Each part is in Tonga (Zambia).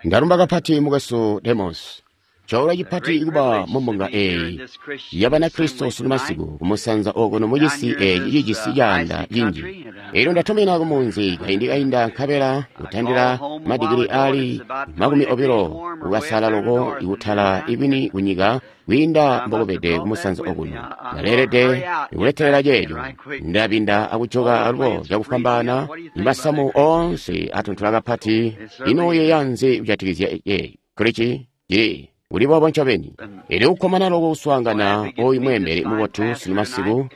Ndalumba kapati mukwesu Demos. Coolwe cipati kuba mumbunga eeyi ya Banakristo sunu masiku kumusanza okuno mucisi eeci cijisi caanda cinji. Elyo ndatumina kumunzi kaindi kainda nkabela kutandila madigili aali 20 kukasala loko ikutala ikwini kunyika kwiinda mbokubede kumusanza okuno. Ndaleelede kuletelela ceeco. Ndabinda akujoka alubo cakufwambaana masamu oonse atontola kapati. Ino uyeeya nzi kujatikizya ceeco? Kulici? Cili kuli boobo ncobeni. Elyo kukkomana loko kuswaangana oyu mweembeli mubotu sunu masiku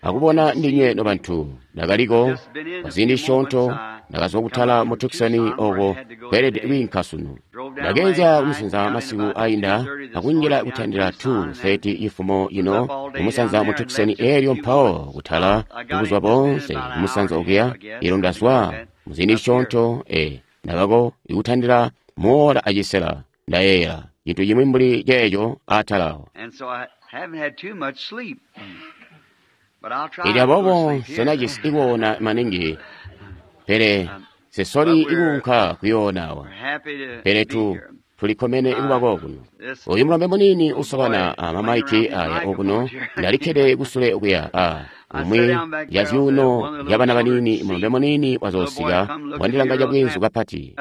akubona ndinywe nobantu. Ndakaliko kwa ziindi zisyoonto, ndakazwa kutala mu Tucson oko kweelede kwiinka sunu. Ndakeenzya kumusanza masiku ainda akunjila kutandila 2:30 cifumo cino kumusanza mu Tucson, elyo mpawo kutala buzuba boonse kumusanza okuya. Elyo ndazwa muziindi zisyoonto, ndakako ikutandila muola acisela, ndayeeyela cintu cimwi mbuli ceeco atala awo. Elyo aboobo nsenajisi ikoona maningi, pele nsesoli ikuunka kuyoona awa. Pele tulikkomene kuba kokuno. Oyu mulombe muniini usobana a mamaiki aya okuno, ndalikkede kusule okuya a umwi ya zyuuno zya bana baniini, mulombe muniini wazoosika wandilanga cabweenzu kapati.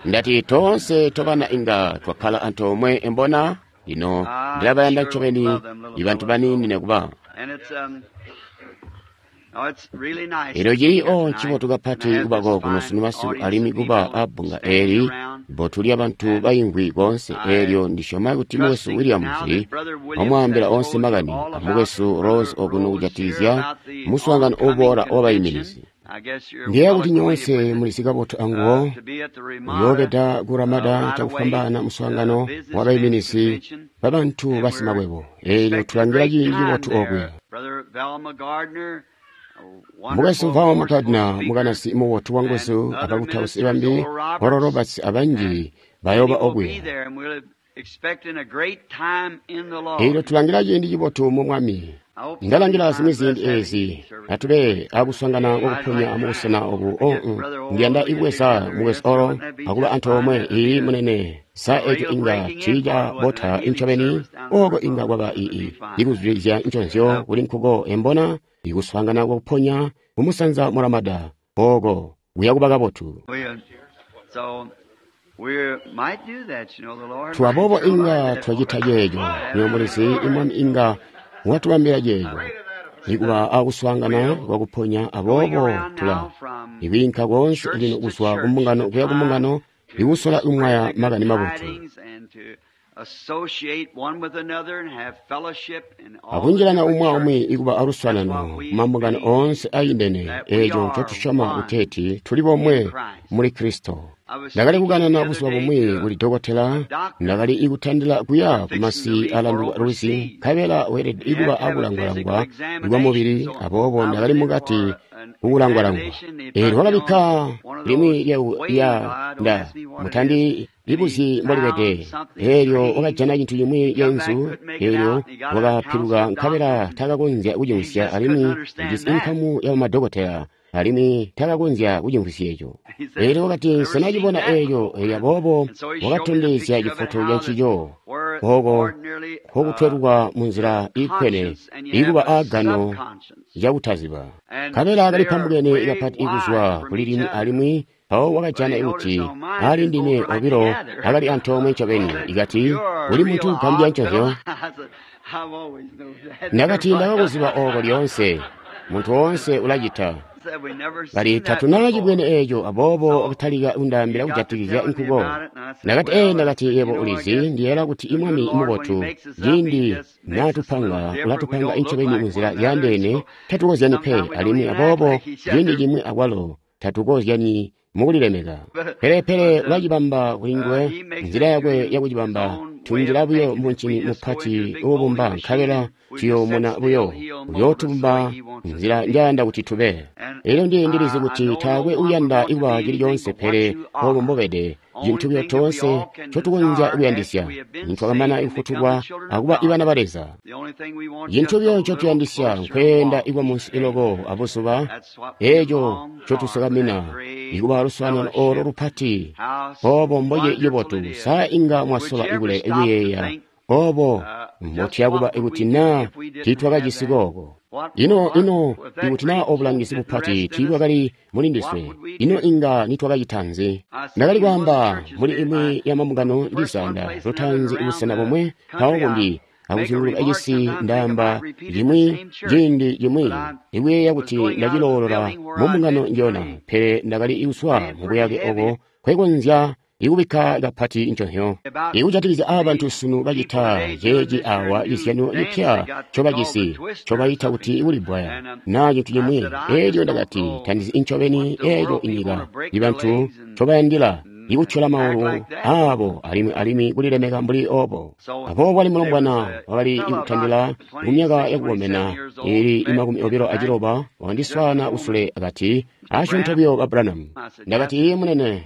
Ndati toonse tobana inga twakkala antoomwe embona? Lino ndilabayanda ncobeni ibantu baniini nekuba. Elyo cili o ncibotu kapati kuba kokuno sunu masiku alimwi kuba a bbunga eeli bbotu lya bantu baimvwi koonse. Eelyo ndisyoma kuti mukwesu Williams wamwaambila oonse makani a mukwesu Rose okuno kujatikizya muswaangano uboola wabaiminizi. Ndiyeeya kuti nyoonse mulizi kabotu anguwo. Uyoobeda ku Ramada cakufwambaana muswaangano wabaiminizi babantu basimakwebo. Eelyo tulangila ciindi cibotu okuya. Mukwesu Val Gardner, mukanasi mubotu wanguzu, abakutausi bambi, Oral Roberts abanji bayooba okuya. Eelyo tulangila ciindi cibotu mu Mwami. Ndalangila zimwi ziindi eezi atube akuswaangana kwakuponya mubusena obu. Ndiyanda kubweza mukwesu Oral akuba antoomwe. Iiyi, munene. Sa eco inga tiica bota ncobeni? Oko inga kwaba ikuzwidilizya nconzyo kuli nkuko embona, ikuswaangana kwakuponya kumusanza mu Ramada oko kuya kuba kabotu. Twaboobo inga twacita ceeco. Nywebo mulizi, Mwami inga watubambila ceeco, ikuba akuswaangana kwakuponya. Aboobo tula ikwiinka koonse lino kuzwa kumbungano kuya kumbungano, ikusola kumwaya makani mabotu akunjilana umwi aumwi ikuba aluswaanano kumambungano oonse aindene. Eeco ncotusyoma kuteeti tuli bomwe muli Kristo. Ndakali kukanana buzuba bumwi kuli dokotela. Ndakali ikutandila kuya kumasi alanduka lwizi, nkabela weelede ikuba akulangwalangwa kwamubili. Aboobo ndakali mukati kukulangwalangwa. Eelyo wakabikka limwi lya nda mutandi libuzyi mbolibede. Eelyo wakajana cintu cimwi ceenzu. Eelyo wakapiluka nkabela takakonzya kucimvwisya, alimwi ujisi inkamu ya bamadokotela, alimwi takakonzya kucimvwisya eco. Eelyo wakati, Nsena cibona eeco. Elyo aboobo wakatondezya cifoto ca ncico, oko nkokutweluka munzila iikkwene, ikuba aagano cakutaziba. Nkabela kali pambukene kapati kuzwa kuli limwi alimwi, mpawo wakajana kuti aali ndime obilo akali antoomwe ncobeni. Ikati, Uli muntu ugambya nconzyo. Ndakati, Ndakakuziba ooko lyoonse. Muntu woonse ulacita. Kali tatuna cibwene eeco, aboobo wakatalika kundaambila kujatikizya nkuko. Ndakati, Ee, ndakati, yebo ulizi, ndiyeeyela kuti Mwami mubotu. Ciindi natupanga, ulatupanga ncobeni munzila zyaandeene, tatukozyani pe, alimwi aboobo ciindi cimwi akwalo tatukozyanyi mukulilemeka. Pele ulacibamba kuli nguwe, nzila yakwe yakucibamba. Tunjila buyo muncini mupati uubumba, nkabela tuyoomuna buyo. Uyootubumba nzila njayanda kuti tube. Elyo ndi ndilizi kuti taakwe uyanda ikuba cili coonse pele obo mbobede. Cintu buyo toonse ncotukonzya kuyandisya, nitwakamana kufutulwa akuba ibana ba Leza. Cintu buyo ncotuyandisya nkweenda ikuba munsi iloko abuzuba, eeco ncotusukamina, ikuba luswaanano olo lupati. Obo mboci cibotu, sa inga mwasola kuyeeya obo mbotuyakuba ikuti naa tiitwakajisi kooko. Ino ino ikuti naa obulangizi bupati tiibwakali muli ndiswe, ino inga nitwakacita nzi? Ndakali kwaamba muli imwi ya mambungano ndizanda lutaanzi busena bomwe mpawo bumbi akuzunguluka cisi ndaamba cimwi ciindi cimwi ikuyeeya kuti ndaciloolola mumbungano njona, pele ndakali kuswa mubuyake oko kwekonzya ikubikka kapati nconzyo. Ikujatikizya aabantu sunu bacita ceeci awa cizyano cipya ncobajisi ncobayita kuti kulibwaya naa cintu cimwi. Elyo ndakati tandizi ncobeni eeco inyika ibantu ncobayandila ikutyola maulu aabo alimwi alimwi kulilemeka mbuli obo. Aboobo wali mulombwana wakali ikutandila kumyaka yakukomena ili 29 wakandiswaana kusule akati asyoonto buyo ba Branham. Ndakati iye munene.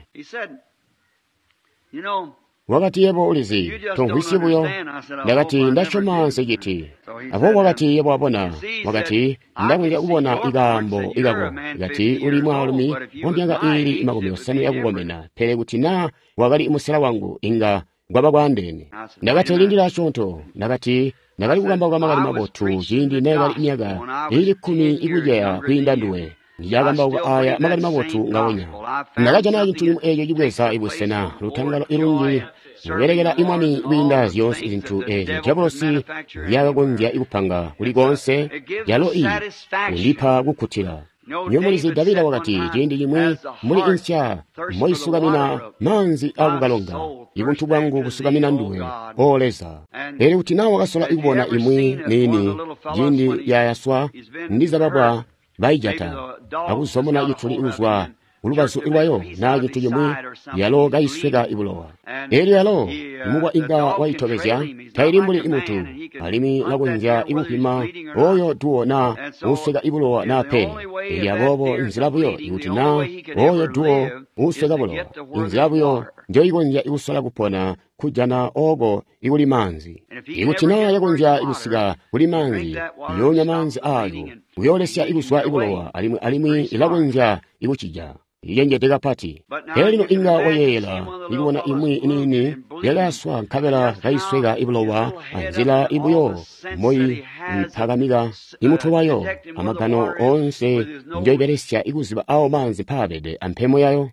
Wakati yebo ulizi, tomvwisyi buyo. Ndakati ndasyoma nseciti. Aboobo wakati yebo wabona. Wakati ndakonzya kubona ikaambo ikako. Kati uli mwaalumi wa myaka iili 50 yakukomena, pele kuti naa wakali musela wangu inga kwaba kwaandeene. Ndakati lindila asyoonto. Ndakati ndakali kukambauka makani mabotu ciindi neekali myaka iili 10 ikuceya kwiinda nduwe. Ndilyakambauka aya makani mabotu ngawonya. Ndakajana cintu cimwi eeco cibweza ibusena lutangalo ilungi mubelekela imwami kwiinda zyoonse zintu eezyo diabolosi nzyakakonzya kupanga kuli koonse, yalo iyi kundipa kukkutila. Nywebo mulizi Davida wakati ciindi cimwi muli insya moisukamina maanzi akukalonga, ibuntu bwangu busukamina nduwe, O Leza. Pele kuti naa wakasola ikubona imwi niini ciindi yayaswa ndizababwa baijata akuzomona cituli kuzwa kulubazu lwayo naa cintu cimwi, yalo kaisweka ibulowa. Elyo yalo imubwa inga waitobezya, taili mbuli imuntu, alimwi lakonzya ikupima oyo duwo naa uusweka ibulowa naa pe. Elyo aboobo nzila buyo ikuti naa oyo duwo uusweka bulowa, inzila buyo njoikonzya ikusola kupona kujana oko ikuli maanzi. Ikuti naa yakonzya ikusika kuli maanzi, iyoonya maanzi aayo kuyoolesya ikuzwa ibulowa alimwi alimwi ilakonzya ikucija. Icenjede kapati. Pele lino inga wayeeyela ikubona imwi iniini yakaswa nkabela kaisweka ibulowa anzila ibuyo moyimpakamika imutwe wayo amagano oonse njoibelesya ikuziba awo maanzi mpaabede ampemo yayo.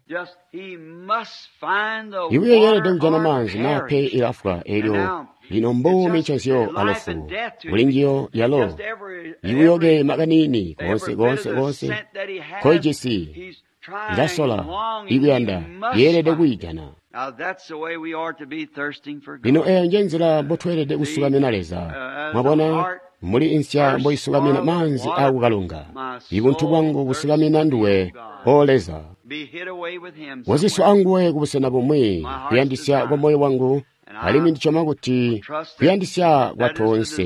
Ibuyo yeelede kujana maanzi naa pe ilafwa. Elyo lino mbuumi nconzyo alufu kuli njiyo yalo ibuyoke makanini koonse koonse koonse koijisi ilasola ikuyanda yeelede kwiijana. Lino eyo nje nzila mbotweelede kusukamina Leza. Mwabona, muli insya mboisukamina maanzi akukalonga, ibuntu bwangu busukamina nduwe, O Leza. Waziswa anguwe kubusena bumwi, kuyandisya kwa moyo wangu, alimwi ndisyoma kuti kuyandisya kwa toonse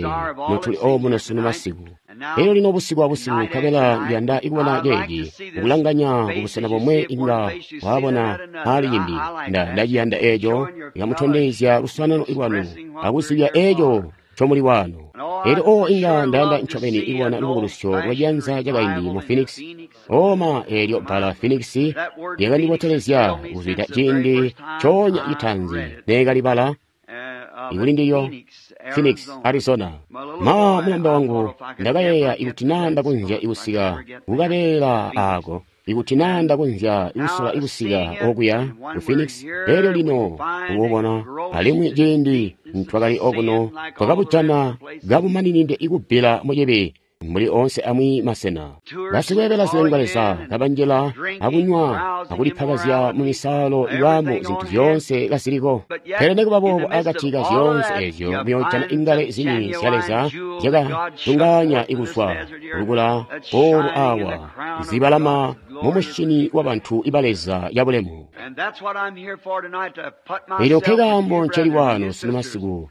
notuli omuno sunu masiku. Elyo lino busiku abusiku nkabela ndiyanda ikubona ceeci, kukulanganya kubusena bomwe inga wabona aali cimbi. Ndaciyanda eeco, ikamutondezya luswaanano lwanu akuzibya eeco ncomuli wano. Elyo o inga ndayanda ncobeni ikubona lubukulusyo lwa ciyanza cakaindi mu Phoenix. Oma eelyo bbala Phoenix lyakandibotelezya kuzwida ciindi coonya citaanzi neekalibala ikuli ndiyo Phoenix, Arizona. Ma mulombe wangu ndakayeeya ikuti naa ndakonzya ikusika kukabeela aako, ikuti naa ndakonzya ikusola ikusika okuya ku Phoenix. Elyo lino kububona alimwi ciindi twakali okuno twakabujana kabumaninide ikubbila mucibi mbuli oonse amwi masena. Basikweebela zilengwa Leza kabanjila akunywa akulipakazya mu misaalo iwamo zintu zyoonse kaziliko. Pele nikuba boobo akati ka zyoonse eezyo muyoojana ingale zini zya Leza zyakatunganya ikuzwa lukula olu awa zibalama mumushini wa bantu iba Leza yabulemu. Elyo nkekaambo nceli wano sunu masiku,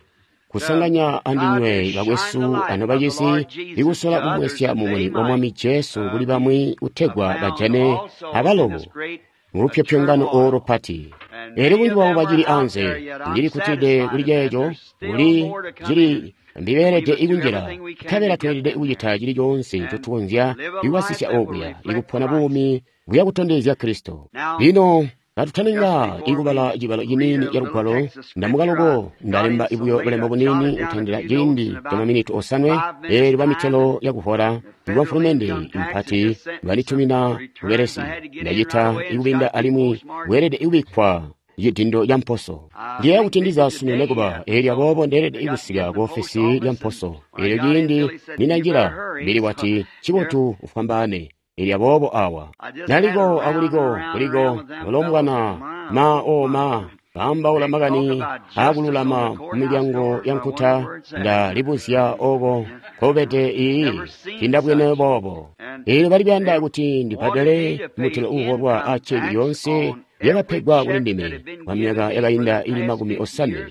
kusanganya andinywe bakwesu anobacisi ikusola kumwesya mumuni wa Mwami Jesu kuli bamwi kutegwa bajane abalobo mulupyopyongano olo pati. Elyo bunji bwabo bacili anze, ndili kutide kuli ceeco, kuli cili mbibeelede ikunjila, nkabela tweelede kucita cili coonse ncotukonzya ikubasisya okuya, ikupona buumi buya kutondezya Kristo. Lino katutaninga ikubala cibalo ciniini ca Lugwalo, ndamukaloko ndalemba buyo bulembo buniini kutandila ciindi ca maminiti 7, eelyo bamitelo yakuhola lwa mfulumende mpati banditumina bubelesi. Ndacita ikubinda alimwi bweelede kubikkwa cidindo ca mposo. Ndiyeeya kuti ndizasumine nekuba, eelyo aboobo ndeelede kusika ku ofesi lya mposo. Eelyo ciindi ninanjila, Billy wati, "Ncibotu ufwambaane." Eelyo aboobo awa naliko akuliko kuliko mulombwana ma o ma baambaula makani aakululama mumilyango ya nkuta. Ndalibuzya oko nkobede iyi tindabwene boobo. Eelyo bali kuyanda kuti ndibbadele mutelo uuholwa a ceki yoonse yakapegwa kuli ndime kwa myaka yakainda ili 50,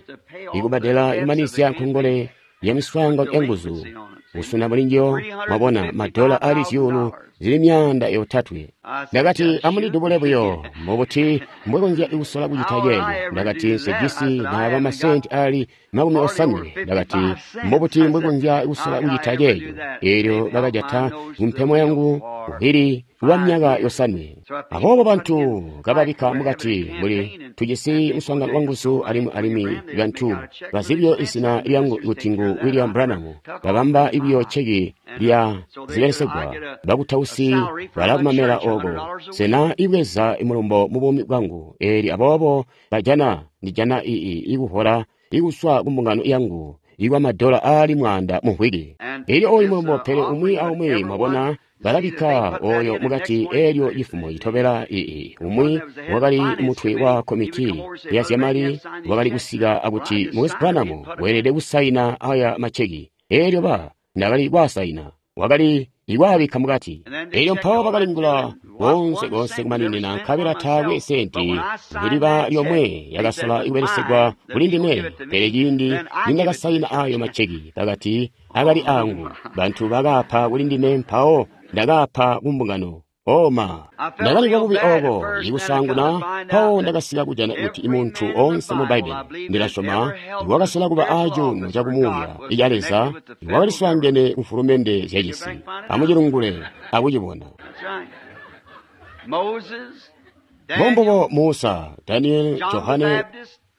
ikubbadela ikumanizya nkongole ya miswaangano ya nguzu kusuna mulinjiyo, mwabona, madola ali 300,000. Ndakati, amundidubule buyo, mubuti mbwekonzya kusola kucita ceeco? Ndakati, nsejisi naaba masenti ali 50. Ndakati, mbubuti mbwekonzya kusola kucita ceeco? Eelyo bakajata kumpemo yangu kuhili lwa myaka 5. Aboobo bantu kababikka mukati mbuli tujisi muswaangano wa nguzu alimwi bantu bazibyo izina lyangu kuti ngu William Branham, babamba ibiyo ceki lya zibelesegwa bakutausi balakumamela oko. Sena ibweza imulumbo mu buumi bwangu. Eelyo aboobo bajana ndijana ikuhola ikuswa kumbungano yangu ikwa madola aali 100 mu mvwiki. Eelyo oyu mulumbo pele umwi aumwi mwabona balabikka oyo mukati. Eelyo cifumo citobela umwi wakali mutwe wa komiti ya zyamali wakali kusika akuti Moses Branham weelede kusaina aya macheki. Eelyo ndakali kwasaina, wakali ikwaabikka mukati. Eelyo mpawo bakalingula konse konse kumaninina, nkabela taakwe senti niliba lyomwe yakasola ikubelesegwa kuli ndime. Pele ciindi nindakasaina ayo macheki, bakati akali angu. Bantu bakaapa kuli ndime, mpawo ndakaapa kumbungano. Oma, ndakali bubi oko ikusaanguna, mpawo ndakasika kujana kuti muntu onse mu Bbaibbele, ndilasyoma, iwakasola kuba aacuuno cakumuuya ica Leza, iwakaliswaangene kumfulumende zyacisi. Amucilungule akucibona. Mbombubo Musa, Daniel, Johane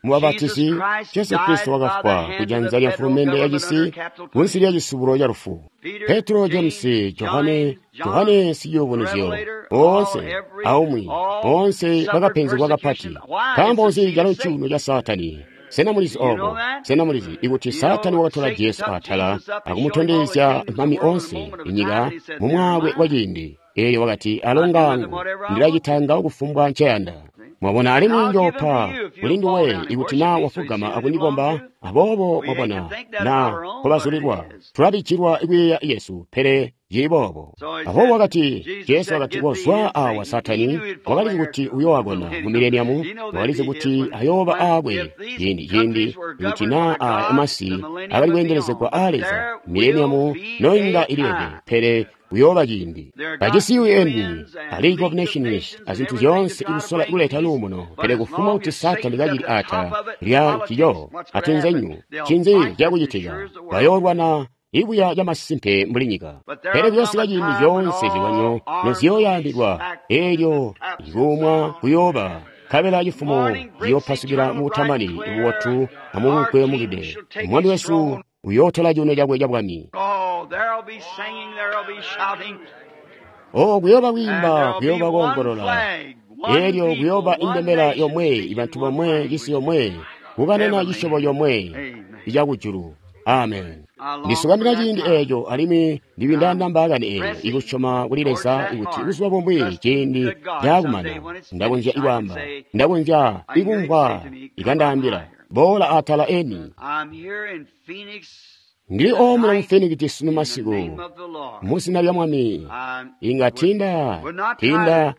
Mubabatisi, Jesu Kristo wakafwa kujanza lya mfulumende yacisi kunsi lya cisubulo ca lufu. Petro, James, Johane, Johane siyubunuzyo, boonse aumwi, boonse bakapenzegwa kapati. Nkaambo nzi calo cuuno ca Saatani? Sena mulizi obo? Sena mulizi ikuti Saatani wakatola Jesu atala akumutondezya mami onse inyika mu mwaakwe wa ciindi? Eelyo wakati, alonga angu, ndilacita ngawo kufumbwa nceyanda. Mwabona, alimwi njoopa kuli nduwe ikuti na wafugama akundikomba. Aboobo mwabona na nkobazulilwa, tulabijilwa ikuyeeya Yesu, pele cili boobo. Aboobo wakati, Jesu wakati, kozwa awa Saatani. Wakalizi kuti uyoowakona mu mileniamu, wakalizi kuti ayooba aakwe ciindi ikuti na aya masi akali kweendelezegwa aa Leza, mileniamu noinga ilileke, pele uyooba ciindi. Bajisi UN, a League of Nations, azintu zyoonse ikusola kuleta luumuno, pele kufumbwa kuti Saatani kacili atala lya ncico atunzenyu, ncinzi cakucitika? Bayoolwana ibuya camasimpe mbuli nyika. Pele kuyosika ciindi zyoonse zilwanyo noziyooyambidwa, eelyo ikuumwa kuyooba, nkabela cifumo ciyoopasukila mubutamani bubotu amubukwe mukide. Mwami wesu uyootola cuuno cakwe cabwami. Oh, kuyooba kwiimba, kuyooba koongolola. Eelyo kuyooba indembela yomwe, ibantu bomwe, cisi yomwe, kukanana cisyobo yomwe icakujulu. Amen. Ndisukamina ciindi eeco, alimwi ndibindaana mbaakani eeyo ikusyoma kuli Leza ikuti buzuba bumwi ciindi caakumana, ndakonzya ikwaamba, ndakonzya ikumvwa ikandaambila, boola atala eni. Ndili omuno mu Phoenix sunu masiku, mu zina lya Mwami. Inga tinda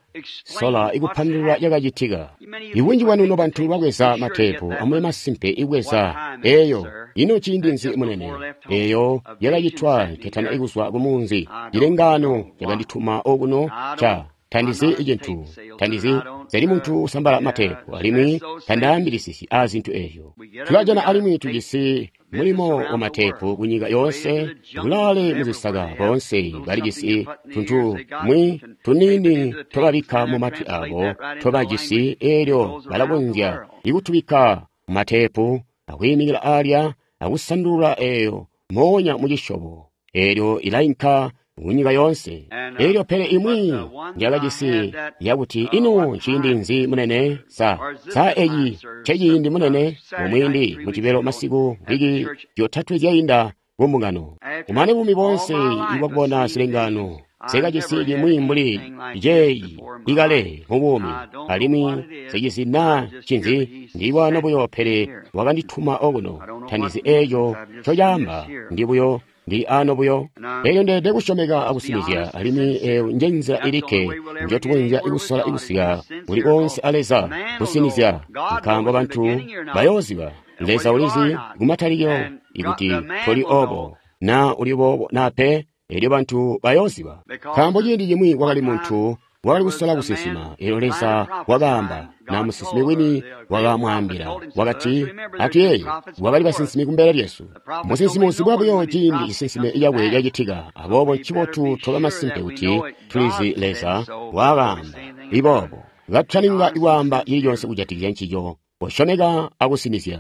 sola ikupandulula cakacitika. Ibunji bwanu nobantu babweza mateepu, amube masimpe ibweza eyo. Ino ciindi nzi munene? Eyo yakacitwa nketana ikuzwa ku munzi. Cilengaano cakandituma okuno ca tandizi icintu, tandizi zali muntu usambala mateepu, alimwi tandaambilisisi a zintu ezyo. Tulajana alimwi tujisi mulimo wa mateepu kunyika yoonse, kulaale muzisaka boonse balijisi tuntu mwi tuniini tobabikka mu matwi abo tobajisi, eelyo balakonzya ikutubikka mu mateepu akwiimikila alya akusandulula eyo moonya mu cisyobo, eelyo ilainka kunyika yoonse. Eelyo pele imwi njakajisi yakuti ino nciindi nzi munene? Sa eci nceciindi munene? Mumwindi mucibelo masiku mviki zyotatwe zyainda kumbungano. Kumane buumi boonse ibwakubona zilengaano, nsekajisi limwi mbuli ceeyi ikale mubuumi, alimwi nsekezi naa ncinzi, ndi wano buyo pele wakandituma okuno. Tandizi eeco ncocaamba, ndi buyo ndi ano buyo. Elyo ndeelede kusyomeka akusinizya, alimwi eyo nje nzila ilikke njotukonzya kusola kusika kuli koonse a Leza, kusinizya, nkaambo bantu bayooziba. Leza ulizi kumatalikilo ikuti toli obo, naa uli boobo naa pe, elyo bantu bayooziba. Nkaambo ciindi cimwi kwakali muntu wakali kusola kusinsima, elyo Leza wakaamba, na musinsimi wini wakamwaambila, wakati, atuyeeye, kwakali basinsimi kumbele lyesu. Musinsimi uzibwa buyo ciindi cisinsime cakwe cacitika, aboobo ncibotu toba masimpe kuti tulizi Leza wakaamba iboobo. Katutaninga ikwaamba cili conse kujatikizya ncico, kosyomeka akusinizya.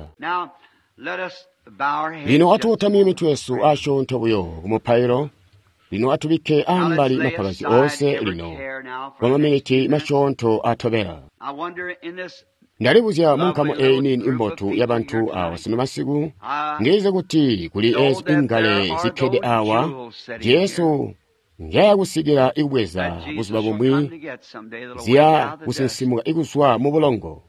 Lino atukotamye mitwe yesu asyoonto buyo kumupailo. Lino atubikke ambali mapakasyo oonse lino kwa maminiti masyoonto atobela. Ndalibuzya mu nkamu eyi niini imbotu yabantu awa sunu masiku, ndilizi kuti kuli ezi ingale zikkede awa, Jesu njayakusikila ikubweza buzuba bumwi ziya kusinsimuka ikuzwa mu bulongo.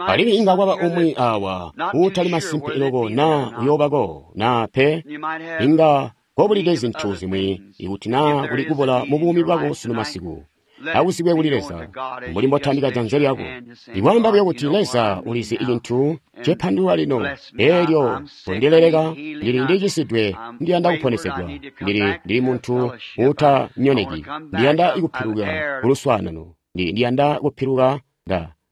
Alimwi inga kwaba umwi awa uutali masimpe loko naa uyoobako naa pe, inga kobulide zintu zimwi ikuti naa kuli kubola mu buumi bwako sunu masiku. Akuzibwe kuli Leza, mbuli mbotambika janza lyako. Ikwaamba buyo kuti Leza ulizi icintu cepandulula lino, eelyo kondileleka, ndili ndicisidwe, ndiyanda kuponesegwa, ndili muntu uutanyoneki, ndiyanda kupiluka kuluswaanano, ndiyanda kupiluka,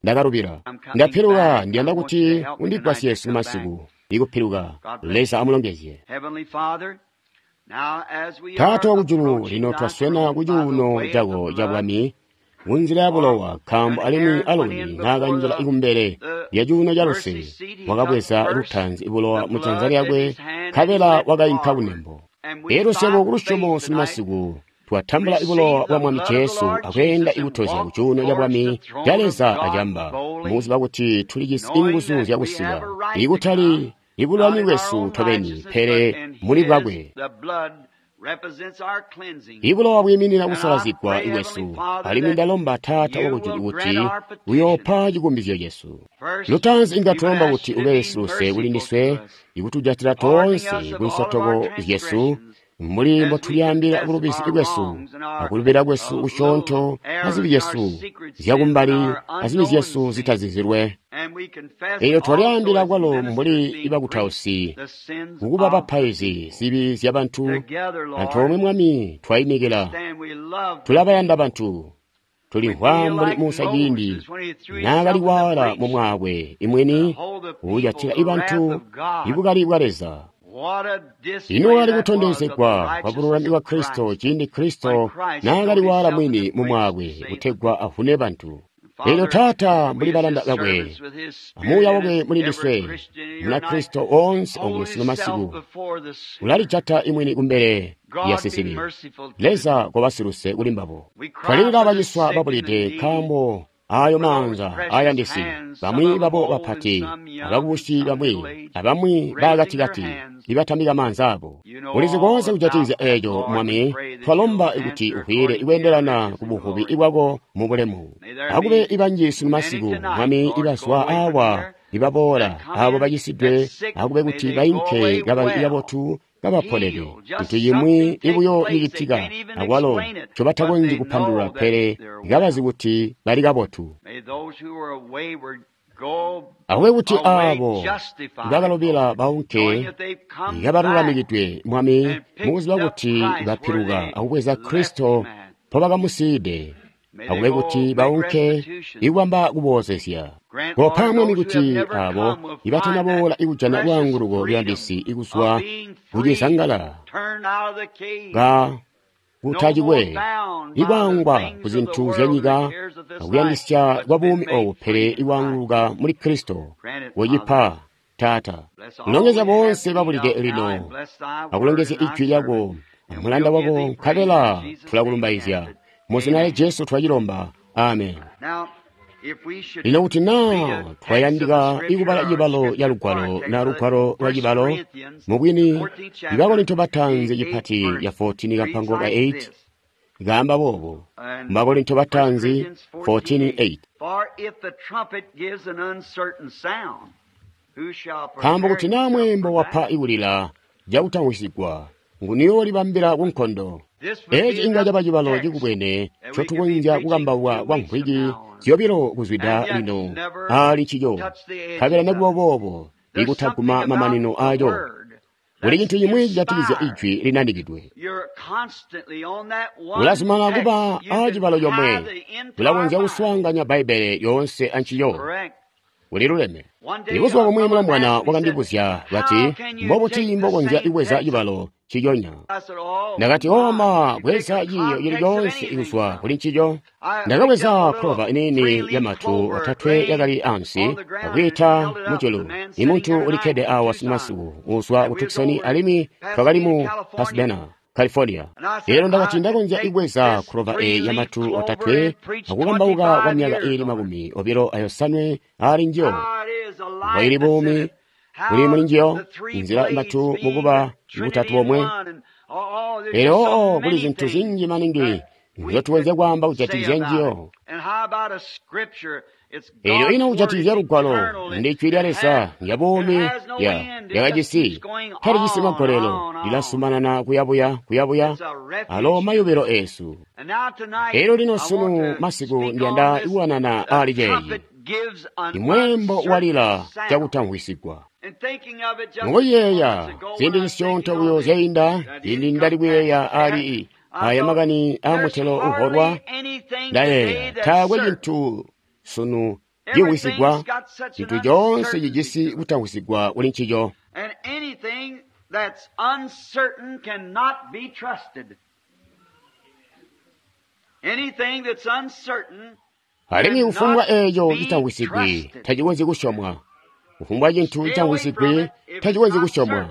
ndakalubila, ndapiluka, ndiyanda kuti undigwasye sunu masiku, ikupiluka. Leza amulongezye. Taata wakujulu, lino twaswena kucuuno cako cabwami kunzila ya bulowa, nkaambo alimwi Aloni naakanjila kumbele lya cuuno ca luse, wakabweza lutaanzi bulowa mu janza lyakwe, nkabela wakainka kunembo. Elyo swebo kulusyomo sunu masiku twatambula bulowa bwa Mwami Jesu akweenda ikutozya kucuuno cabwami ca Leza acamba, mukuziba kuti tulijisi inguzu zyakusika, ikutali ibulwani bwesu tobeni, pele muli bwakwe. Ibulowa bwiiminina kusalazigwa kwesu, alimwi ndalomba Taata wakujulu kuti uyoopa cikumbizyo cesu. Lutaanzi inga twalomba kuti ube siluse kuli ndiswe, ikutujatila toonse kunsotoko zyesu, mbuli mbotulyaambila bulubizi bwesu akulubila kwesu kusyoonto azibi zyesu zyakumbali azibi zyesu zitazizilwe. Elyo twalyaambila kwalo mbuli ibakutausi kukuba bapaizi zibi zyabantu. Antoomwe Mwami twaimikila, tulabayanda bantu, tulimvwa mbuli Musa ciindi naakali waala mu mwaakwe imwini uujatila ibantu ibukali bwa Leza. Ino wakali kutondezegwa kwa bululami bwa Kristo ciindi Kristo naakali waala mwini mu mwaakwe kutegwa avune bantu. Elyo Taata, mbuli balanda bakwe amuuya wakwe muli ndiswe, Munakristo oonse okuno sunu masiku ulalijata imwini kumbele lya sizibi. Leza koba siluse kuli mbabo. Twalilila baciswa babulide, nkaambo ayo maanza ayandisi, bamwi babo bapati, abakubusi bamwi, abamwi baakatikati, ibatambika maanza abo. Ulizi koonse kujatikizya eeco, Mwami. Twalomba kuti uvwiile ikweendelana ku buvubi bwako mu bulemu. Akube ibanji sunu masiku, Mwami, ibazwa awa, ibaboola, abo bacisidwe, akube kuti bainke kabali kabotu, kabaponede. Cintu cimwi ibuyo cicitika akwalo ncobatakonzyi kupandulula, pele kabazi kuti bali kabotu. Akube kuti aabo bakalobela baunke kabalulamikidwe, Mwami, mukuziba kuti bapiluka akubweza Kristo mpobakamusiide. Akube kuti baunke ikubamba kuboozezya. Kopa, Mwami, kuti aabo ibatanaboola ikujana lwaanguluko luyandisi ikuzwa kucizangala ka kutacikwe ikwaangwa ku zintu zyanyika akuyandisya kwa buumi obu, pele ikwaanguluka muli Kristo. Wecipa, Taata. Kulongezya boonse babulide lino, akulongezya ijwi lyako amulanda wako, nkabela tulakulumbaizya. Mu zina lya Jesu twacilomba. Amen. Lino kuti naa twayandika ikubala cibalo ca lugwalo na lugwalo lwa cibalo, mubwini Bakorinto bataanzi cipati ya 14 kampango ka 8 kaamba boobo. Bakorinto bataanzi 14:8. Nkaambo kuti naa mweembo wapa ikulila cakutamwisigwa, nguniyoolibambila ku nkondo? Eeci inga caba cibalo cikubwene ncotukonzya kukambauka kwa mvwiki zyobilo kuzwida lino aali ncico, nkabela nekuba boobo ikutaguma mamanino aaco. Kuli cintu cimwi cijatikizya ijwi linanikidwe. Ulazumanana kuba aacibalo comwe, ulakonzya kuswaanganya Bbaibbele yoonse ancico. Uliluleme. Ibuzuba bumwi mulombwana wakandibuzya kati, mbobuti mbokonzya kubweza cibalo nciconya? Ndakati, oma, bweza ciiyo cili coonse kuzwa kuli ncico. Ndakabweza clover iniini yamatu otatwe yakali ansi akwiita mujulu. Imuntu ulikkede awa masiku uzwa ku Tucson, alimwi twakali mu Pasadena, California. Lero ndakati ndakonzya ibweza clover eyi yamatu otatwe akukambauka kwa myaka iili 25 aali njiyo. Mboili buumi buli muli njiyo, inzila matu mukuba butatu bomwe. Lero oo kuli zintu zinji maningi nzyotukonzya kwaamba kujatikizya njiyo. Elyo ino kujatikizya lugwalo, ndi jwi lya Leza lya buumi lyakajisi talijisi magolelo, lilasumanana kuyabuya kuyabuya alo mayubilo eesu. Elyo lino sunu masiku ndiyanda kuwanana aali ceeci, imweembo walila cakutamvwisigwa. Mukuyeeya ziindi zisyoonto buyo zyainda, ciindi ndali kuyeeya aali aya makani aamutelo uholwa, ndayeeya taakwe cintu sunu cimwisigwa, cintu coonse cijisi kutamwisigwa kuli ncico. Alimwi kufumbwa eeco citamwisigwi tacikonzyi kusyomwa. Kufumbwa cintu citamwisigwi tacikonzyi kusyomwa.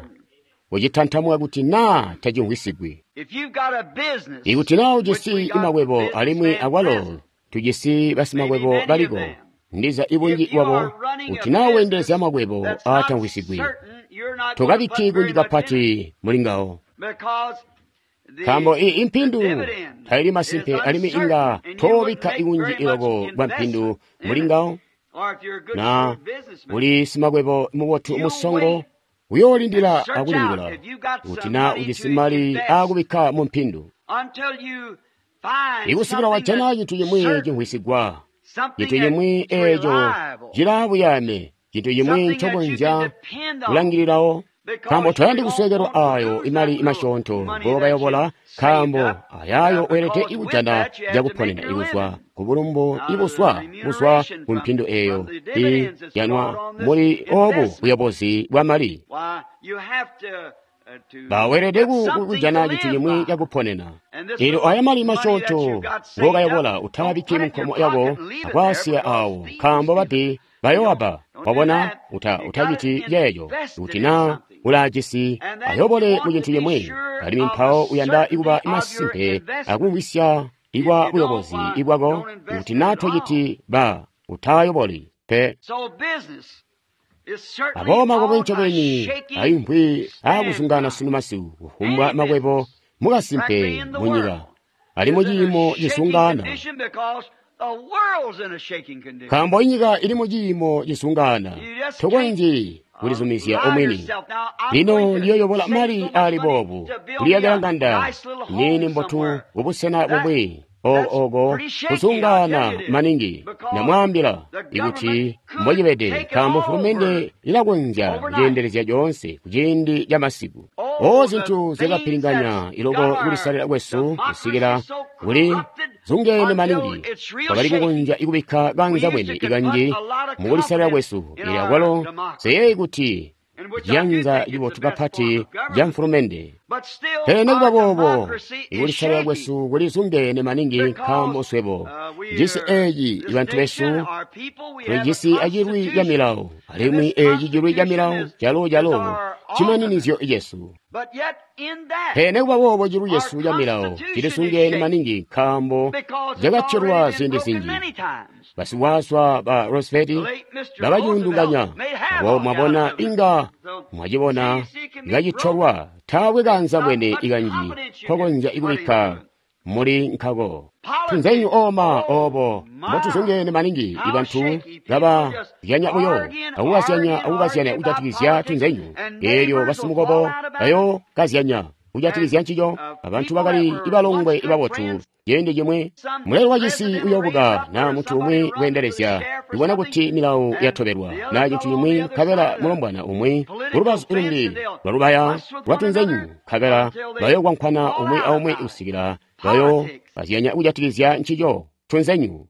Ucitantamuka kuti naa tacimwisigwi. Ikuti naa ujisi makwebo alimwi akwalo tujisi basimakwebo baliko, ndiza ibunji bwabo, kuti naa weendelezya makwebo aatamwisigwi, tokabikki kunji kapati muli ngawo. Nkaambo impindu taili masimpe alimwi inga toobikka ikunji iloko bwa mpindu muli ngawo. Na uli simakwebo mubotu musongo, uyoolindila akulingula kuti naa ujisi mali aakubikka mu mpindu. Ikusikila wajana cintu cimwi cimvwisigwa, cintu cimwi eeco cilaabuyaame, cintu cimwi ncokonzya kulangilirawo. Nkaambo toyandi kusweekelwa aayo imali masyoonto ngookayobola, nkaambo ayaayo weelede kujana cakuponena ikuzwa kubulumbu ibuzwa kuzwa ku mpindu eeyo ijanwa muli oobu buyobozi bwa mali. Baweelede kujana cintu cimwi cakuponena. Eelyo aya mali masyoonto ngookayobola utaabikki munkomo yako akwaasiya aawo, nkaambo babbi bayowabba. Wabona, utaciti ceeco. Kuti naa ulaajisi ayobole mu cintu cimwi, alimwi mpawo uyanda kuba masimpe akumvwisya ikwa buyobozi ibwako. Kuti naa tociti ba utaayoboli pe. Aboobo makwebo ncobeni aimvwi aakuzungaana sunu masiku, kufumbwa makwebo mukasimpe munyika ali muciimo cizungaana. Nkaambo inyika ili muciimo cizungaana, tokonzyi kulizumizya omwini. Lino ndiyoyobola mali ali boobu kuliyakila nganda niini mbotu kubusena bumwi oko kuzungaana maningi. Ndamwaambila ikuti mbocibede, nkaambo fulumende ilakonzya kuceendelezya coonse kuciindi ca masiku. O zintu zyakapilinganya iloko kulisalila kwesu kusikila kuli zungene maningi, twakali kukonzya kubikka kanza bwene ikanji mukulisalila kwesu. Ili akwalo nseyeeyi kuti ciyanza cibotu kapati ca mfulumende. Pele nikuba boobo, ikulisalila kwesu kuli zungene maningi, nkaambo swebo cisi eeci bantu besu tulijisi acilwi ca milawo, alimwi eeci cilwi ca milawo calo cimaninizyo cesu. Pele nikuba boobo, cilwi cesu ca milawo cilisungene maningi, nkaambo cakatyola ziindi zinji. Basikwaswa ba Roosevelt bakaciyundunganya. Abo mwabona inga mwacibona kacitolwa, taakwe kanza bwene ikanji kokonzya kubikka muli nkako. Tunzenyu oma obo mbotuzungene maningi, ibantu kabazyanya buyo akukazyanya kujatikizya tunzenyu. Eelyo basimukobo bayokazyanya kujatikizya ncico. Abantu bakali ibalongwe ibabotu ciindi cimwi. Muleli wacisi uyobuka naa muntu umwi kweendelezya ibona kuti milawo yatobelwa naa cintu cimwi, nkabela mulombwana umwi kulubazu lumbi lwalubaya lwatunzenyu, nkabela bayokwankwana umwi aumwi kusikila bayokazyanya kujatikizya ncico tunzenyu.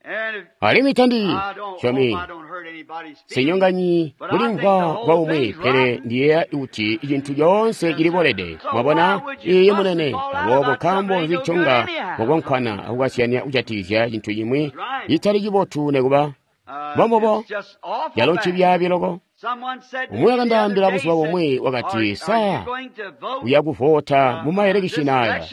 Alimwi tandi syomi sinyonganyi kulimvwa kwa umwi, pele ndiyeeya kuti cintu coonse cilibolede. Mwabona? Iye munene. Aboobo nkaambo nzi nconga mukwankwana akukazyanya kujatikizya cintu cimwi citali cibotu nekuba? Mbombubo, calo ncibyaabi loko. Umwi wakandaambila buzuba bumwi wakati, sa uya kuvota mu maelekishini aya?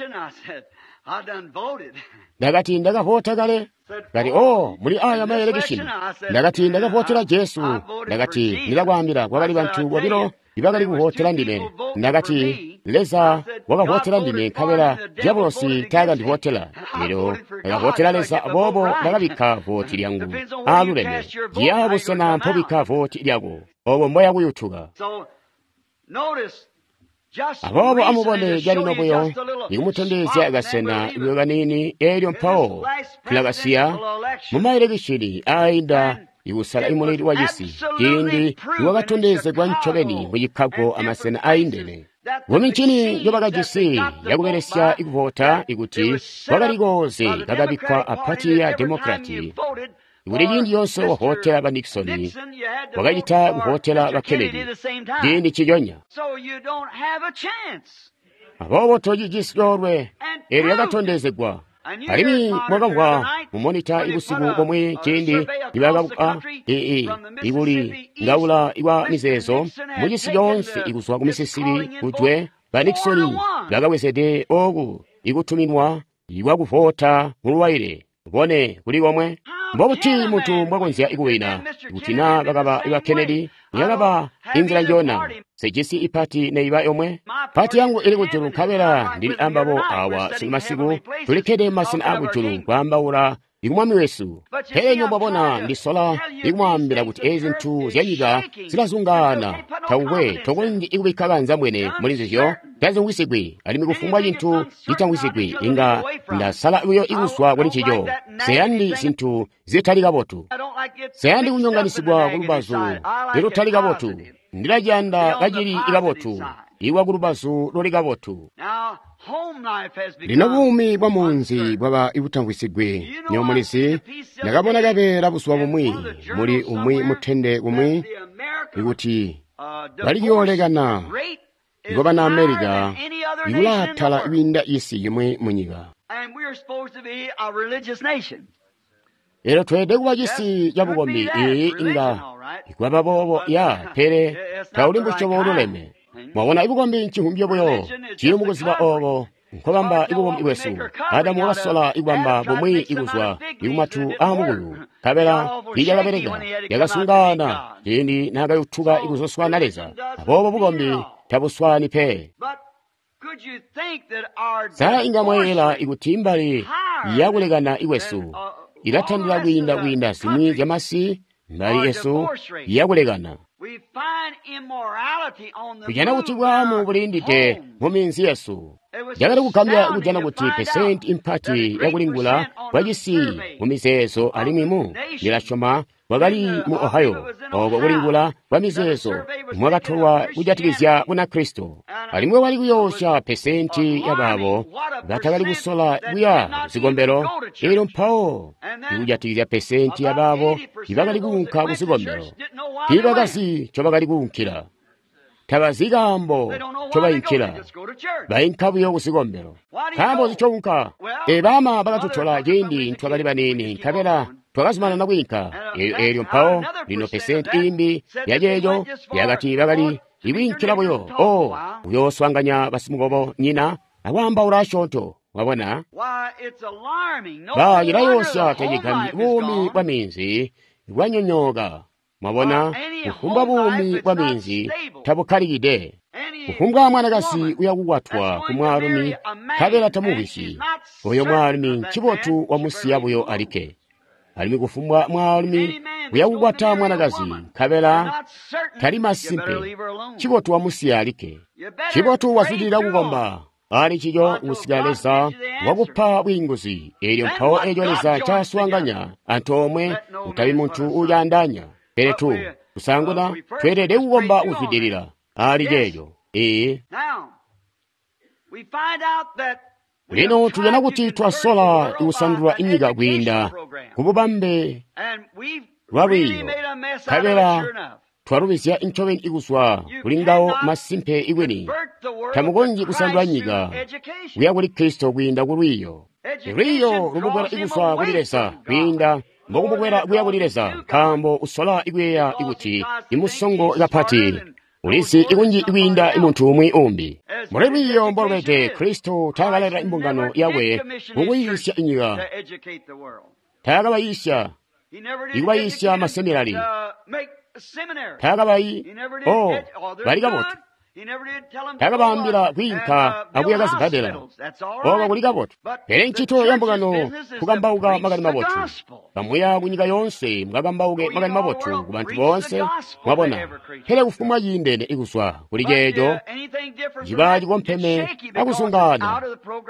Ndakati, ndakavota kale. Kati, oh, muli aya maelekishini. Ndakati, ndakavotera Jesu. Ndakati, ndilakwaambila, kwakali bantu bobilo ibakali kuvotera ndime. Ndakati, Leza wakavotera ndime, nkabela diabolosi taakandivotera. Lino ndakavotera Leza, aboobo ndakabikka voti lyangu aaluleme. Ciya busena mpobikka voti lyako, obo mboya kuyutuka. Aboobo amubone calino buyo ikumutondezya kasena buyo kaniini, eelyo mpawo tulakasiya mumaelekishini aainda ikusala imuleli wacisi, ciindi iwakatondezegwa ncobeni mu Chicago amasena aindene. Kumincini njobakajisi yakubelesya ikuvota, ikuti kwakali kooze kakabikkwa a pati ya Demokrati, ikuti ciindi yonse wavotera ba Nixon, wakacita kuvotera ba Kennedy ciindi ciconya. Aboobo tocijisi coolwe, eelyo yakatondezegwa. Alimwi mwakamvwa mumonita ibusiku bomwe ciindi nibakabuka ikuli ngaula ikwa mizeezo mucisi coonse ikuzwa ku Mississippi kujwe, ba Nixon bakabwezede oku ikutuminwa ikwakuvota muluwaile bone kuli komwe. Mbobuti muntu mbwakonzya ikuwina kuti naa bakaba iba Kennedy yakaba inzila njona? Sejisi ipati neiba yomwe. Pati yangu ili kujulu, nkabela ndili ambabo awa simasiku, tulikkede masena akujulu kwaambaula ikumwami wesu. Pele nyo mwabona, ndisola ikumwaambila kuti ezi zintu zyanyika zilazungaana, takukwe tokonzyi ikubikka kanza mwene muli nzizyo, tazimwisigwi, alimwi kufumbwa cintu citamwisigwi inga ndasala buyo ikuzwa kuli ncico. Seyandi zintu zitali kabotu, seyandi kunyonganisigwa kulubazu lutali kabotu, ndilaciyanda kacili kabotu ikwa kulubazu luli kabotu. Lino buumi bwa munzi bwaba ibutamvwisigwi. Nyo mulizi, ndakabona kabeela buzuba bumwi muli umwi mutende kumwi ikuti baliyoolekana iko bana Amerika ikulaatala kwiinda isi yimwi munyika. Lero tweelede kuba cisi cabukombi, iyi inga ikwaba boobo ya, pele tauli musyobo ululeme. Mwabona, ibukombi nchihumbyo buyo cili mukuziba obo nkobamba ibukombi bwesu. Adamu wakasola ikubamba bumwi ikuzwa ikumatu aamukulu, nkabela tiilyakabeleka, lyakasungaana ciindi naakayutuka ikuzoswana Leza. Aboobo bukombi tabuswani pe. Sa inga mwayeeyela ikuti imbali yakulekana ikwesu ilatandila kwiinda zimwi zyamasi mbali yesu yakulekana. Tujana kuti bwaamu bulindide mu minzi yesu. Cakali kugambya kujana kuti pesenti impati yakulingula kwacisi mu mizeezo alimwi mu ndilasyoma kwakali mu Ohio, oko kulingula kwa mizeezo mwakatolwa kujatikizya Bunakristo. Alimwi wali kuyoosya pesenti yabaabo batakali kusola kuya kuzikombelo, elyo mpawo ikujatikizya pesenti yabaabo ibakali kuunka kuzikombelo tiibakazi ncobakali kuunkila. Tabazi kaambo ncobayinkila, bayinka buyo kuzikombelo. Nkaambo ncounka? Baama bakatutola ciindi ntwakali baniini, nkabela twakazumanana kwiinka. Eelyo mpawo lino pesenti iimbi yaceeco yakati bakali ikwiinkila buyo o kuyooswaanganya basimukobo nyina akwaambaula asyoonto. Wabona, cilayoosya tacigambyi buumi bwa minzi bwanyonyooka. Mwabona, kufumbwa buumi bwa minzi tabukkalikide. Kufumbwa mwanakazi uyakukwatwa ku mwaalumi nkabela tamubisyi, oyo mwaalumi ncibotu wamusiya buyo alikke. Alimwi kufumbwa mwaalumi uyakukwata mwanakazi nkabela tali masimpe, ncibotu wamusiya alikke. Ncibotu wazwidilila kukomba ali ncico kusika Leza wakupa bwiinguzi. Eelyo mpawo eeco Leza ncaaswaanganya antoomwe, kutabi muntu ucaandaanya. Pele tu kusanguna tweelede kukomba kuzwidilila ali ceeco. Ee, lino tujana kuti twasola kusandula inyika kwiinda kububambe lwa lwiiyo, nkabela twalubizya ncobeni kuzwa kuli ngawo masimpe ikwini. Tamukonzyi kusandula nyika kuya kuli Kristo kwiinda ku lwiiyo. Lwiiyo lumukwela ikuzwa kuli Leza kwiinda mbokumukwela kuya kuli Leza, nkaambo usola ikuyeeya ikuti imusongo kapati ulizi ikunji kwiinda muntu umwi umbi. Muli lwiiyo mbolubede, Kristo taakaleta imbungano yakwe mukuyiisya inyika, taakabayiisya ikubayiisya maseminari, taakabayi o bali kabotu, taakabaambila kwiinka akuyaka zibbadela, oko kuli kabotu. Pele ncito ya mbungano kukambauka makani mabotu. Kamuya kunyika yoonse mukakambauke makani mabotu ku bantu boonse, mwabona. Pele kufumbwa ciindene ikuzwa kuli ceeco ciba cikompeme akuzungaana,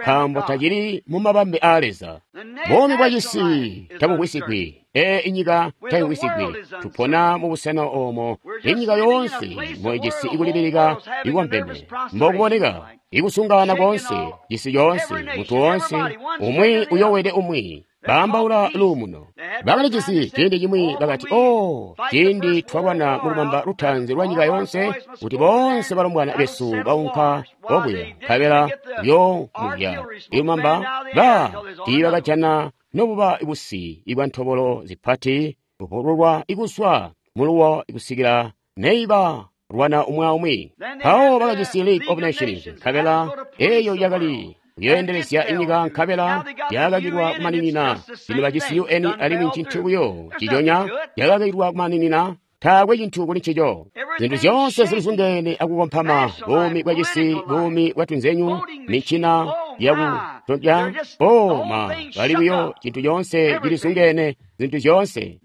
nkaambo tacili mu mabambe aa Leza. Buumi bwa cisi tabumvwisigwi. Ee, inyika tayimvwisigwi. Tupona mu busena oomo inyika yoonse moijisi ikulibilika ikompeme mbokuboneka, ikusungaana koonse, cisi coonse, muntu woonse, umwi uyowede umwi, baambaula luumuno. Bakali cisi ciindi cimwi bakati, o ciindi twalwana mulumamba lutaanzi lwa nyika yoonse, kuti boonse balombwana besu baunka okuya, nkabela kuyoomulya ilumamba, ba tiibakajana nobuba busi ibwa ntobolo zipati bupululwa ikuswa muluwo kusikila neiba lwana umwi aumwi. Mpawo bakajisi League of Nations, nkabela eyo yakali kuyoendelezya inyika, nkabela yakakilwa kumaninina. Lino bajisi UN alimwi ncintu buyo ciconya, yakakilwa kumaninina. Taakwe cintu kuli ncico. Zintu zyoonse zilizungene akukompama, buumi bwa cisi, buumi bwa tunzenyu, mincina yakutontya, o ma, bali buyo cintu coonse cilizungene, zintu zyoonse.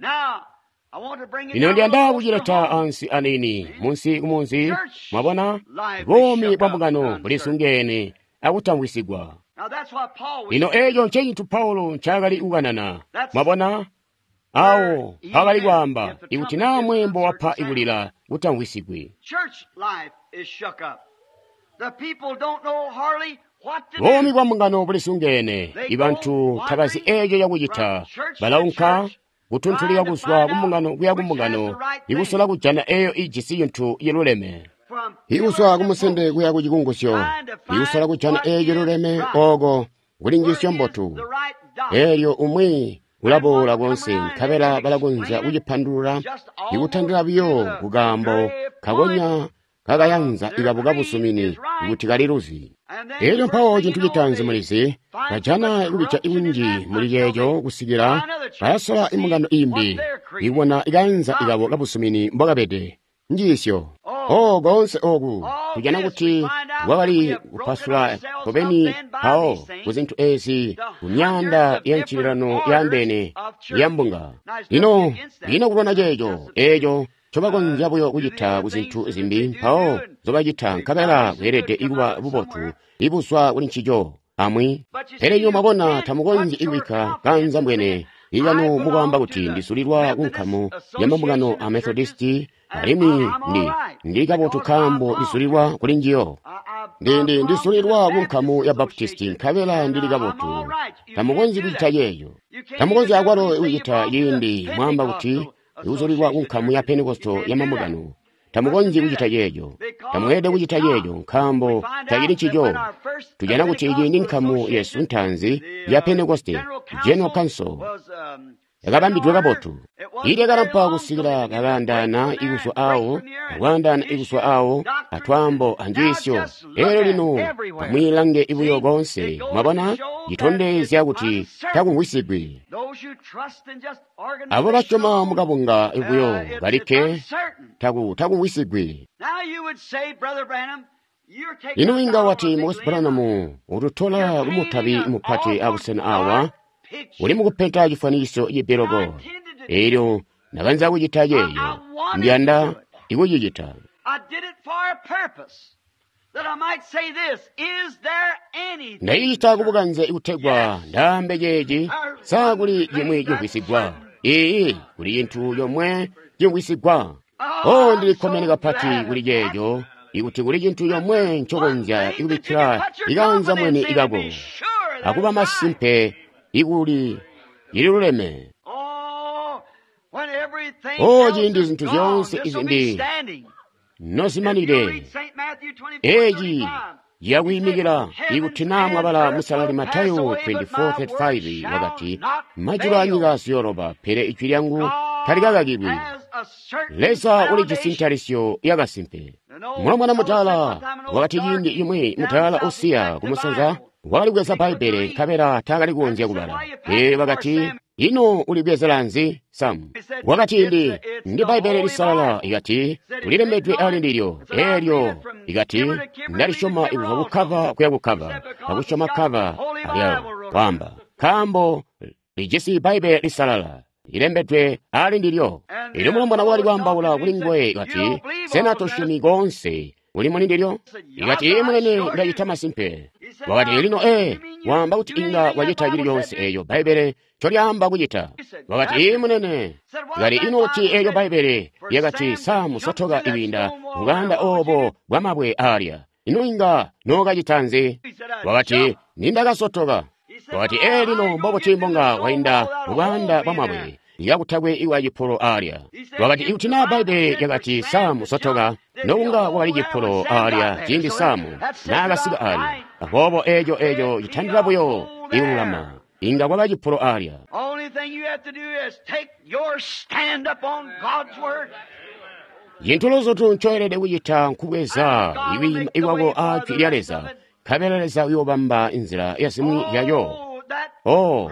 Lino ndiyanda kucileta ansi aniini, munsi kumunzi, mwabona, buumi bwa mbungano bulizungene akutamvwisigwa. Lino eeco ncecintu Paulo ncaakali kukanana, mwabona, awo mpaakali kwaamba, ikuti naa mweembo wapa ikulila kutamvwisigwi. Buumi bwa mbungano bulizungene, ibantu tabazi eeco cakucita, balaunka kutuntulika kuzwa kumbungano kuya kumbungano, ikusola kujana eeyo ijisi cintu ciluleme. Ikuzwa kumusende kuya ku cikungusyo, ikusola kujana eeyo ciluleme oko kuli njiisyo mbotu. Eelyo umwi ulaboola konse, nkabela balakonzya kucipandulula ikutandila buyo kukaambo kakonya kakayanza ikabo kabusumini kuti kaliluzi. Eelyo mpawo cintu citaanzi mulizi, bajana kubija kunji muli ceeco kusikila bayasola imbungano imbi, ikubona ikayanza ikabo kabusumini mbokabede. Njiisyo. O koonse oku tujana kuti kwakali kupasula kobeni mpawo ku zintu ezi ku myaanda ya ncililano yaandeene ya mbunga. Lino ino kulwana ceeco, eeco ncobakonzya buyo kucita ku zintu zimbi mpawo nzobacita, nkabela kweelede kuba bubotu ibuzwa kuli ncico amwi. Pele nywebo mwabona, tamukonzyi kubikka kaanzambwene ikanu mukwaamba kuti ndizulilwa ku nkamu ya mambungano a Methodisti alimwi ndi kabotu nkaambo ndizulilwa kuli njiyo. Ndizulilwa ku nkamu ya Baptisti nkabela ndili kabotu. Tamukonzyi kucita ceeco. Tamukonzyi akwalo kucita ciindi mwaamba kuti uzulilwa ku nkamu ya Pentekoste ya mambungano. Tamukonzyi kucita ceeco. Tamweelede kucita ceeco nkaambo tacili ncico. Tujana kuti ciindi nkamu yesu ntaanzi ya Pentekoste, General Council, yakabambidwe kabotu. Ilyakalampa kusikila kakaandaana ikuzwa awo, akwaandaana ikuzwa awo, atwaambo anjiisyo. Elyo lino amwiilange ibuyo koonse, mwabona, citondezya kuti takumvwisigwi. Abo basyoma mukabunga buyo balikke takumvwisigwi. Ino inga wati, Mukwesu Branham, ututola kumutabi mupati abusena awa, uli mukupenta cifwanikiso cipiloko. Elyo ndakanza kucita ceeco, ndiyanda ikucicita. Ndacicita kubukanze kutegwa ndaambe ceeci, sa kuli cimwi cimvwisigwa? Iiyi, kuli cintu comwe cimvwisigwa. Oh, ndilikkomene kapati kuli ceeco, ikuti kuli cintu comwe ncokonzya ikubikkila ikanza mwene ikako, akuba masimpe ikuli ililuleme. Oh, ciindi zintu zyoonse izimbi nozimanide, eci yakuyimikila. Ikuti naa mwabala musalali Matayo 24:35, wakati, majulu anyika ziyoloba, pele ijwi lyangu talikakakilwi. Leza ulijisi ntalisyo yakasimpe. Mulombwana mudaala wakati ciindi cimwi, mudaala usiya kumusanza wakali kubweza Bbaibbele nkabela taakali kukonzya kubala. Ee, wakati, ino ulibwezela nzi, Sam? Wakati, ndi Bbaibbele lisalala. Ikati, ulilembedwe ali ndilyo. Eelyo ikati, ndalisyoma ikuzwa kukkava kuya kukkava, akusyoma kkava alyalo. Kwaamba, nkaambo lijisi Bbaibbele lisalala lilembedwe ali ndilyo. Elyo mulombwana wakali kwaambaula kuli nguwe kati, sena tosyomi koonse uli muli ndilyo? Ikati, ee munene, ndacita masimpe. Wakati, lino ee, waamba kuti inga wacita cili coonse eeco Bbaibbele ncolyaamba kucita. Wakati, ee munene. Ikati, ino kuti eeco Bbaibbele lyakati Samu sotoka ikwiinda mubwaanda oobo bwamabwe aalya, ino inga nookacita nzi? Wakati, nindakasotoka. Wakati, ee lino mbobuti mbonga wainda mubwaanda bwamabwe ikakutakwe iwa cipolo aalya? Wakati, ikuti naa Bbaibbele lyakati Samu sotoka, nokunga kwakali cipolo aalya ciindi Samu naakasika aalya. Aboobo eeco citandila buyo ikululama, inga kwaba cipolo aalya. Cintu luzutu ncoelede kucita nkubweza ikwiima ikwako aa jwi lya Leza, nkabela Leza uyoobamba inzila yazimwi zyayo. Oh,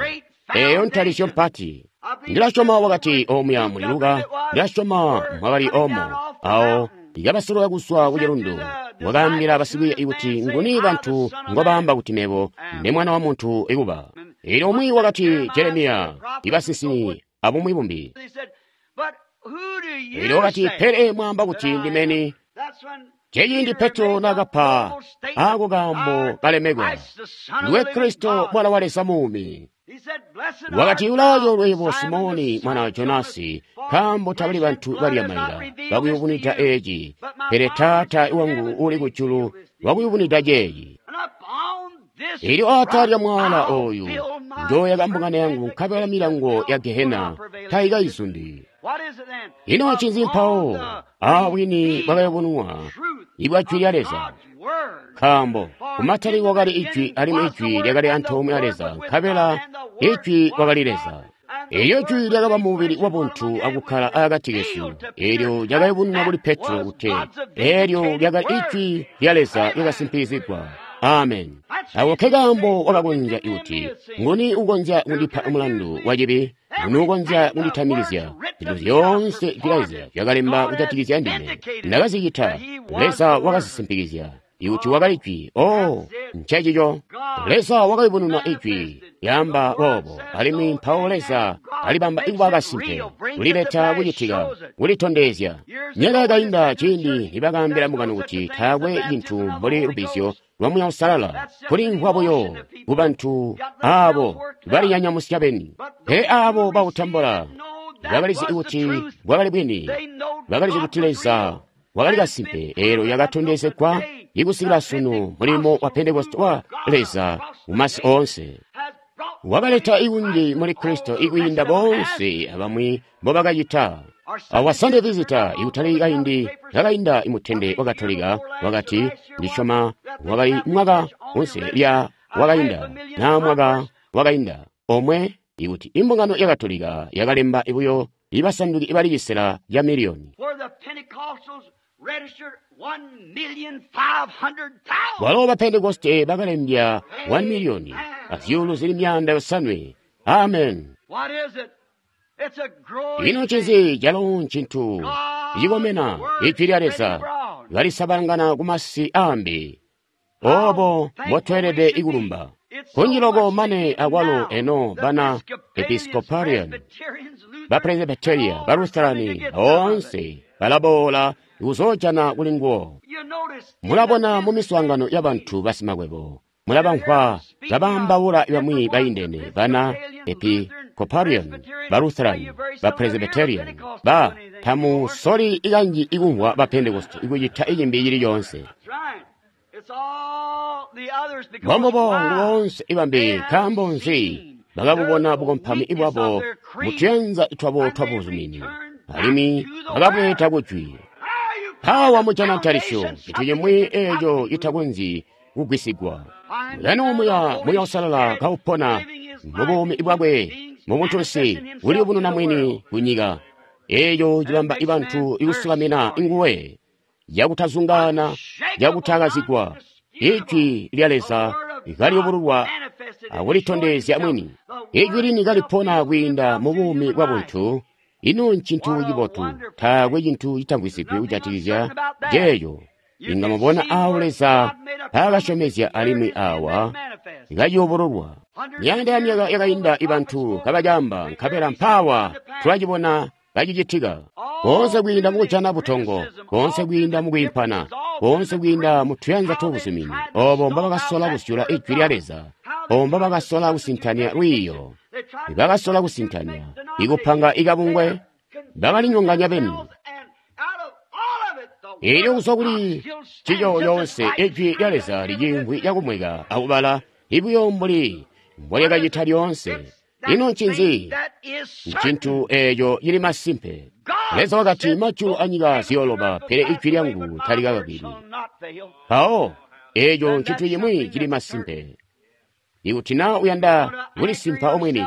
eeyo ntalisyo mpati. Ndilasyoma wakati omuya muli Luka, ndilasyoma mwakali omo, awo ikabasolola kuzwa ku cilundu. Wakaambila basikwiiya kuti, nguni bantu ngobaamba kuti mebo ndi Mwana wa Muntu ikuba? Elyo umwi wakati Jeremiya, ibasinsimi abumwi bumbi. Elyo wakati, pele mwaamba kuti ndimeni? Ceciindi Petro naakapa ako kaambo kalemekwa, ndiwe Kristo Mwana wa Leza muumi. Wakati, ulaacoolwe yebo Simoni mwana wa Jonasi, nkaambo tabali bantu balya maila bakuyubunwida eeci, pele Taata wangu uli kujulu wakuyubunwida ceeci. Elyo atala lya mwaala ooyu njooyaka mbungano yangu, nkabela milango ya Gehena taikayizundi. Ino ncinzi mpawo? Bwini bwakayubununwa ibwa jwi lya Leza. Nkaambo kumatalikilo kwakali ijwi, alimwi ijwi lyakali antoomwe a Leza, nkabela ijwi wakali Leza. Elyo jwi lyakaba mubili wabuntu akukkala akati kesu. Elyo lyakayubununwa kuli Petro kuti elyo lyakali ijwi lya Leza lyakasimpikizigwa. Amen. Ako ke kaambo wakakonzya kuti, nguni ukonzya kundipa mulandu wacibi? Nguni ukonzya kunditamikizya? Zintu zyoonse jwi lya Leza zyakalemba kujatikizya ndime. Ndakazicita. Leza wakazisimpikizya. Ikuti wakali Jwi, oh, ncecico. Leza wakayubununa Ijwi, lyaamba boobo, alimwi mpawo Leza alibamba ikuba kasimpe, kulileta kucitika, kulitondezya. Myaka yakainda ciindi nibakaambila mukano kuti taakwe cintu mbuli lubbizyo lwa Muuya Uusalala, kulimvwa buyo kubantu aabo balinyanyamusya beni. Pele aabo bautambula bakalizi kuti bwakali bwini, bakalizi kuti Leza wakali kasimpe. Eelyo yakatondezegwa ikusikila sunu mulimo wa Pentekoste wa Leza mumasi oonse. Wakaleta ikunji muli Kristo ikwiinda boonse abamwi mbobakacita. Awa Sunday Visitor ikutali kaindi kakainda imutende wa Katolika wakati, ndisyoma wakali mwaka unse lya wakainda na mwaka wakainda omwe ikuti imbungano ya Katolika yakalemba ibuyo ibasanduki ibali cisela ya miliyoni. Walo ba Pentekoste bakalembya 1 miliyoni azyuulu zili 500. Amen. Ino ncinzi? Calo ncintu cikomena. Ijwi lya Leza kalisabalangana kumasi aambi. Obo mbotweelede ikulumba. Kunji loko mane akwalo eno bana Episcopalian, ba Presbyteria, ba Lutherani boonse balaboola kuzoojana kuli nguwo. Mulabona mu miswaangano ya bantu basimakwebo, mulabamvwa kabaambaula bamwi baindene bana Episcopalian, ba Lutheran, ba Presbyterian, ba tamusoli ikanji ikumvwa ba Pentecost ikucita icimbi cili coonse. Mbombubo boonse ibambi. Nkaambo nzi? Bakabubona bukompami bwabo mutuyanza twabo twabuzumini, alimwi bakabweeta kujwi. Mpawa mujana ntalisyo, cintu cimwi eeco citakonzyi kugwisigwa. Lino muya Muya Uusalala kaupona mubuumi bwakwe mubuntunsi kuliyubununa mwini kunyika. Eeco cibamba ibantu ikusukamina nguwe cakutazungaana, cakutakazigwa. Ijwi lya Leza kaliyubululwa akulitondezya mwini. Ijwi lini kalipona kwiinda mubuumi bwa buntu. Ino ncintu cibotu, taakwe cintu citamvwisigwi kujatikizya ceeco. Inga mubona aawo Leza mpaakasyomezya alimwi awa kaciyubululwa. Myaanda ya myaka yakainda ibantu kabacaamba, nkabela mpaawa tulacibona kacicitika. Koonse kwiinda mukujana butongo, koonse kwiinda mukwiimpana, koonse kwiinda mutuyanza twabuzumini, obo mbobakasola kusyula Ijwi lya Leza, obo mbobakasola kusintanya lwiiyo, bakasola kusintanya ikupanga ikabungwe, bakalinyonganya beni. Eelyo kuzwa kuli cico yoonse Ijwi lya Leza liciimvwi cakumweka akubala ibuyo mbuli mbolyakacita lyoonse. Ino ncinzi? Ncintu eeco cili masimpe. Leza wakati, majulu anyika ziyooloba, pele ijwi lyangu talikakakilwi. Mpawo eeco ncintu cimwi cili masimpe. Ikuti naa uyanda kulisimpa omwini,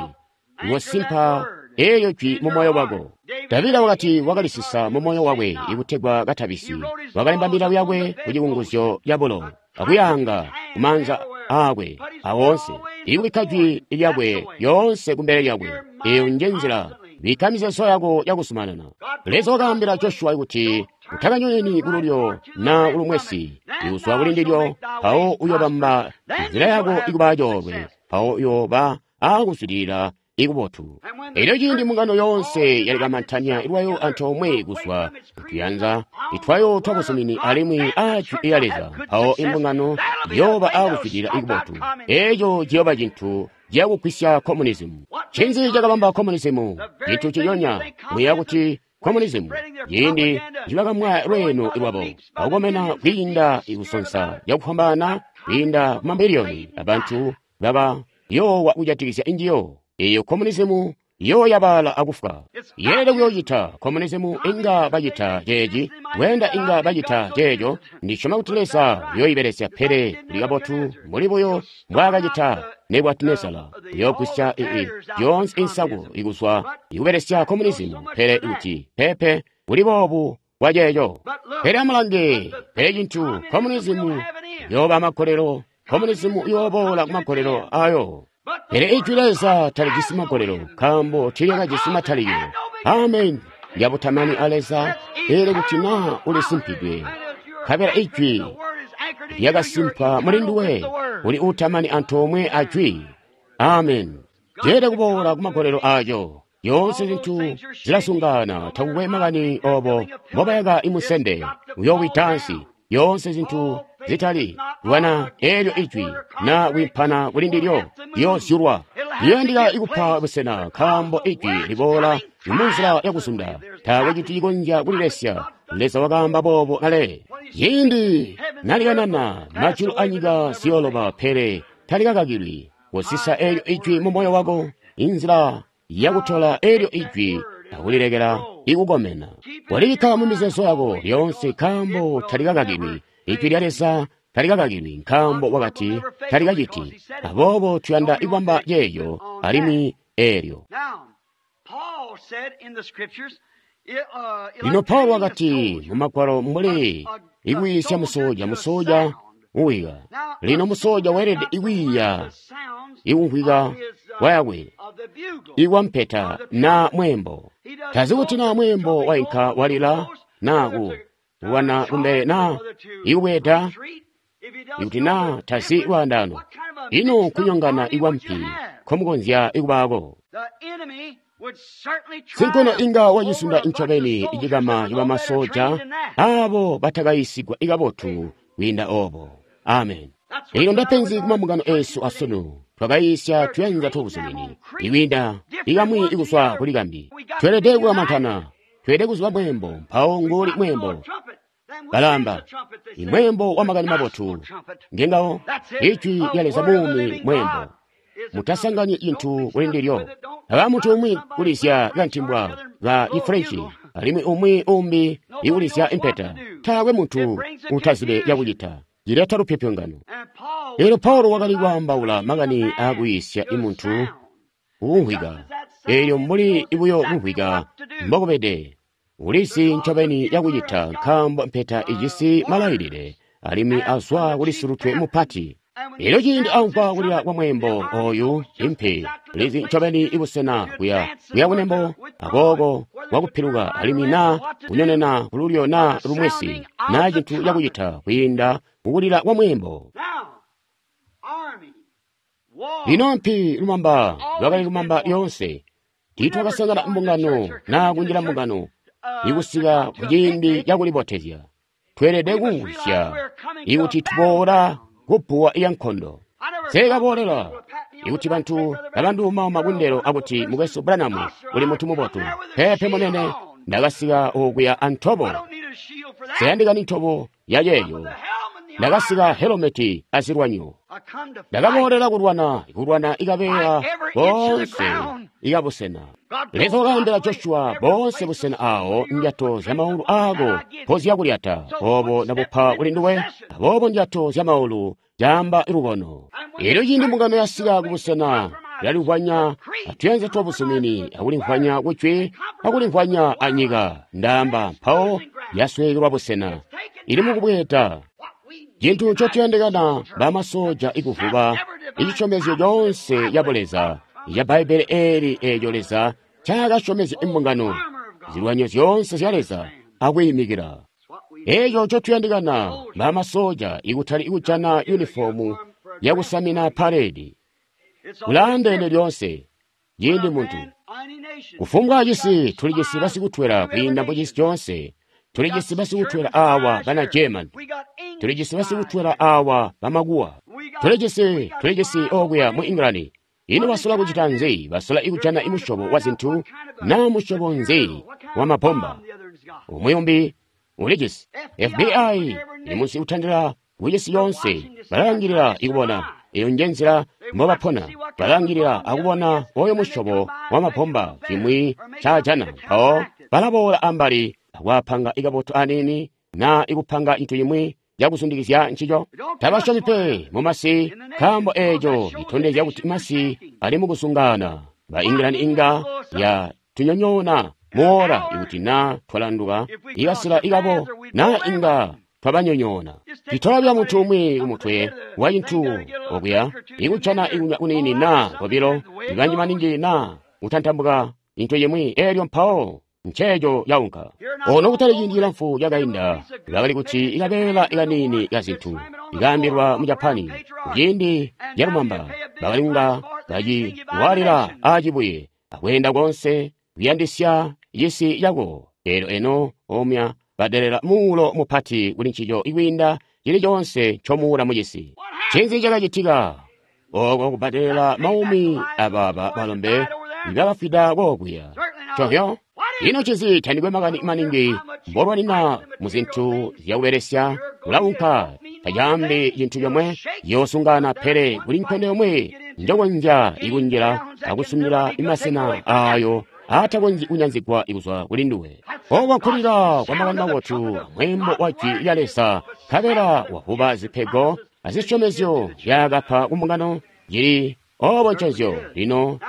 uyosimpa eelyo jwi mumoyo wako. Davida wakati wakalisisa mumoyo wakwe ikutegwa katabisi. Wakalemba milawo yakwe kucikunguzyo cabulo, akuyaanga kumaanza aakwe awoonse, ikubikka jwi lyakwe lyoonse kumbele lyakwe. Eeyo nje nzila. Bikka mizeezo yako yakuzumanana. Leza wakaambila Joshua kuti utakanyoneni kululyo na kulumwesi, ikuzwa kuli ndilyo, mpawo uyobamba nzila yako ikuba coolwe, mpawo uyoba aakuzwidilila ikubotu. Elyo ciindi mbungano yoonse yalikamantanya lwayo antoomwe kuzwa kutuyanza itwayo twabuzumini alimwi a jwi lya Leza, mpawo imbungano yooba aakuzwidilila ikubotu. Eeco ciyooba cintu ciyakugwisya communism. Ncinzi cakabamba communism? Cintu ciyonya muyeeya kuti communism ciindi cibakamwa lweeno lwabo akukomena kwiinda ikusonsa cakufwambaana kwiinda kumamiliyoni abantu baba yoowa kujatikizya injiyo. Eeyo communism yooyabaala akufwa. Yeelede kuyoocita communism inga bacita ceeci, kweenda inga bacita ceeco. Ndisyoma kuti Leza uyooyibelesya, pele kuli kabotu mbuli buyo mbwaakacita Nebukadinezara. Uyoogwisya zyoonse insaku ikuzwa ikubelesya communism, pele kuti peepe kuli boobu bwaceeco. Pele amulange, pele cintu communism yooba amagolelo, communism iyooboola kumagolelo ayo. Pele ijwi Leza talijisi magolelo, nkaambo tiilyakajisi matalikilo. Amen. Lyabutamani a Leza, eelyo kuti naa ulisimpidwe, nkabela ijwi lyakasimpa muli nduwe, uli uutamani antoomwe a Jwi. Amen. Jeelede kuboola kumagolelo aco. Yoonse zintu zilasungana, takukwe makani obo mbobayaka imusende, uyowida ansi. Yoonse zintu zitali lwana eelyo ijwi na kwiimpana kuli ndilyo liyozyulwa. Liyandika ikupa busena, nkaambo ijwi liboola munzila yakuzunda. Taakwe cintu cikonzya kulilesya. Leza wakaamba boobo kale. Ciindi nalikanana, majulu anyika ziyoloba, pele talikakakilwi. Kosisa eelyo ijwi mu moyo wako, inzila yakutola eelyo ijwi akulilekela ikukomena. Walibikka mu mizeezo yako lyoonse, nkaambo talikakakilwi. Ijwi lya Leza talikakakilwi, nkaambo wakati talikaciti. Aboobo tuyanda kubamba ceeyo alimwi eelyo. Lino Paulo wakati mu Magwalo mbuli ikwiisya musoja, musoja uwika. Lino musoja weelede ikwiiya ikumvwika kwayakwe ikwampeta na mwembo. Tazi kuti na mwembo wainka walila na ku kulwana kumbele na ikubweda, ikuti na tazi lwaandano. Ino kunyongana ikwampi nkomukonzya ikubaako. Sinkono inga wacisunda ncobeni icikama cibamasoja abo batakayisigwa ikabotu kwiinda obo. Amen. Ilo ndapenzi kumambungano esu asunu. Twakayisya tuyanza twabuzumini ikwiinda ikamwi ikuzwa kuli kambi. Tweelede kukamantana, tweelede kuziba mwembo, mpawo nguli mwembo. Balamba, imwembo wa makani mabotu ngengawo ijwi lya Leza muumi mwembo. Mutasanganyi cintu kuli ndilyo. Aba muntu umwi kulizya kantimbwa ka Ifrenchi, alimwi umwi umbi ikulizya impeta. Taakwe muntu utazibe yakucita. Cileta lupyopyongano. Elyo Paulo wakali kwaambaula makani aakuyisya imuntu kukumvwika. Eelyo mbuli buyo kumvwika mbokubede, ulizi ncobeni yakucita, nkaambo mpeta ijisi malailile alimwi azwa kuli silutwe mupati. Elyo ciindi amvwa kulila kwa mwembo oyu impi, ulizi ncobeni ibusena kuya kunembo akooko kwakupiluka, alimwi na kunyonena kululyo na lumwesi, na cintu cakucita kwiinda kukulila kwa mwembo. Lino mpi lumamba lwakali lumamba lyoonse. Tiitwakasangana mbungano na kunjila mbungano ikusika kuciindi cakulibotezya. Tweelede kumvwisya ikuti tuboola kubbuwa ya nkondo. Nseekaboolela ikuti bantu babanduumauma kundelo akuti mukwesu Branham uli muntu mubotu. Peepe munene, ndakasika okuya antobo. Nseyandikani ntobo ya ceeyo. Ndakasika helometi azilwanyo. Ndakaboolela kulwana, kulwana ikabeela boonse ikabusena. Leza wakaambila Joshua boonse busena awo ndyato zya maulu aako mpoziyakulyata, obo ndabupa kuli nduwe, aboobo ndyato zya maulu caamba lubono. Elyo ciindi mbungano yasika kubusena ilalimvwanya atuyanza twabuzumini, akulimvwanya kujwi, akulimvwanya anyika, ndaamba mpawo yasweekelwa busena. Ili mukubweeda. Cintu ncotuyandikana bamasoja ikuvuba icisyomezyo coonse ya Buleza ya Bbaibbele eeli eeco Leza ncaakasyomezya imbungano, zilwanyo zyoonse zya Leza akwiimikila. Eeco ncotuyandikana bamasoja ikutali ikujana yunifomu yakusamina paredi. Kulaandeene lyoonse ciindi muntu kufumbwa cisi tulijisi basikutwela kwiinda mucisi coonse. Tulijisi basikutwela awa bana German, tulijisi basikutwela awa bamakuwa, tulijisi okuya mu England. Ino basola kucita nzi? Basola ikujana imusyobo wa zintu na musyobo nzi wa mabomba. Umwi umbi ulijisi FBI ili munsi kutandila kucisi yoonse, balalangilila ikubona. Eyo nje nzila mbobapona, balalangilila akubona oyo musyobo wa mabomba cimwi ncaajana, mpawo balaboola ambali akwapanga ikabotu anini na ikupanga cintu cimwi cakuzundikizya ncico. Tabasyomi pe mumasi, nkaambo eeco citondezya kuti masi ali mukusungana. Ba England inga ya tunyonyoona muola ikuti na twalanduka ikasila ikabo na inga twabanyonyoona. Citola muntu umwi kumutwe wa cintu okuya ikujana ikunywa kunini na kobilo ibanji maningi na kutantambuka cintu cimwi, eelyo mpawo nceeco yaunka. Ono kutali ciindi cilamfu cakainda, bakali kuti ikabeela ikanini ka zintu. ikaambilwa mu Japani kuciindi calumamba bakali kunga baciwaalila aacibuye akweenda konse kuyandisya cisi cako. Elyo eno omya badelela muulo mupati kuli ncico ikwiinda cili coonse ncomuula mucisi. Ncinzi cakacitika? Oko kubadelela maumi abaaba balombe ibakafwida kokuya. Covyo? Ino ncinzi tandikwe makani maningi mbolwanina muzintu zyakubelesya ulaunka tacaambi cintu comwe yoosungana pele kuli nkondo yomwe njokonzya ikunjila akusumila imasena aayo aatakonzyi kunyanzigwa kuzwa kuli nduwe. Oko nkulila kwa makani mabotu amweembo wa jwi lya Leza, nkabela wavuba zipego azisyomezyo zyaakapa kumbungano cili obo nconzyo. Lino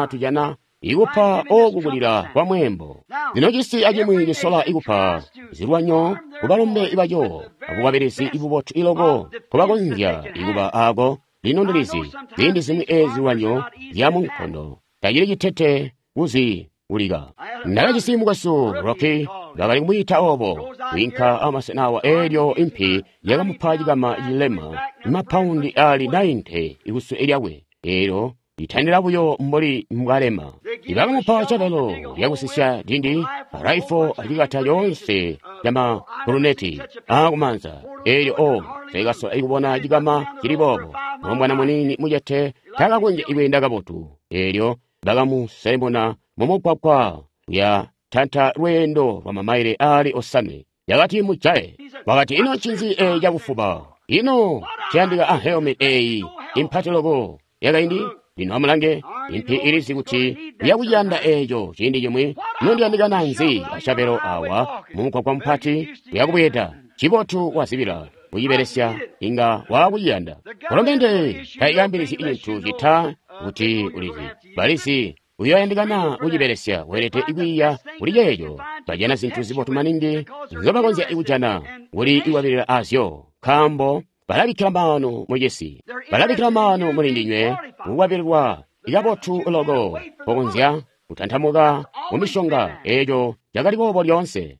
tujana ikupa oku kulila kwa mweembo. Lino cisi acimwi cisola ikupa zilwanyo kubalombe baco abukwabilizi ibubotu iloko kubakonzya ikuba aako. Lino ndilizi ziindi zimwi ezi zilwanyo zya munkondo tacili citete kuziulika. Ndakajisi mukwesu Rocky, bakali kumwiita obo, kwiinka amasena awa eelyo impi yakamupa cikama cilema mapaundi ali 90 ikusule lyakwe, eelyo litandila buyo mbuli mbwalema. Ibakamupa cabalo lyakusisya dindi, raifo acikata coonse camakuluneti aakumanza. Eelyo o taikasola ikubona cikama cili boobo. Mulombwana muniini mucete takakonzya ikweenda kabotu. Eelyo bakamuselemuna mumugwagwa kuya tanta lweendo lwa mamaile ali 5. Yakati mujaye. Wakati ino ncinzi eyi cakufuba? Ino ciyandika a helmet eyi impati loko yakaindi? Lino amulange, impi ilizi kuti yakuyanda eeco ciindi cimwi. Nondiyandikana nzi acabelo awa mumugwagwa mupati uyakubweeda? Cibotu wazibila kucibelesya inga waakuyanda. Kolomende taikaambilizi cintu cita kuti ulizi. Balizi uyoyandikana kucibelesya, weelede kwiiya kuli ceeco. Bajana zintu zibotu maningi nzobakonzya kujana kuli ikwabilila azyo, nkaambo balabikkila maanu mucisi, balabikkila maanu muli ndinywe kukwabililwa ikabotu loko pokonzya kutantamuka mumishonga. Eeco cakali boobo lyoonse.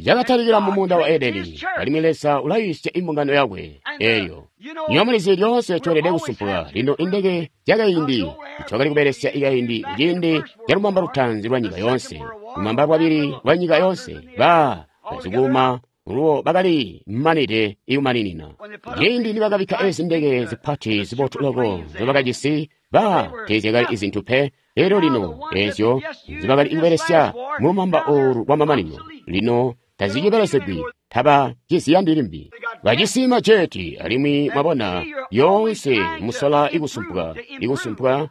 Cakatalikila mumuunda wa Edeni, alimwi Leza ulayiisya imbungano yakwe. Eeyo niyo mulizi lyoonse tweelede kusumpuka. Lino indeke zyakaindi twakali kubelesya ikaindi kuciindi calumamba lutaanzi lwa nyika yoonse, lumamba lwabili lwa nyika yoonse, bazikuuma luwo bakali manide ikumaninina. Ciindi nibakabikka ezi ndeke zipati zibotu loko nzobakajisi, teezyakali izintu pe. Elyo lino ezyo nzibakali kubelesya mulumamba oolu lwamamanino lino tazicibelesegwi, taba ciziyandi limbi. Bajisi majeti, alimwi mwabona lyoonse musola ikusumpuka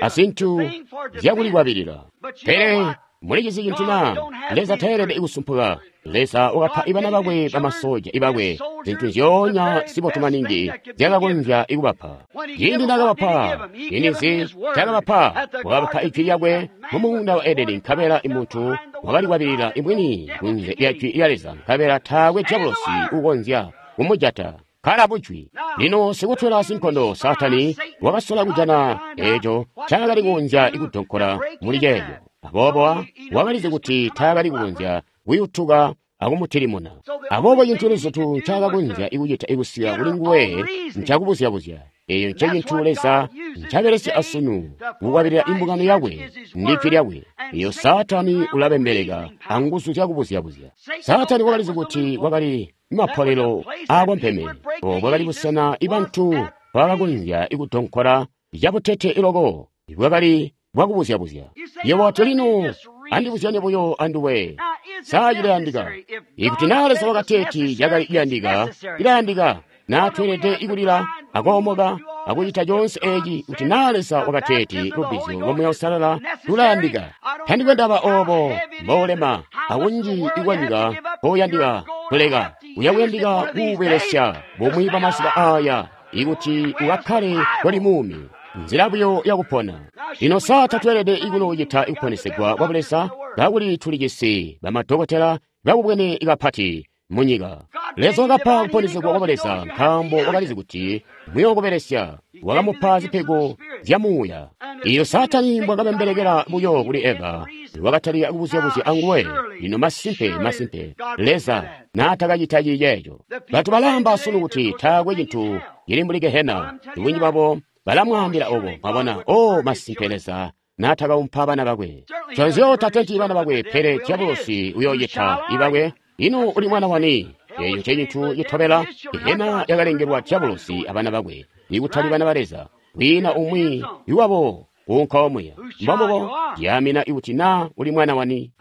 azintu zyakulikwabilila. Pele mulicizi cintu na? Leza taelede kusumpuka. Leza wakapa ibana bakwe bamasoja ibakwe zintu nzyoonya zibotu maningi zyakakonzya ikubapa. Ciindi nakabapa, ciindi cakabapa, wakabapa ijwi lyakwe mumuunda wa Edeni, nkabela imuntu wakalikwabilila imwini kunze lya jwi lya Leza, nkabela taakwe diabolosi ukonzya kumujata. Kala bujwi. Lino sikutwela sinkondo Saatani wakasola kujana eeco ncaakali kukonzya ikudonkola muli ceeco. Aboobo wakalizi kuti taakali kukonzya kuyutuka akumutilimuna. Aboobo cintu luzutu ncaakakonzya ikucita ikusika kuli nguwe ncakubuzya-buzya. Eeyo ncecintu Leza ncabelesya asunu kukwabilila imbungano yakwe ndi jwi lyakwe. Eyo Saatani ulabembeleka anguzu zyakubuzya-buzya. Saatani wakalizi kuti kwakali mapolelo aakompeme, obo bwakali busena ibantu bakakonzya ikudonkola cabutete loko bwakali bwakubuzya-buzya. Yebo wati lino andibuzyanye buyo anduwe. Saa cilayandika. Ikuti naa Leza wakateeti cakali kuyandika, cilayandika. Naa tweelede ikulila akoomoka akucita coonse eeci kuti naa Leza wakateeti lubbizyo lwa Muuya Uusalala lulayandika. Tandikwe ndaba oobo mboulema akunji ikwanyika mpouyandika kuleka, uyakuyandika kuubelesya bumwi bwamazuba aaya ikuti ukakkale koli muumi. Nzila buyo yakupona. Lino saa tatweelede ikunoocita ikuponesegwa kwa Buleza kakuli tulijisi bamadokotela bakubwene kapati. Munyika. Leza wakapa kuponesegwa kwa Leza nkaambo wakalizi kuti muyokubelesya. Wakamupa zipego zya muuya. Iyo Saatani mbwakabembelekela buyo kuli Eva, wakatalika kubuzyabuzya anguwe. Lino masimpe, masimpe, Leza naatakacita ciceeco. Bantu balaamba sunu kuti taakwe cintu cili mbuli gehena. Bunji babo balamwaambila obo, mwabona, o masimpe Leza naatakaumpa bana bakwe. Nconzyo tatenti bana bakwe, pele diabolosi uyoocita ibakwe. Ino uli mwana wani? Eeco ncecintu citobela. Gehena yakalengelwa diabolosi abana bakwe, ikutali bana ba Leza. Kwiina umwi iwabo kuunka omuya. Mbombubo yaamina ikuti naa uli mwana wani.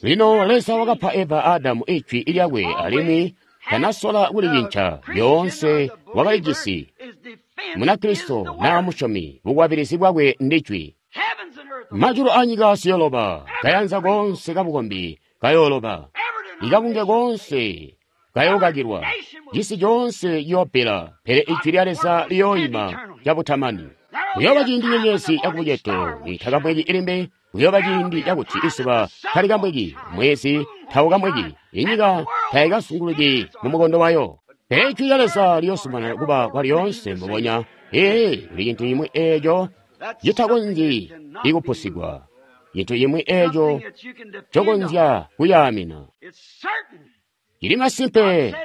Lino Leza wakapa Eva Adamu ijwi lyakwe alimwi tanasola kulicinca. Lyoonse wakalijisi. Munakristo naa musyomi, bukwabilizi bwakwe ndijwi. Majulu anyika siyoloba, kayanza koonse kabukombi kayooloba, ikabunge koonse kayookakilwa, cisi coonse ciyoopela, pele ijwi lya Leza liyooima cabutamani. Kuyooba ciindi nyenyezi yakubucedo itakamweki ilimbe, kuyooba ciindi cakuti izuba talikamweki, mwezi taukamweki, inyika taikasunguluki mumukondo wayo. Pele ijwi lya Leza liyoozumanana kuba kwalyoonse mbubonya. Ee, kuli cintu cimwi eeco citakonzyi ikupusigwa, cintu cimwi eeco cokonzya kuyaamina. Cili masimpe,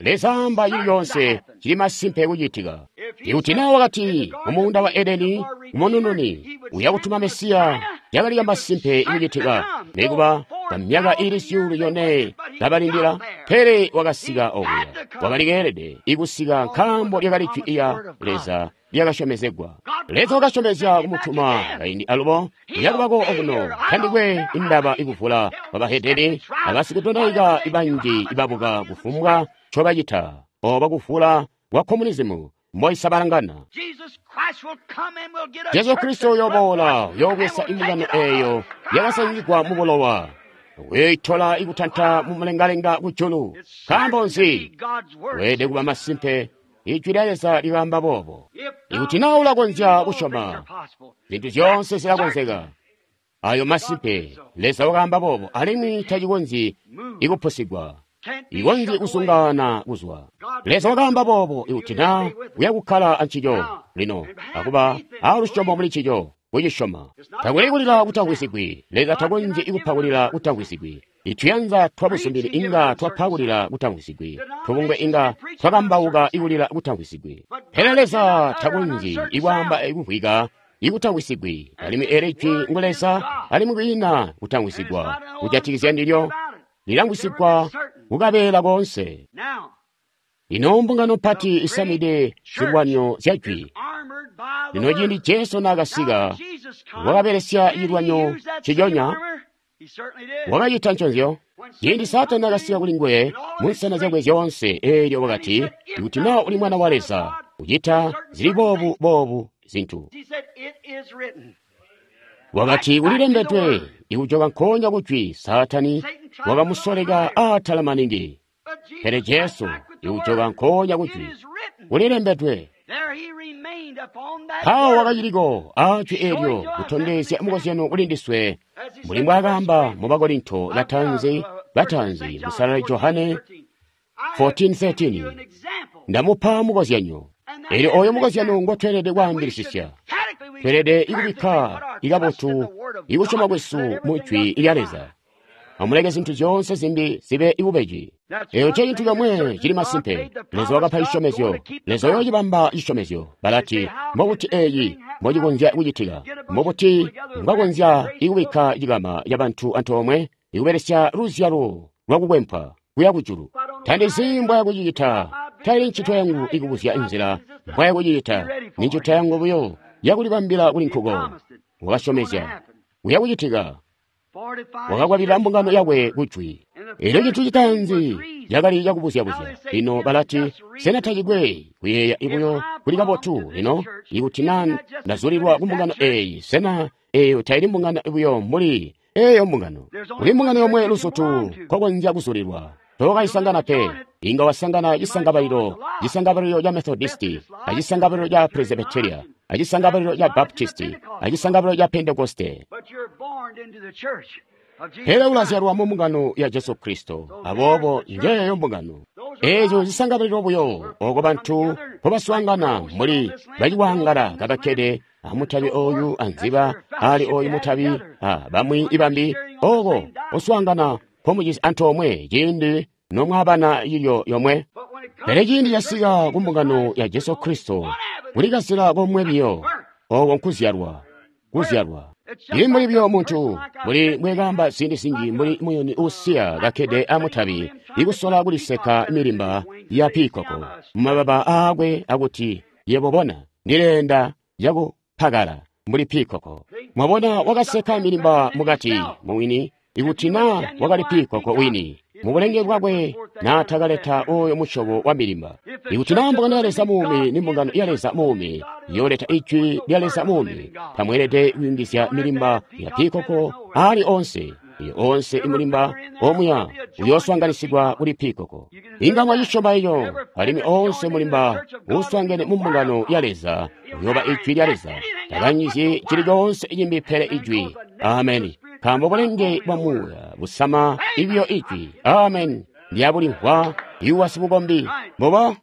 Leza amba cili coonse cili masimpe kucitika. Ikuti naa wakati mumuunda wa Edeni kumunununi uya kutuma Mesiya, yakali yamasimpe ikucitika, nikuba kwamyaka iili 4,000 kabalindila, pele wakasika okuya. Wakali keelede ikusika nkaambo lyakali jwi lya Leza lyakasyomezegwa. Leza wakasyomezya kumutuma kaindi alubo uyakubako okuno. Tandikwe indaba ikuvula kwabahedeni abasikudonaika banji ibabuka kufumbwa ncobacita oba kuvula kwa komunizimu mboisabalangana. Jesu Kristo uyoboola uyoobweza imbungano eeyo yakasanyigwa mubulowa, uyoitola ikutanta mumulengalenga kujulu. Nkaambo nzi? Weelede kuba masimpe. Ijwi lya Leza likaamba boobo. Ikuti naa ulakonzya kusyoma, zintu zyoonse zilakonzeka. Ayo masimpe, Leza wakaamba boobo, alimwi tacikonzyi ikupusigwa, ikonzyi kusungana kuzwa. Leza wakaamba boobo, ikuti naa uyakukkala ancico lino akuba alusyomo muli ncico, kucisyoma. Takuli kulila kutamvwisigwi. Leza takonzyi ikupa kulila kutamvwisigwi. Ituyanza twabusumbili inga twapa kulila kutamvwisigwi. Tubungwe inga twakambauka ikulila kutamvwisigwi. Pele Leza takonzyi ikwaamba ikumvwika ikutamvwisigwi. Alimwi eeli jwi ngu Leza, alimwi kwiina kutamvwisigwa kujatikizya ndilyo. Lilamvwisigwa kukabeela koonse. Lino mbungano mpati isamide zilwanyo zya jwi. Lino ciindi Jesu naakasika, wakabelesya cilwanyo ciconya. Wakacita nconzyo. Ciindi Saatani naakasika kuli nguwe munsana zyakwe zyoonse, eelyo wakati, ikuti naa uli mwana wa Leza, ucita zili boobu boobu zintu. Wakati kulilembedwe, ikujoka nkoonya kujwi. Saatani wakamusoleka aatala maningi. Pele Jesu ikujoka nkoonya kujwi, kulilembedwe. Mpawo wakaciliko aajwi eelyo kutondezya mukozyano kuli ndiswe, mbuli mbwaakaamba mu Bakorinto batanzi musalali Johane 14:13, ndamupa mukozyanyo. Eelyo ooyo mukozyano ngotweelede kwaambilisisya. Tweelede ikubikka ikabotu ikusyoma kwesu mu jwi lya Leza. Amuleke zintu zyoonse zimbi zibe ibubeji. Eeyo ncecintu comwe cili masimpe. Leza wakapa cisyomezyo. Leza uyoocibamba cisyomezyo. Balati, mbobuti eeci mbocikonzya kucitika? Mbobuti mbwakonzya ikubikka cikama cabantu antoomwe ikubelesya luzyalo lwakukwempwa kuya kujulu? Tandizi mbwayakucicita. Taili ncito yangu ikubuzya nzila mbwayakucicita. Ni ncito yangu buyo yakulibambila kuli nkuko. Wakasyomezya kuya kucitika. Wakakwabilila mbungano yakwe kujwi. Eelyo cintu citaanzi cakali cakubuzya-buzya. Lino balati, sena tacikwe kuyeeya buyo kuli kabotu? Lino ikuti naa ndazulilwa kumbungano eeyi, sena eeyo taili mbungano buyo mbuli eeyo mbungano? Kuli mbungano yomwe luzutu nkokonzya kuzulilwa. Tookayisangana pe. Inga wasangana cisangabalilo, cisangabalilo ca Methodisti, acisangabalilo ca Presbyteria, acisangabalilo ca Baptisti, acisangabalilo ca Pentekoste. Pele ulazyalwa mu mbungano ya Jesu Kristo. Aboobo njeeyo mbungano. Eezo zisangabalilwa buyo oko bantu mpobaswaangana mbuli baciwaangala kabakkede amutabi oyu anziba ali oyu mutabi a bamwi ibambi oko uswaangana mpomujisi antoomwe ciindi nomwabana ilyo yomwe. Pele ciindi casika ku mbungano ya Jesu Kristo kuli kazila komwe biyo, oko nkuzyalwa, kuzyalwa. Ili mbuli biyo muntu, mbuli mbwekaamba ziindi zinji mbuli muyuni uusiya kakkede amutabi ikusola kuliseka milimba ya pikoko mumababa aakwe akuti, yebo bona, ndileenda cakupakala mbuli pikoko. Mwabona, wakaseka milimba mukati muwini, ikuti na wakali pikoko wini mubulenge bwakwe naatakaleta oyo musyobo wa milimba. Ikuti na mbungano ya Leza muumi ni mbungano ya Leza muumi, yooleta ijwi lya Leza muumi, tamweelede kuyungizya milimba ya pikoko ali onse. Iyo onse imulimba omuya uyooswanganisigwa kuli pikoko. Inga mwacisyoma eco, alimwi onse mulimba uuswangene mu mbungano ya Leza uyooba ijwi lya Leza. Takanyizyi cili coonse cimbi pele ijwi. Ameni. Nkaambo bulenge bwa muuya busama ibiyo ijwi. Amen. Ndyabulimvwa iwa sibukombi. Mbubo?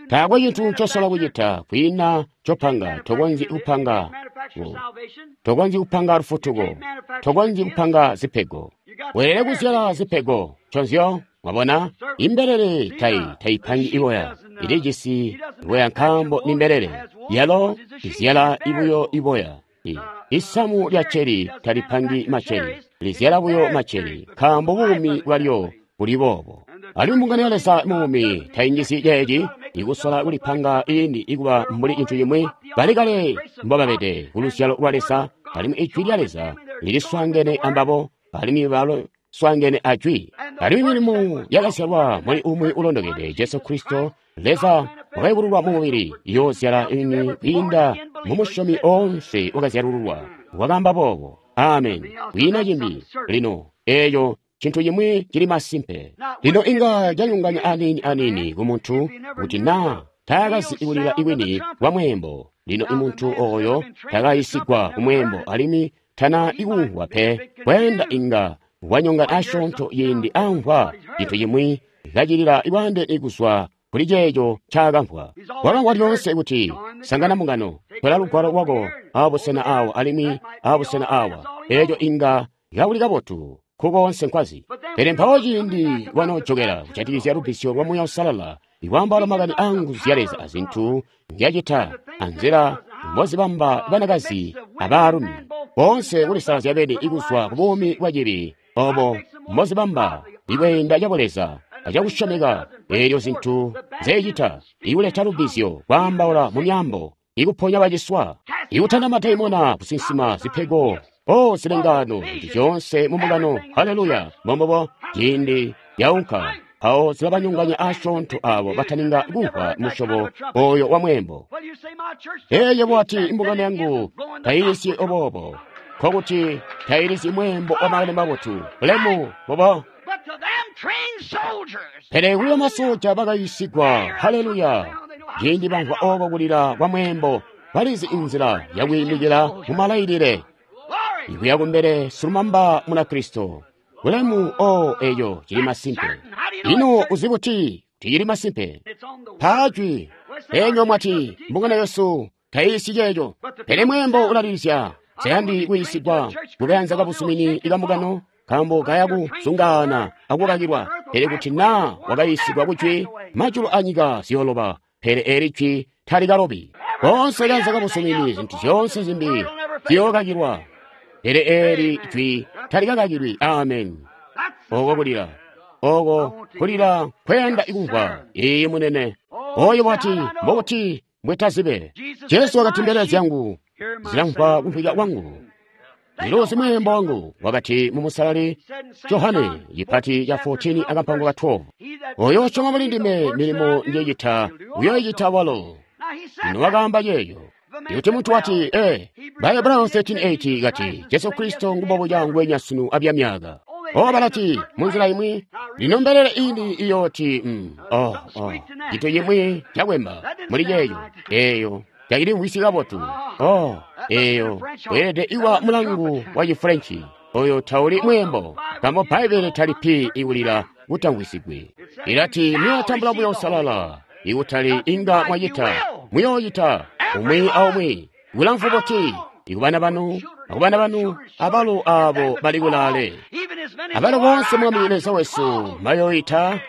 Taakwe cintu ncosola kucita kwiina copanga. Tokonzyi kupanga. Tokonzyi kupanga lufutuko. Tokonzyi kupanga zipego. Weelede kuzyala zipego. Nconzyo, mwabona? Imbelele taipangi iboya. Ilijisi iboya nkaambo ni mbelele. Yalo izyala ibuyo iboya. Isamu lya ceri talipangi maceri, lizyala buyo maceri, nkaambo buumi bwalyo buli boobo. Alimwi mbungano ya Leza muumi tainjizyi ceeci ikusola kulipanga iini ikuba mbuli cintu cimwi. Bali kale mbobabede ku luzyalo lwa Leza, alimwi ijwi lya Leza liliswaangene ambabo, alimwi baloswaangene ajwi. Alimwi milimo yakazyalwa muli umwi ulondokede, Jesu Kristo, Leza wakayubululwa mu mubili, iyoozyala ini kwiinda mu musyomi oonse wakazyalululwa. Wakaamba boobo. Amen. Kwiina cimbi. Lino, eeyo cintu cimwi cili masimpe. Lino inga canyonganya aniini aniini ku muntu kuti naa taakazi kulila iwini kwa mweembo. Lino imuntu oyo takayisigwa ku mweembo alimwi tana ikumvwa pe. Kweenda inga wanyongana asyoonto ciindi amvwa cintu cimwi kacilila ibwaandeene kuzwa kuli ceeco ncaakamvwa. Wakamvwa lyoonse kuti sangana mbungano, tola lugwalo lwako abusena awa alimwi abusena awa. Eeco inga kakuli kabotu kukoonse nkwazi. Pele mpawo ciindi wanoojokela kujatikizya lubbizyo lwa Muuya Uusalala, ikwaambaula makani aanguzu zya Leza azintu nzyacita anzila mbozibamba banakazi abaalumi boonse kulisalazya beni ikuzwa ku buumi bwa cibi, obo mbozibamba ikweenda cabuleza acakusyomeka, eelyo zintu nzecita ikuleta lubbizyo, kwaambaula mu myaambo, ikuponya baciswa, ikutanda madaimona, kusinsima, zipego, o zilengano, zintu zyoonse mu mbungano. Haleluya! Mbombobo ciindi yaunka mpawo zilabanyonganya asyoonto abo bataninga kumvwa musyobo oyo wa mweembo. Eeyo bwati imbungano yangu tayilisyi oboobo, nkokuti tayilisyi mweembo wa makani mabotu. Bulemu bobo. Pele kuli bamasoja bakayisigwa. Haleluya! Ciindi bamvwa oko kulila kwa mweembo, balizi inzila yakwiimikila mu malailile ikuya kumbele silumamba Munakristo. Bulemu o eyo cili masimpe. Ino uzi buti kuti cili masimpe? Pajwi enyo mwati mbungano yesu tayiisyi ceeco, pele mweembo ulalilizya. Nseyandi kuyiisigwa mukayanza kabuzumini ikambungano, nkaambo kaya kuzungaana akukakilwa. Pele kuti naa wakayiisigwa kujwi, majulu anyika ziyooloba, pele eli jwi talikalobi. Koonse kayanza kabuzumini, zintu zyoonse zimbi ziyookakilwa, pele eli jwi talikakakilwi. Amen. Oko kulila, oko kulila kweyanda ikumvwa. Iiyi munene. Oyo wati, mbokuti mbwetazibe. Jesu wakati, mbelele zyangu zilamvwa kumvwika kwangu, ziluzi mweembo wangu. Wakati mu musalali Johane cipati ca 14 akampango ka 12, oyo usyoma muli ndime, milimo njecita uyoyicita walo. Lino wakaamba ceeco. Ikuti muntu wati, Bahebrayo 13:8 kati, Jesu Kristo ngumbobuca ngwenya sunu abyamyaka. O balati, munzila imwi, lino mbelele ini iyooti, cintu cimwi cakwemba muli ceeco, eeyo tacilimvwisyi kabotu. Eeyo weelede iwa mulangu wa Chifrenchi. Oyo tauli mweembo, nkaambo Bbaibbele talipi ikulila kutamvwisigwe. Ilati muyotambula Muuya Uusalala, ikutali inga mwacita, muyoocita umwi aumwi. Kulamfu buti ikubana banu akubana banu abalo aabo bali kulaale, abalo bonse Mwami Leza wesu mayoita.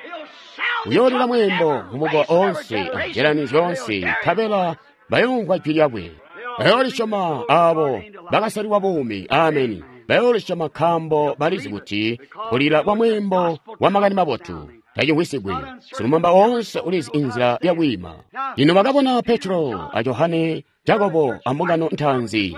Uyoolila mweembo mumukowa oonse anjelani zyoonse, nkabela bayoomvwa jwi lyakwe. Bayoolisyoma aabo bakasalilwa buumi. Ameni. Bayoolisyoma nkaambo balizi kuti kulila kwa mweembo wa makani mabotu tacimvwisigwi. Silumamba woonse ulizi inzila yakwiima. Lino bakabona Petro a Johane, Jakobo ambungano ntaanzi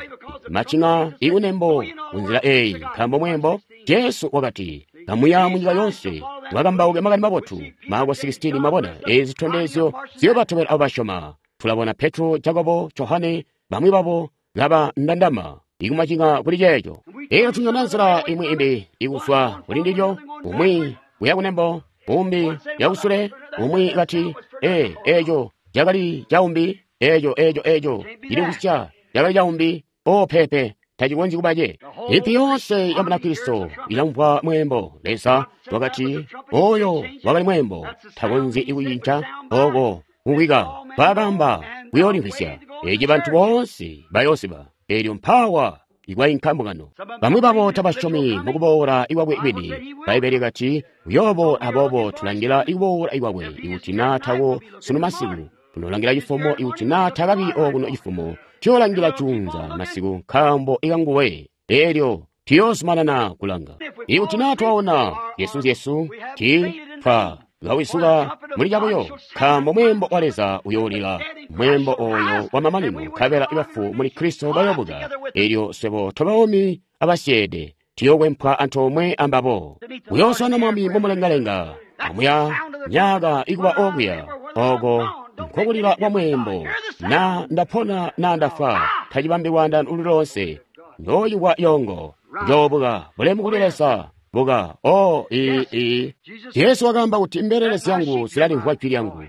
macing'a ikunembo kunzila eeyi, nkaambo mweembo. Jesu wakati, kamuya munyika yonse mwakambauke makani mabotu. Marko 16. Mwabona ezi zitondezyo ziyobatobela abo basyoma. Tulabona Petro, Jakobo, Johane, bamwi babo kaba ndandama ikumacing'a kuli ceeco. Eyo tunyona nzila imwi imbi ikuzwa kuli ndilyo, umwi kuya kunembo, umbi yakusule, umwi kati, ee, eco cakali caumbi, eco eco eco cili kusya cakali caumbi. O pepe, tacikonzyi kuba ce. Ipi yonse ya Munakristo ilamvwa mweembo. Leza wakati oyo wakali mweembo, takonzyi ikucinca oko kumvwika kwakamba kuyoolimvwisya. Eci bantu boonse bayoosiba. Elyo mpawa ikwainka mbungano. Bamwi babo tabasyomi mukuboola ikwakwe kwini. Bbaibbele kati uyoobo, aboobo tulangila ikuboola ikwakwe. Ikuti naa tawo sunu masiku, tunolangila cifumo. Ikuti naa takabi okuno cifumo, tuyoolangila juunza masiku, nkaambo ikanguwe. Elyo tuyoozumanana kulanga. Ikuti naa twaona zyesu ti twa kawisuka muli cabuyo, nkaambo mweembo wa Leza uyoolila, mweembo oyo wa mamanino, nkabela ibafu muli Kristo bayobuka. Elyo swebo tobaomi abasyeede tuyokwempwa antoomwe ambabo. Uyooswana Mwami mumulengalenga amuya myaka ikuba okuya. Oko nkokulila kwa mweembo. Na ndapona na ndafwa, tacibambi lwaandano uli lonse. Ndoyikwa yongo, njoobuka. Bulemu kuli Leza. Buka. O i Jesu wakaamba kuti mbelele zyangu zilalimvwa jwi lyangu.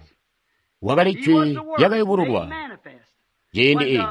Wakali jwi lyakayubululwa ciindi i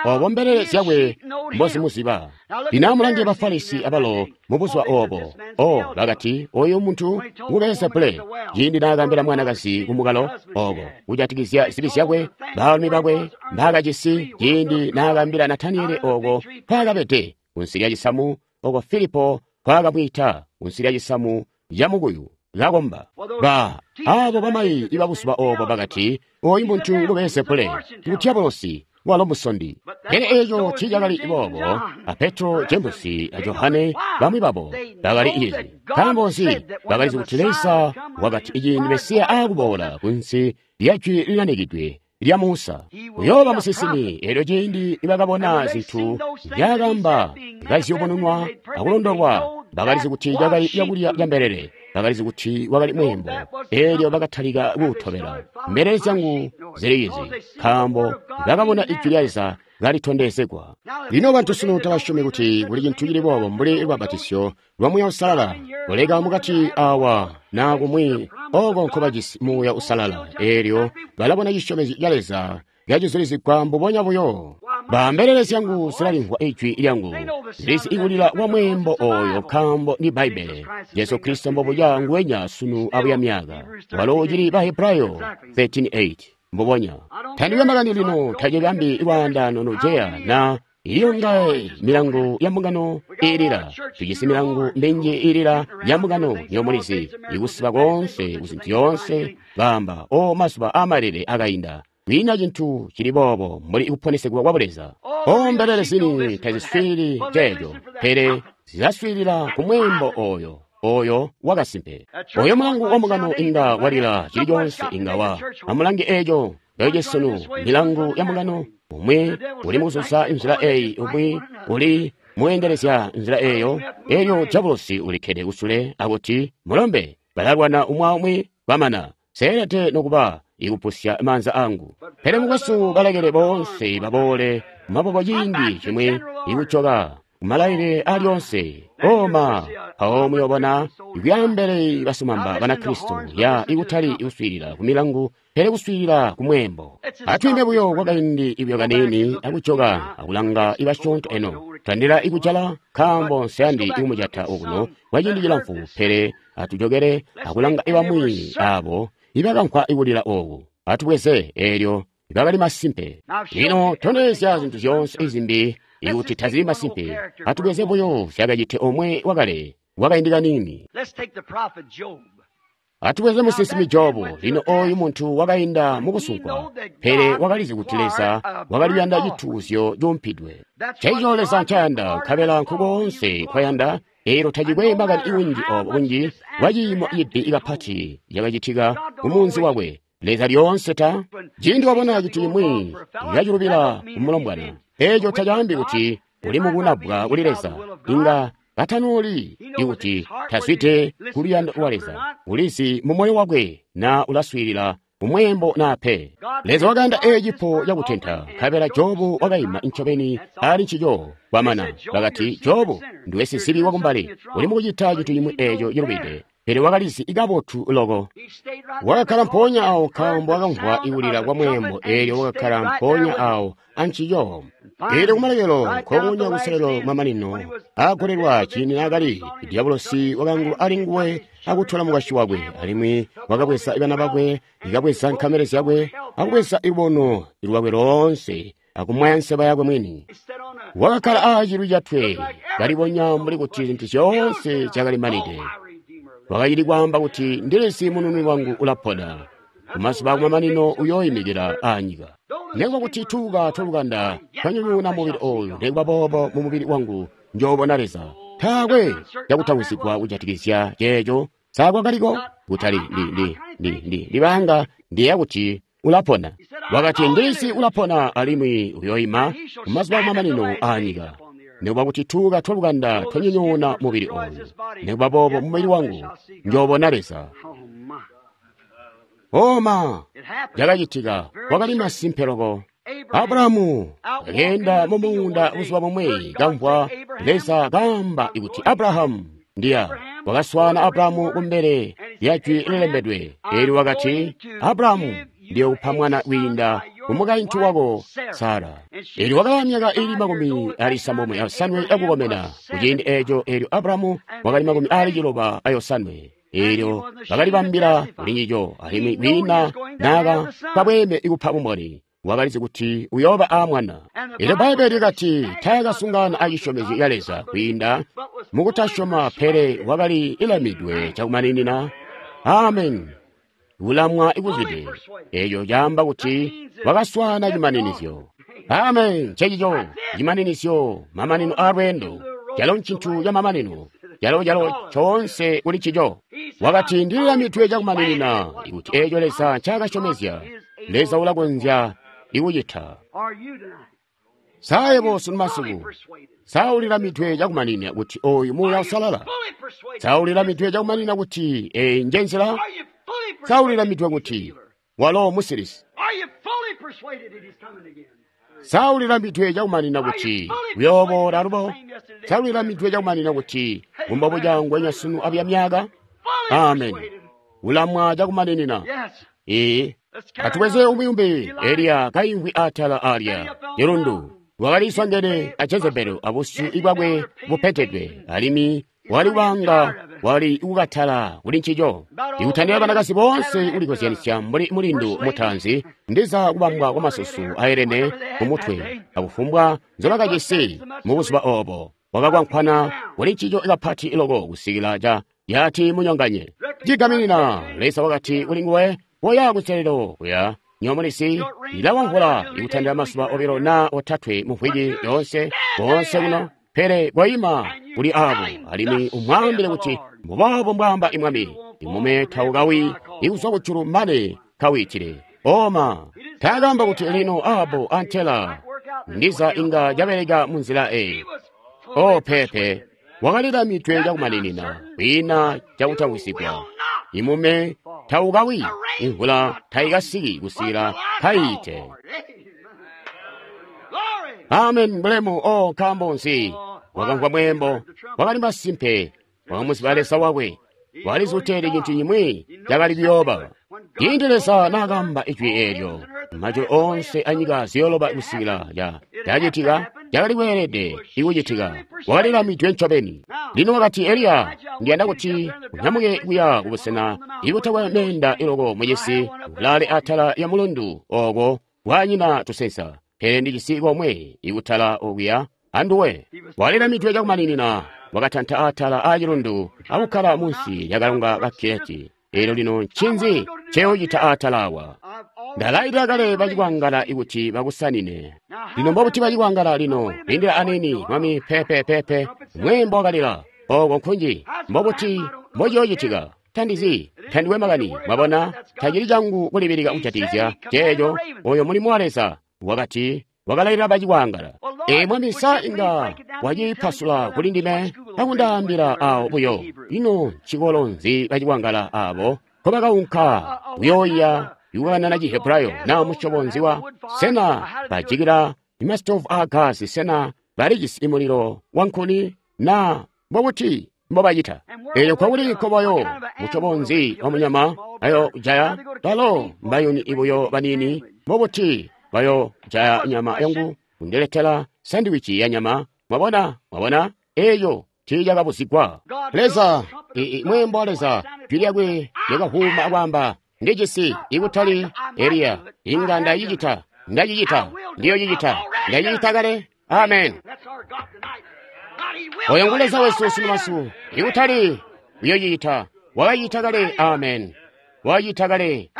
obo mbelele zyakwe mbozimuziba. Lino amulange Bafarisi abalo mubuzuba obo. O bakati, oyu muntu ngu Belzebule. Ciindi naakaambila mwanakazi kumukalo oko kujatikizya zibi zyakwe, baalumi bakwe mbaakajisi, ciindi naakaambila Nataniyeli oko kwaakabede kunsi lya cisamu, oko Filipo kwaakabwiita kunsi lya cisamu ca mukuyu kakomba. Ba abo bamayi ibabuzuba obo bakati, oyu muntu ngu Belzebule, ngu Diabolosi, walo musondi. Pele eco tiicakali boobo a Petro, Jemusi a Johane, bamwi babo bakali izi. Nkaambo nzi? Bakalizi kuti Leza wakati iciindi Mesiya aakuboola kunsi lya jwi linanikidwe lya Musa, uyooba musinsimi. Elyo ciindi nibakabona zintu nzyaakamba kaziyubununwa akulondolwa, bakalizi kuti cakali cakulya ca mbelele. Bakalizi kuti wakali mweembo. Elyo bakatalika kuutobela. Mbelele zyangu ziliizi, nkaambo bakabona ijwi lya Leza kalitondezegwa. Lino bantu sunu tabasyomi kuti kuli cintu cili boobo mbuli lubabatisyo lwa Muuya Uusalala. Kuleka mukati awa na kumwi oko nkobajisi Muuya Uusalala, elyo balabona cisyomezyo ca Leza kacizulizigwa mbubonya buyo. Ba mbelele zyangu zilalimvwa ijwi lyangu, zilizi ikulila kwa mweembo oyo, nkaambo ndi Bbaibbele. Jesu Kristo mbobuya nguwenya sunu abuya myaka. Walo ucili Bahebrayo 13:8 mbubonya. Tandikwe makani lino, tacibambi lwaandano nojeya na iyo ngae milangu ya mbungano iilila. Tujisi milangu minji iilila ya mbungano yomulizi, ikusiba konse kuzintu yoonse. Baamba, o mazuba amalele akainda. Kwiina cintu cili boobo mbuli kuponesegwa kwa Buleza. O mbelele zini taziswiili ceeco, pele zilaswiilila ku mweembo oyo, oyo wakasimpe. Oyo mulangu wa mbungano inga walila cili coonse inga wa. Amulange eco eco sunu, milangu ya mbungano, umwi uli mukuzuza nzila eyi, umwi uli muendelezya nzila eyo. Elyo Diabolosi ulikkede kusule akuti, mulombe, balalwana umwi aumwi bamana. Seelede nokuba ikupusya maanza angu. Pele mukwesu, balekele boonse baboole maboko ciindi cimwi ikujoka kumalaile alyonse. Oma mpawo muyobona ikuyambele basumamba Banakristo ya ikutali kuswiilila ku milangu, pele kuswiilila ku mweembo. Atwiimbe buyo kwakaindi ibyo kaniini akujoka akulanga ibasyoonto eno. Tandila ikujala nkaambo nseyandi ikumujata okuno kwaciindi cilamfu, pele atujokele akulanga ibamwi abo ibakamvwa ikulila oku. Atubweze eelyo ibakali masimpe. Lino tondezya zintu zyoonse izimbi ikuti tazili masimpe. Atubweze buyo zyakacite omwe wakale wakaindi kaniini. Atubweze musinsimi Jobu. Lino oyu muntu wakainda mukusunkwa, pele wakalizi kuti Leza wakaliyanda cituuzyo cuumpidwe. Ncencico Leza ncayanda, nkabela nkukoonse nkwayanda. Eelyo tacikwe makani iwinji obo bunji bwa ciimo cibi kapati cakacitika kumunzi wakwe. Leza lyoonse ta ciindi wabona cintu cimwi yaculubila kumulombwana, eeco tacaambi kuti uli mukunabwa kuli Leza. Inga katanoli ikuti tazwide kuluyando lwa Leza, ulizi mu moyo wakwe na ulaswiilila kumweembo naa pe. Leza wakayanda eeci cipo cakutenta, nkabela Jobu wakaima ncobeni ali ncico. Kwamana bakati, Jobu ndiwe sizibi wakumbali, uli mukucita cintu cimwi eeco cilubide. Pele wakalizi kabotu loko. Wakakkala mpoonya awo nkaambo wakamvwa ikulila kwa mweembo, eelyo wakakkala mpoonya awo ancico. Eelyo kumalekelo nkokunya kuselelo mamanino aagolelwa ciindi naakali, Diabolosi wakangulwa ali nguwe akutola mukwasyi wakwe, alimwi wakabweza bana bakwe, ikabweza nkamele zyakwe, akubweza ilubono lwakwe loonse, akumwaya nseba yakwe mwini. Wakakkala aacilwi catwe, kalibonya mbuli kuti zintu zyoonse zyakalimanide. Wakacili kwaamba kuti, ndilizi munununi wangu ulapona, kumazuba akumamanino uyooyimikila aanyika. Nikuba kuti tuuka twalukanda twanyonyoona mubili ooyu, nikuba boobo mu mubili wangu njoobona Leza. Taakwe cakutawizigwa kujatikizya ceeco. Sakwakaliko kutali ndibanga ndiyeeya kuti ulapona. Wakati ndilizi ulapona alimwi uyooyima kumazuba akumamanino aanyika. Nikuba kuti tuuka twalukanda twanyonyoona mubili ooyu, nikuba boobo mubili wangu njoobona Leza. Oma cakacitika wakali masimpe loko. Abrahamu akeenda mu muunda buzuba bumwe, kamvwa Leza kaamba kuti, Abrahamu, ndiya. Wakaswaana Abrahamu kumbele lya jwi lilembedwe. Eelyo wakati, Abrahamu, ndiyokupa mwana kwiinda kumukaintu wako Sara. Eelyo wakaba myaka ili 75 yakukomena kuciindi eeco. Eelyo Abrahamu wakali 97. Eelyo bakalibambila kulincico, alimwi kwiina naaka kabweeme ikupa bumboni. Wakalizi kuti uyooba aamwana. Eelyo Bbaibbele likati taakasungana acisyomezyo ca Leza kwiinda mukutasyoma, pele wakali ilamidwe cakumaninina. Amen. Kulamwa ikuzwide. Eeco caamba kuti wakaswaana cimaninizyo. Amen. Ncencico cimaninizyo, mamanino aalweendo. Calo ncintu ca mamanino, calo calo coonse kuli ncico. Wakati ndililamidwe cakumaninina kuti eeco Leza ncaakasyomezya, Leza ulakonzya ikucita. Sa yebo sunu masiku, sa ulilamidwe cakumaninina kuti ooyu Muuya Usalala? Sa ulilamidwe cakumaninina kuti eeyi nje nzila? Sa ulilamidwe kuti walo musilisi? Sa ulilamidwe cakumaninina kuti uyooboola alubo? Sa ulilamidwe cakumaninina kuti kumbobuca ngwenya sunu abuya myaka? Amen. Ulamwa cakumaninina. Ee, atubweze umwi-umbi. Eliya kaimvwi atala alya cilundu, wakaliswangene a Jezebeli abusyu bwakwe bupetedwe, alimwi wali kubanga wali kukatala kuli ncico. Ikutandila banakazi boonse kulikozyanisya mbuli mulindu mutanzi, ndiza kubambwa kwamasusu aelene kumutwe akufumbwa nzobakajisi mubuzuba obo. Wakakwankwana kuli ncico kapati loko kusikila ca yati munyonganye. Cigaminina Leza wakati kuli nguwe, koya kuselelo kuya nyomulisi ilawamvula ikutandila mazuba 2 na 3 muvwiki yoonse koonse kuno, pele koima kuli abo alimwi umwaambile kuti mbuboobo mbwaamba imwami, imume taukawi ikuzwa kujulu mane kawiitile. Oma taakamba kuti lino abo antela ndiza inga cabeleka munzila eyi. O pepe wakalilamidwe cakumaninina kwiina cakutangwisigwa. Imume taukawi, imvula taikasiki kusikila kayiite. Amen. Bulemu. O nkaambo nzi? Wakamvwa mweembo, wakali masimpe, wakamuziba Leza wakwe, walizi kuti cintu cimwi cakali kuyooba. Ciindi Leza naakamba ijwi eelyo, majulu oonse anyika ziyooloba kusikila cacitika. cakali kweelede ikucitika. Wakalilamidwe ncobeni. Lino wakati, Eliya, ndiyanda kuti unyamuke kuya kubusena ibutakwe meenda iloko mucisi, ulale atala ya mulundu oko kwanyina tusensa. Pele ndijisi komwe ikutala okuya anduwe. Walilamidwe cakumaninina, wakatanta atala aacilundu akukkala munsi lyakalonga ka Kereti. Eelyo lino ncinzi nceyoocita atala awa? Ndalailila kale bacikwangala kuti bakusanine. Lino mbobuti bacikwangala lino? Lindila aniini, Mwami, peepe, peepe. Mweembo wakalila. Oko nkunji. Mbobuti mbociyoocitika? Tandizi, tandikwe makani. Mwabona, tacili cangu kulibilika kujatikizya ceeco. Oyo mulimo wa Leza. Wakati, wakalailila bacikwangala. Ee, Mwami, sa inga wacipasula kuli ndime akundaambila awo buyo. Ino ncikolo nzi bacikwangala abo nkobakaunka kuyooiya ikukanana Cihebrayo naa musyobo nzi wa? Sena bajikila masitovu aagasi? Sena balijisi mulilo wankuni? Naa mbobuti mbobacita? Eelyo kwakuli nkoboyo musyobo nzi wa munyama ayo jaya? Balo mbayuni ibuyo baniini. Mbobuti bayo jaya nyama yangu kundiletela sandiwici ya nyama? Mwabona, mwabona, eeyo tiiyakabuzigwa. Leza, mweembo wa Leza, jwi lyakwe lyakavuuma akwaamba, ndijisi ikutali Eliya, inga ndacicita, ndacicita, ndiyocicita, ndacicita kale. Amen. Oyo ngu Leza wesu sunu masiku, ikutali uyocicita, wakacita kale. Amen. Wacita kale.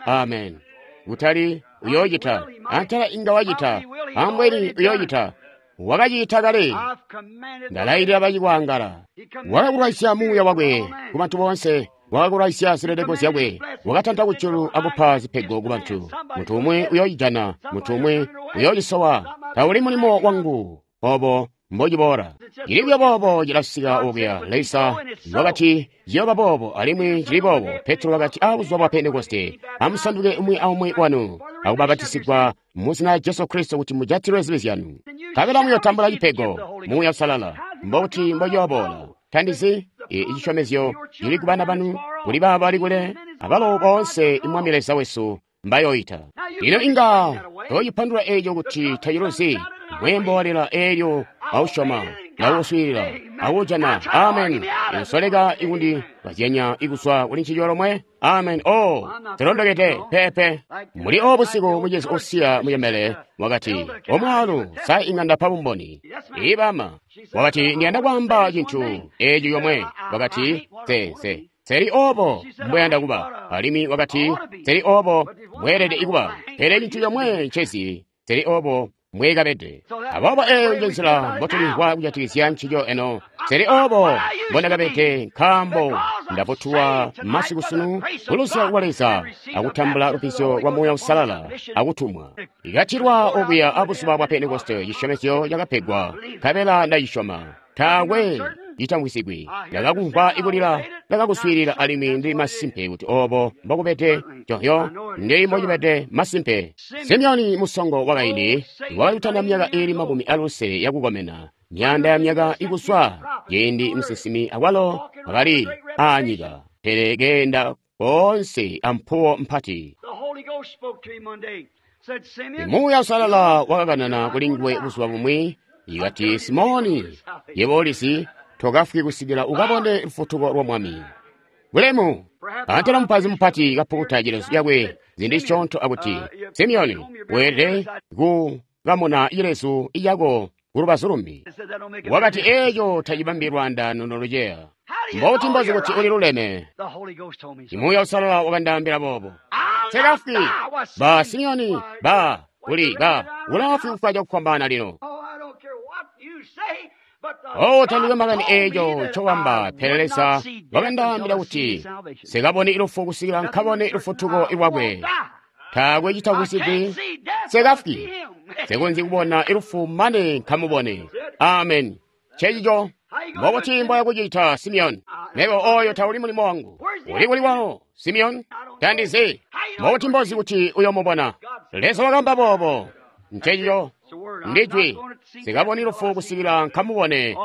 Amen. Kutali uyocita, antela inga wacita, ambweni uyocita, wakacita kale. Ndalailila bacikwangala. Wakakulwaisya muuya wakwe ku bantu boonse. Wakakulwaisya zileleko zyakwe. Wakatanta kujulu akupa zipego ku bantu. Muntu umwi uyocijana, muntu umwi uyocisowa. Tauli mulimo wangu obo mbociboola. Cili buyo boobo cilasika okuya. Leza wakati ciyooba boobo, alimwi cili boobo. Petro wakati abuzuba bwa Pentekoste, amusanduke umwi aumwi wanu akubapatisigwa mu zina lya Jesu Kristo kuti mujatilwe zibi zyanu, nkabela muyotambula cipego, Muuya Uusalala. Mbobuti mbociyoboola? Tandizi. Icisyomezyo cili ku bana banu, kuli baabo bali kule, abalo boonse Mwami Leza wesu mbayoyita. Lino inga toyipandula eeco kuti taciluzi. Mweembo walila eelyo ausyoma, nauuswiilila, auujana. Amen. Usoleka ikundi kazyanya ikuzwa kuli ncico lomwe. Amen. Oh, zilondokede peepe. Muli obo busiku mucezi usiya muyembele wakati, omwaalu, sa inga ndapa bumboni? Ibama. Wakati, ndiyanda kwaamba cintu eeci yomwe. Wakati, se, seli obo mbweyanda kuba. Alimwi wakati, seli obo mbweelede ikuba. Pele cintu yomwe ncezi, seli obo mbwekabede. Aboobo eeyo nje nzila mbotulimvwa kujatikizya ncico eno. Seli obo mbondakabede, nkaambo ndavutuwa masiku sunu kuluzyalo lwa Leza akutambula lubbizyo lwa Muuya Uusalala akutumwa. Ikatilwa okuya abuzuba bwa Pentekoste, cisyomezyo cakapegwa, nkabela ndacisyoma. Taakwe citamvwisigwi. Ndakakumvwa ikulila, ndakakuswiilila, alimwi ndili masimpe kuti obo mbokubede. Johyo, ndili mbocibede masimpe. Simeoni musongo wakaindi wakali kutanda myaka iili 50 yakukomena, myaanda ya myaka ikuswa ciindi musinsimi awalo akali aanyika, pele keenda koonse ampuwo mpati. Muuya Uusalala wakakanana kuli nguwe buzuba bumwi, ikati, Simoni, yebo ulizi, tokafwi kusikila ukabone lufutuko lwa Mwami. Bulemu! Antela mupazi mupati kapukuta cilezu cakwe ziindi zisyoonto akuti, Simeoni, weelede kukamuna cilezu cako kulubazu lumbi. Wakati, eeco tacibambi lwaandaano noluceya. Mbobuti mbozi kuti uli luleme? Muuya Uusalala wakandaambila boobo. Nsekafwi! Ba Simeoni, ba uli ba ulafwi kufwa cakufwambaana lino. Oh, tandikwe makani eeco ncowamba, pele Leza wakandaambila kuti nsekaboni lufu kusikila nkabone lufutuko lwakwe. Taakwe citakusigwi, nsekafwi, nsekonzyi kubona lufu mane nkamubone. Amen. Ncencico. Mbobuti mboya kucita, Simeoni? Mebo oyo tauli mulimo wangu. Uli kuli wawo, Simeoni? Tandizi. Mbobuti mbozi kuti uyomubona? Leza wakamba boobo. Ncencico. Ndijwi. Nsikaboni lufu kusikila nkamubone.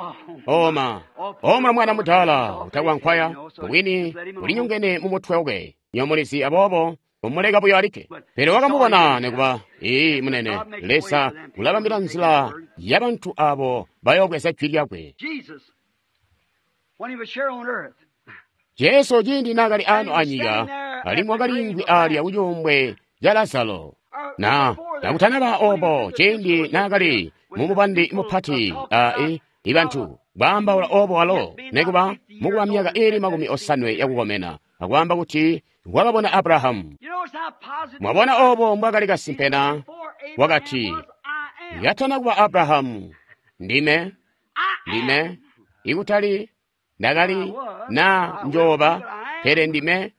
Oma. Oma mwana mudaala utakwankwaya, mubwini ulinyongene mu mutwe wakwe. Nyomulizi aboobo. Kumuleka buyo alikke. Pele wakamubona nekuba. Ee, munene, Leza ulabambila nzila ya bantu abo bayobweza jwi lyakwe. Jesu ciindi naakali ano anyika, alimwi wakaliimvwi alya kucuumbwe ca Lazaro. Na kakutanaba obo, ciindi naakali mumubandi mupati ibantu kwaambaula obo walo, nekuba mukuba myaka iili 80 yakukomena, akwaamba kuti wakabona Abrahamu. Mwabona obo mbwakali kasimpe na? Wakati, yatana kuba Abrahamu, ndime, ndime, ikutali ndakali na njoba, pele ndime,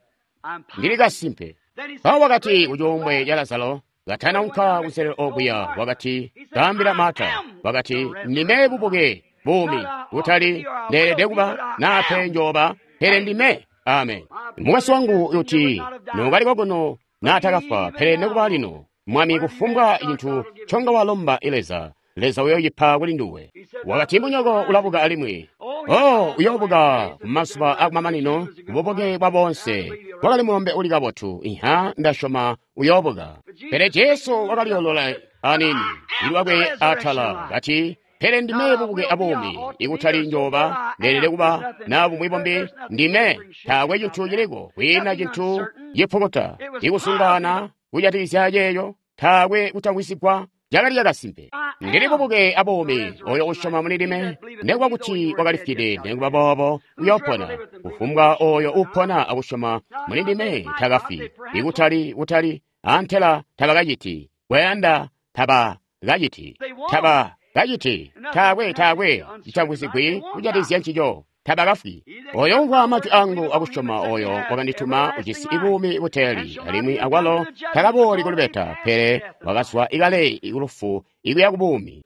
ndili kasimpe. Mpawo wakati kucuumbwe ca Lazaro, katanaunka kunselelo okuya, wakati, kaambila Marta, wakati, ndime bubuke, buumi, kutali ndeelede kuba nape njoba, pele ndime. Amen. Mukwesu wangu uti nokaliko kuno naatakafwa, pele nekuba lino, Mwami, kufumbwa cintu nconga walomba Leza, Leza uyoocipa kuli nduwe. Wakati munyoko ulabuka alimwi. Oh, uyoobuka kumazuba akumamanino, bubuke bwa boonse. Wakali mulombe uli kabotu. Iha, ndasyoma uyoobuka. Pele Jesu wakaliolola anini, ilwakwe atala, kati, pele ndime bubuke abuumi, ikutali njoba, ndeelede kuba na bumwi bumbi, ndime, taakwe cintu ciliko, kwiina cintu cipukuta, ikusungana kujatikizya ceeyo, taakwe kutamwisigwa, cakali cakasimpe. Ndili bubuke abuumi, oyo usyoma muli ndime, nekuba kuti wakalifwide, nekuba boobo uyoopona. Kufumbwa oyo upona akusyoma muli ndime takafwi, ikutali kutali, antela tabakaciti, kwayanda tabakaciti, tabakaciti, taakwe taakwe citamwisigwi kujatikizya ncico. Tabakafwi. Oyo umvwa majwi angu akusyoma oyo wakandituma ujisi buumi buteeli, alimwi akwalo takabooli kulubeta, pele wakazwa ikale kulufu ikuya kubuumi.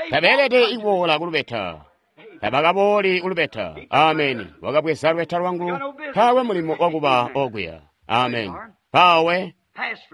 Tabeelede ikuboola kulubeta. Tabakabooli kulubeta. Ameni. Wakabweza lubeta lwangu, taakwe mulimo wakuba okuya. Ameni. Pawe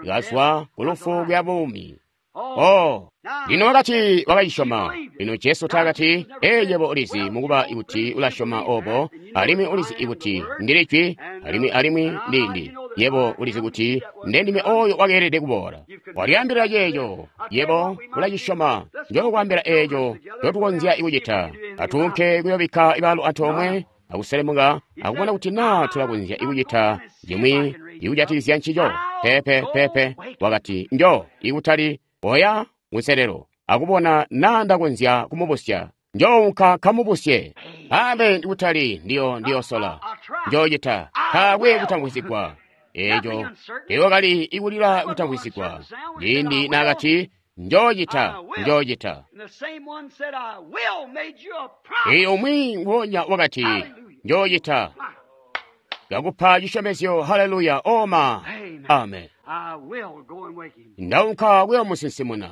kazwa kulufu kuya buumi. Oh, lino wakati wakacisyoma. Lino Jesu taakati, ee, yebo ulizi mukuba kuti ulasyoma obo, alimwi ulizi kuti ndili jwi, alimwi alimwi ndindi. Yebo ulizi kuti ndendime oyo wakeelede kuboola. Walyaambila ceeco, yebo ulacisyoma. Njokwaambila eeco ncotukonzya kucita. Atuunke kuyobikka ibaalu antoomwe, akuselemuka, akubona kuti naa tulakonzya kucita cimwi ikujatikizya ncico. Pepe, pepe, wakati, njo, ikutali, oya kunselelo, akubona naa ndakonzya kumubusya. Njounka kamubusye. Amen, kutali, ndiyo, ndiyosola. Njoocita, taakwe kutamwisigwa. Eeco, teewakali ikulila kutamwisigwa. Ciindi naakati, njoocita, njoocita. Ee, umwi nguonya wakati, njoocita. Kakupa cisyomezyo, haleluya, oma. Amen. Ndaunka kuyomusinsimuna.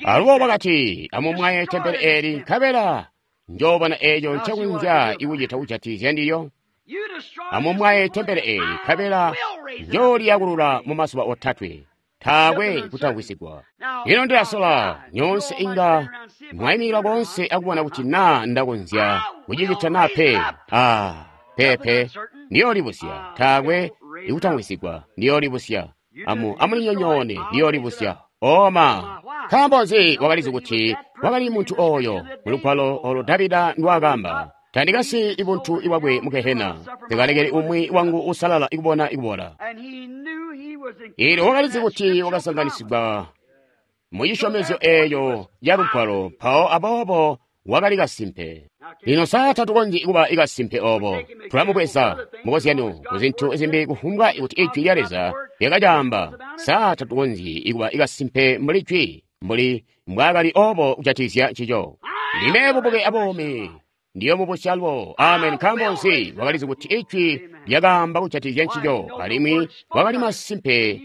Alubo wakati, amumwaye tempele eeli, nkabela njoobona eeco ncekonzya ikucita kujatikizya ndiyo. Amumwaye tempele eeli, nkabela njooliyakulula mumazuba otatwe. Taakwe kutamwisigwa. Lino ndilasola, nyoonse inga mwayimikila konse akubona kuti naa ndakonzya kucicita naa pe. Ah, pepe, ndiyoolibusya. Taakwe ikutamwisigwa, ndiyoolibusya. Amulinyonyoone, ndiyoolibusya. Oma, nkaambo nzi wakalizi kuti wakali muntu oyo mulugwalo olo Davida ndwaakamba, tandikasi ibuntu ibwakwe mu Gehena, ndikalekele umwi wangu usalala ikubona ikubola. Eelyo wakalizi kuti wakasanganisigwa mu cisyomezyo eeyo ya lugwalo, mpawo aboobo wakali kasimpe. Lino saa tatukonzyi kuba ikasimpe obo. Tulamubweza mukozyano kuzintu zimbi kufumbwa kuti ijwi lya Leza lyakacaamba. Saa tatukonzyi kuba ikasimpe mbuli jwi, mbuli mbwaakali obo kujatikizya ncico. Ndime bubuke abuumi, ndiyomubusya lwo. Amen. Nkaambo nzi? Wakalizi kuti ijwi lyakaamba kujatikizya ncico, alimwi wakali masimpe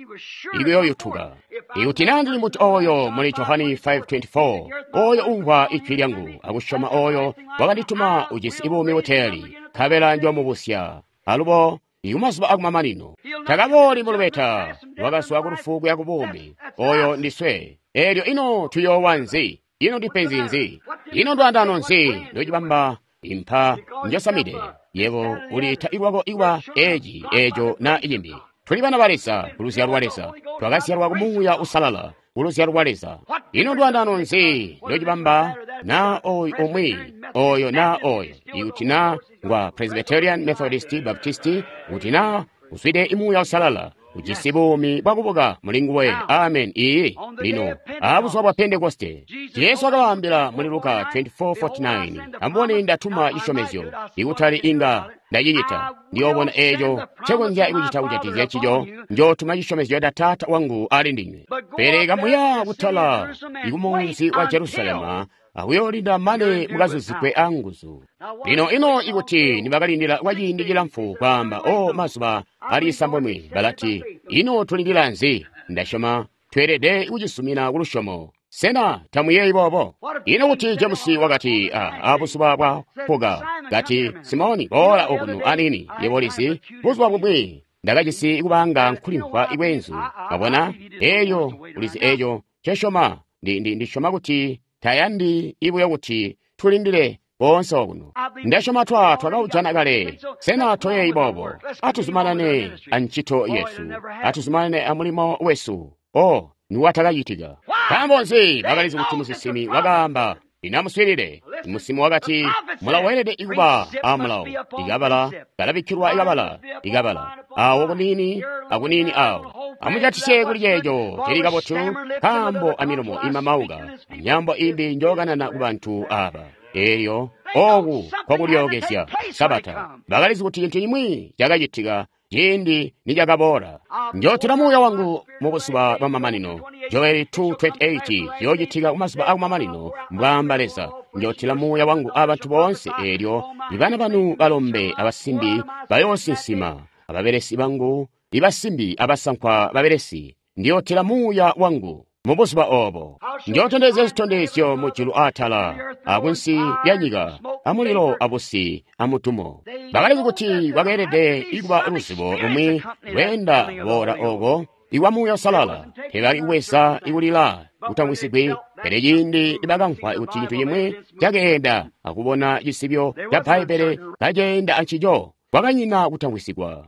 ikuyooyutuka. Ikuti naa ndili muntu oyo muli Johani 5:24, oyo umvwa ijwi lyangu akusyoma oyo wakandituma ujisi buumi buteeli, nkabela njoomubusya alubo ikumazuba akumamanino. Takabooli mulubeta, wakazwa kulufu kuya kubuumi. Oyo ndiswe. Eelyo ino tuyoowa nzi? Ino ndipenzi nzi? Ino ndwandano nzi ndocibamba impa njosamide? Yebo uliita ilwako ikuba eci, eco na icimbi. Tuli bana ba Leza, ku luzyalo lwa Leza. Twakazyalwa ku Muuya Uusalala, ku luzyalo lwa Leza. Ino ndwaandaano nzi ndocibamba na oyu umwi, oyo na oyo, ikuti na ngwa Presbyterian, Methodist, Baptist, kuti na uzwide Muuya Uusalala, ujisi buumi bwakubuka muli nguwe. Amen. Iyi lino abuzuba bwa Pentekoste, Jesu wakabaambila muli Luka 24:49, amubone ndatuma cisyomezyo, ikutali inga ndacicita, ndiyoobona eeco ncekonzya kucita kujatikizya ncico, njootuma cisyomezyo ca Taata wangu ali ndinywe. Pele kamuya kutala ikumunzi wa Jerusalema akuyoolinda mane mukazuzikwe anguzu. Lino ino ikuti nibakalindila kwa ciindi cilamfu kwaamba, o mazuba ali isambomwe, balati, ino tulindila nzi? Ndasyoma tweelede kucisumina kulusyomo. Sena tamuyeeyi boobo? Ino kuti Jemusi wakati, abuzuba bwa puka, kati, Simoni, boola okuno anini, yebo ulizi, buzuba bumwi ndakajisi kubanga nkulimvwa ikwenzu. Wabona? Eeyo, ulizi eeco ncesyoma. Ndisyoma kuti tayandi ibuyo kuti tulindile boonse okuno. Ndasyoma twakaujana kale. Sena toyeeyi boobo? Atuzumanane ancito yesu. Atuzumanane amulimo wesu. O, niwatakacitika. Nkaambo nzi? Bakalizi kuti musinsimi wakaamba, inamuswiilile. Musinsimi wakati, mulawo weelede kuba a mulawo. Ikabala kalabikkilwa ikabala, ikabala. Awo kuniini, akuniini awo. Amujatisye kuli ceeco cili kabotu, nkaambo amilomo imamauka, amyaambo imbi njookanana ku bantu aba. Eelyo, ooku kwakulyookezya, Sabata. Bakalizi kuti cintu cimwi cakacitika ciindi nicakaboola. Njootila Muuya wangu mubuzuba bwamamanino. Joeli 2:28 yoocitika kumazuba akumamanino, mbwaamba Leza. Njootila Muuya wangu abantu boonse, eelyo ibana banu balombe abasimbi bayoosinsima, ababelesi bangu ibasimbi abasankwa babelesi. Ndiyootila Muuya wangu mubuzuba oobo. Njootondezya zitondezyo mujulu aatala, akunsi lya nyika, amulilo abusi amutumo. Bakalizi kuti kwakeelede kuba luzibo lumwi lweenda boola ooko iwa Muuya Uusalala. Teebali kuweza ikulila kutamwisigwi, pele ciindi nibakamvwa kuti cintu cimwi cakeenda akubona cisibyo ca Bbaibbele kaceenda ancico, kwakanyina kutamwisigwa.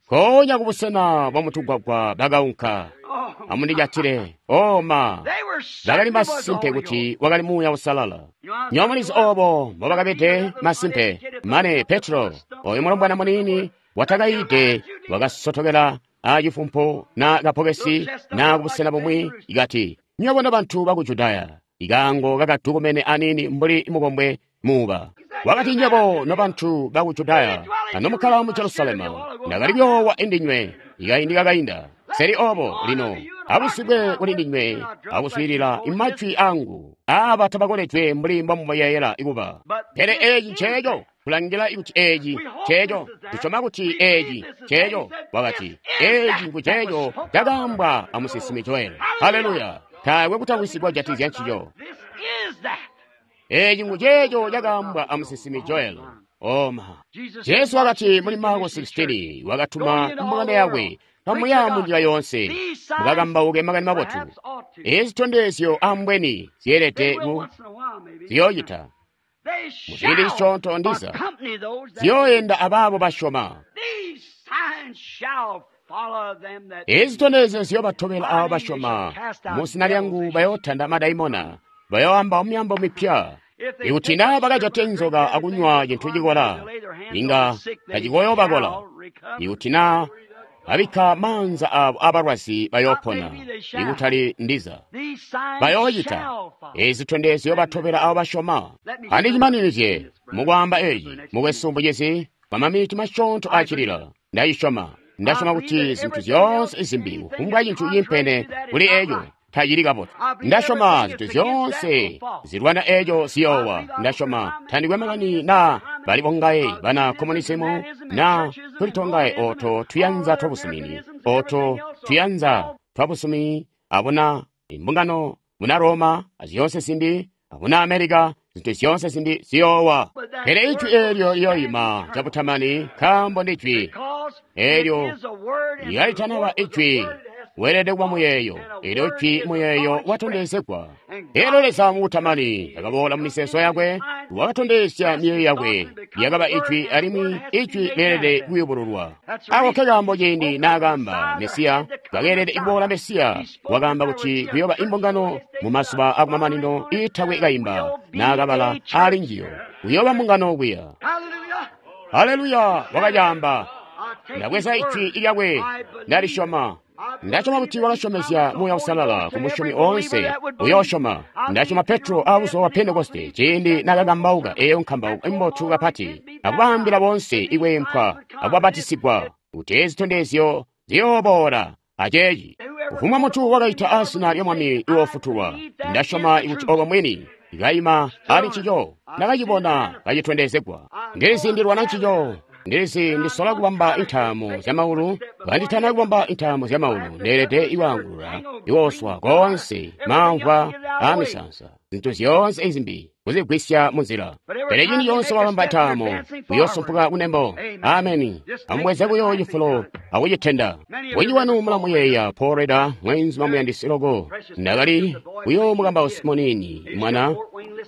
Nkoonya kubusena bwa mutugwagwa bakaunka. Amundijatile. O ma, bakali masimpe kuti wakali Muuya Uusalala. Nywebo mulizi oobo mbobakabede masimpe. Mane Petro, oyo mulombwana muniini watakayiide, wakasotokela acifumpu na kapokesi na kubusena bumwi, ikati, nywebo nobantu baku Judaya, ikaango kakatukumene aniini mbuli mukombwe muuba. Wakati, nywebo nobantu baku Judaya, anomukkala mu Jerusalema, ndakali kuyoowa indinywe ikaindi kakainda. Seli oobo lino abusigwe kuli ndinywe akuswiilila imajwi angu. Aaba tabakoledwe mbuli mbomuyeeyela kuba. Pele eeci nceeco, kulangila kuti eeci nceeco, tusyoma kuti eeci nceeco. Wakati, eeci nguceeco cakaambwa amusinsimi Joeli. Haleluya! Taakwe kutamwisigwa kujatikizya ncico. Eeci nguceeco cakaambwa amusinsimi Joeli. Oma. Jesu wakati muli Marko 16, wakatuma mbungano yakwe, kamuya munjira yoonse, mukakambauke makani mabotu. Ezi zitondezyo ambweni zyeelede ku ziyoocita. Muciindi cisyoonto ndiza, ziyooenda abaabo basyoma. Ezi zitondezyo ziyoobatobela aabo basyoma. Muzina lyangu bayootanda madaimona, bayooamba myaambo mipya. Ikuti naa bakajate nzoka akunywa cintu cikola, inga tacikoyoobakola. Ikuti naa babikka maanza aabo abalwazi bayoopona, ikutali ndiza. Bayoocita ezi zitondezyo batobela aabo basyoma. Andicimaninizye mukwaamba eeci, mukwesu mbucizi, kwa maminiti masyoonto aacilila. Ndacisyoma. Ndasyoma kuti zintu zyoonse zimbi, kufumbwa cintu ciimpene kuli eeco, tacili kabotu. Ndasyoma zintu zyoonse zilwana eeco ziyoowa. Ndasyoma tandikwe makani naa bali bongaye bana komunisimu na tulitongaye oto tuyanza twabusumini, oto tuyanza twabusumi abuna imbungano muna Roma azyoonse zimbi, abuna Amerika, zintu zyoonse zimbi ziyoowa. Pele ijwi eelyo liyoyima cabutamani, nkaambo ndi jwi eelyo lyalitanaba ijwi. Weelede kuba muyeeyo. Elyo jwi muyeeyo watondezegwa. Elyo Leza mu Butamani akaboola mu miseeso yakwe, wakatondezya miyeeyo yakwe, lyakaba ijwi alimwi ijwi leelede kuyubululwa. Ako nkekaambo ciindi naakaamba Mesiya, kakeelede kuboola Mesiya, wakaamba kuti kuyooba imbungano mu mazuba akumamanino iitakwe kaimba naakabala aali njiyo. Kuyooba mbungano kuya. Haleluya! Wakacaamba. Ndabweza ijwi lyakwe, ndalisyoma. Ndasyoma kuti wakasyomezya Muuya Uusalala ku musyomi oonse uyoosyoma. Ndasyoma Petro aabuzuba bwa Pentekoste ciindi naakakambauka eeyo nkambauko imbotu kapati akubaambila boonse ikweempwa akubapatisigwa kuti eezi zitondezyo ziyooboola aceeci. Kufumbwa muntu wakaita azina lya Mwami uyoofutulwa. Ndasyoma kuti obo mwini kaima ali ncico ndakacibona kacitondezegwa. Ndilizi ndilwana ncico. Ndilizi ndisola kubamba intaamo zyamaulu. Kanditana kubamba intaamo zyamaulu, ndeelede iwaangulula iwooswa koonse maamvwa aamisansa, zintu zyoonse izimbi kuzigwisya munzila. Pele ciindi coonse wabamba intaamo, uyoosumpuka kunembo. Ameni. Amubweze buyo cifulo akucitenda. Bunji bwanu mulamuyeeya Paul Rader, mweenzu muyandisi loko. Ndakali kuyoomukambausi muniini mwana.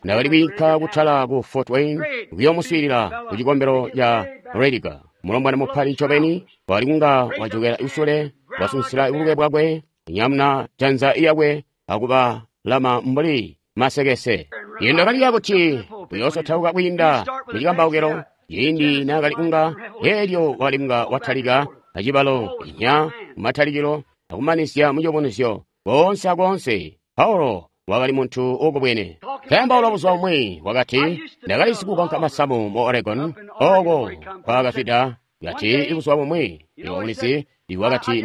Ndakali kwiinka kutala ku Fort Wayne kuyoomuswiilila ku cikombelo ca Rediger. Mulombwana mupati ncobeni wali kunga wajokela kusule, wasunsila buluke bwakwe, kunyamuna janza lyakwe akubalama mbuli masekese. Ino ndakaliya kuti uyoosotauka kwiinda mu cikambaukilo ciindi naakali kunga, eelyo wakali kunga watalika acibalo inya mumatalikilo akumanizya muciyubunuzyo koonse akoonse. Paulo wakali muntu uukubwene. Kaambaula buzuba bumwi wakati, ndakali sikukonka masamu mu Oregon, oko kwaakafwida. Kati buzuba bumwi, iwe ulizi, wakati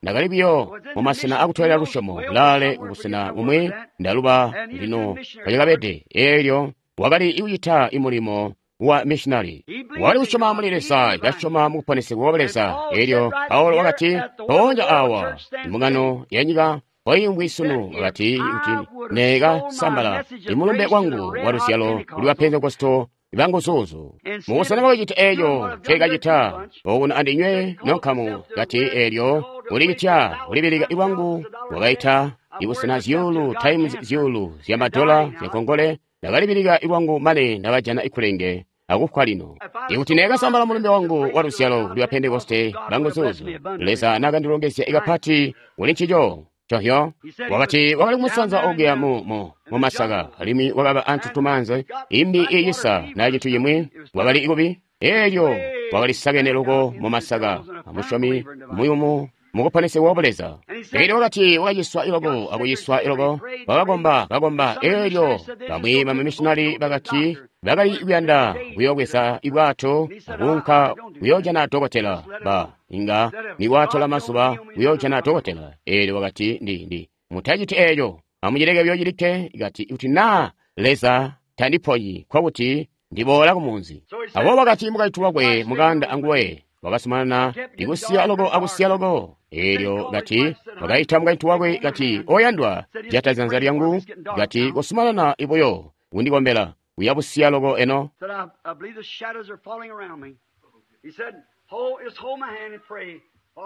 ndakali buyo mumasena akutwelera lusyomo kulaale kubusena bumwi, ndaluba lino kacakabede. Eelyo wakali kucita imulimo wa missionary. Wakali kusyoma muli Leza, kasyoma mu kuponesegwa kwa Leza. Eelyo Paulo wakati, mpoonya awa imbungano ya nyika poimvwi sunu, wakati kuti neekasambala imulumbe wangu wa luzyalo kuli ba Pentekosto banguzuuzu. Mubusena bwakucita eeco nceekacita okuno andinywe nonkamu, kati eelyo kulicitya kulibilika lwangu wakaita ibusena zyuulu times zyuulu zyamadola zyankongole. Ndakalibilika lwangu mane ndakajana ikulenge akufwa lino. Ikuti neekasambala mulumbe wangu wa luzyalo kuli ba Pentekoste banguzuuzu, Leza naakandilongezya kapati kuli ncico. Cohyo wakati wakali kumusanza okuya mu masaka, alimwi wakaba antutumanze imbi iicisa na cintu cimwi, wakali ikubi. Eelyo wakali sakene loko mu masaka, amusyomi muyumu mukuponesegwa kwa Leza. Eelyo wakati wakaciswa iloko akuciswa iloko, wakakomba kakomba. Eelyo bamwi bamamishinali bakati bakali kuyanda kuyoobweza ibwato akuunka kuyoojana dokotela. Ba inga nikwatola mazuba kuyoojana dokotela. Eelyo wakati ndi mutaciti eeco, amucileke buyo cilikke. Kati kuti naa Leza tandiponyi, nkokuti ndiboola kumunzi. Aboobo wakati mukaintu wakwe mukanda anguwe wakasumanana ikusiya loko akusiya loko. Eelyo kati wakaita mukaintu wakwe kati, oyandwa, jata janza lyangu, kati kosumanana ibuyo kundikombela, uyabusiya loko eno.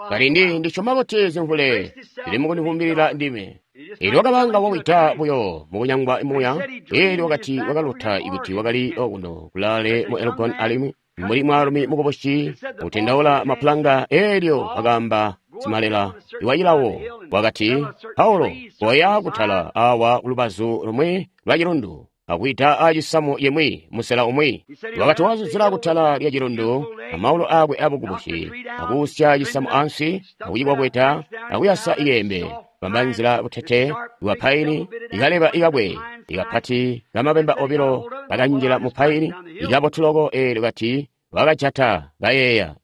Kati ndisyoma kuti zimvule zili mukundivumbilila ndime. Eelyo wakabanga wawita buyo mukunyangwa muya. Eelyo wakati wakalota ikuti wakali okuno kulaale mu Elgon alimwi mbuli mwaalumi mukubusi utendaula mapulanga. Eelyo wakaamba simalela iwacilawo wakati, Paulo, koya kutala awa kulubazu lumwi lwa cilundu akwiita aacisamu yemwi musela umwi. Wakati wazuzila kutala lya cilundu amaulu akwe abukubusi, akuusya cisamu ansi, akucikwakweta, akuyasa iyembe, bamba nzila butete bwa paini, ikaleba ikabwe ikapati kamabemba obilo kakanjila mu paini ikabotu loko. Eelyo kati wakajata kayeeya,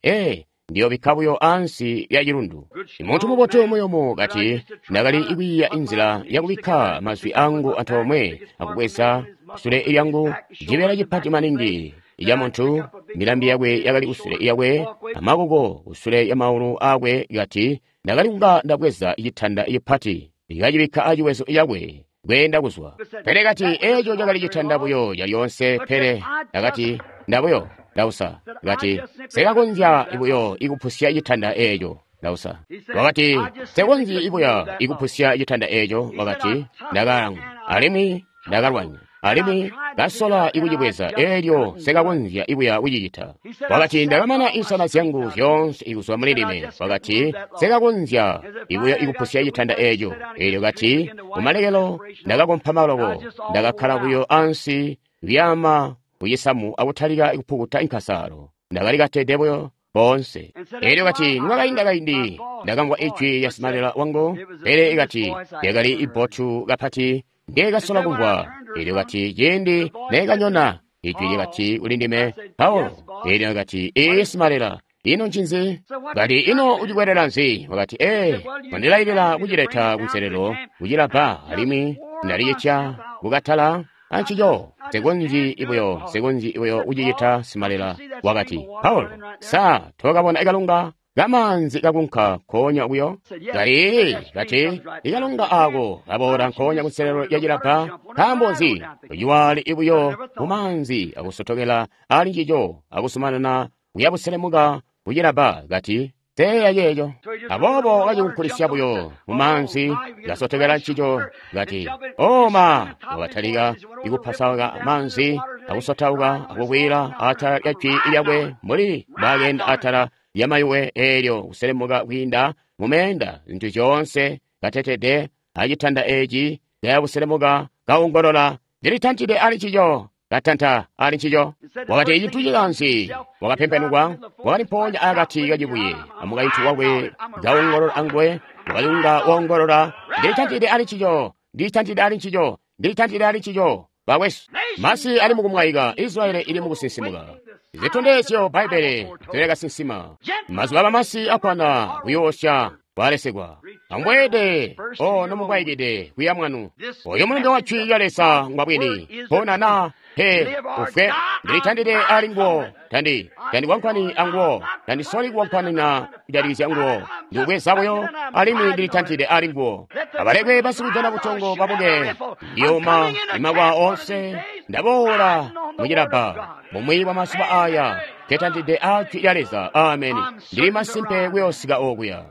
ndiyobikka buyo ansi lya cilundu. Muntu mubotu muyumu kati ndakali kwiiya inzila yakubikka mazwi angu antoomwe akubweza kusule lyangu cibeela cipati maningi ca muntu, milambi yakwe yakali kusule yakwe amakoko kusule ya maulu akwe. Kati ndakali kunga ndabweza citanda cipati ndikacibikka aciwezo cakwe kweenda kuzwa. Pele kati eeco cakali citanda buyo calyoonse. Pele ndakati ndabuyo ndausa. Kati sekakonzya buyo ikupusya citanda eeco. Ndausa. Wakati, Nsekonzyi ikuya ikupusya citanda eco. Wakati, Ndakalangwa, alimwi ndakalwanya, alimwi kasola ikucibweza, elyo sekakonzya ikuya kucicita. Wakati, Ndakamana insana zyangu zyoonse ikuzwa muli ndime. Wakati, Sekakonzya ikuya ikupusya citanda eco. Elyo kati, kumalekelo ndakakompama loko, ndakakkala buyo ansi kuyaama kucisamu akutalika ikupukuta inkasalo. Ndakali katede buyo boonse. Elyo kati, nikwakainda kaindi ndakamvwa ijwi lya simalela wangu, pele ikati lyakali ibbotu kapati ndekasola kumvwa. Elyo kati, ciindi nekanyona, ijwi lyakati kuli ndime, Paulo. Elyo kati, ee simalela, ino ncinzi? Kati, ino ucikwelela nzi? Wakati, ee, wandilailila kucileta kunselelo kucilabba, alimwi ndalicitya kukatala ancico. Nsekonzyi ibuyo, nsekonzyi ibuyo kucicita simalela. Wakati, Paulo, sa tokabona ikalunga kamaanzi kakunka nkoonya kuyo? Kati, kati, ikalunga ako kaboola nkoonya kunselelo ya cilabba. Nkaambo nzi? Uciwali ibuyo mumaanzi akusotokela ali ncico akusumanana kuyabuselemuka kucilabba. Kati, teeya ceeco. Aboobo kacikunkulisya buyo mumaanzi, kasotokela ncico. Kati, oma, wakatalika ikupasauka maanzi akusotauka akukwila atala lya jwi lyakwe mbuli mbwaakenda atala lya mayuwe, eelyo kuselemuka kwiinda mumeenda, zintu zyoonse katetede acitanda eci kayabuselemuka kaongolola, ndilitantide ali ncico, katanta ali ncico. Wakati, cintu cikanzi, wakapempenukwa, wakali mpoonya akati kacibuye amukaintu wakwe kaongolola anguwe. Wakayunga waongolola, ndilitantide ali ncico, ndilitantide ali ncico, ndilitantide ali ncico. Bakwesu, masi ali mukumwaika, Israeli ili mukusinsimuka. Zitondezyo Bbaibbele zilekasinsima. Mazuba abamasi akwana kuyoosya kwalesegwa. Amweede o nomubwaikide kuya mwanu. Oyo mulumbe wa jwi lya Leza ngwabwini. Pona na pe ufwe, ndilitandide ali nguwo, tandi tandikwankwani anguwo, tandisoli kuwankwanina kujatikizya nguwo, ndikubweza buyo, alimwi ndilitantide ali nguwo. Abalekwe basikujana butongo babuke, ndiyoma imakwa onse, ndaboola mucilabba. Bumwi bwa mazuba aya tetantide a jwi lya Leza. Ameni. Ndili masimpe kuyoosika okuya.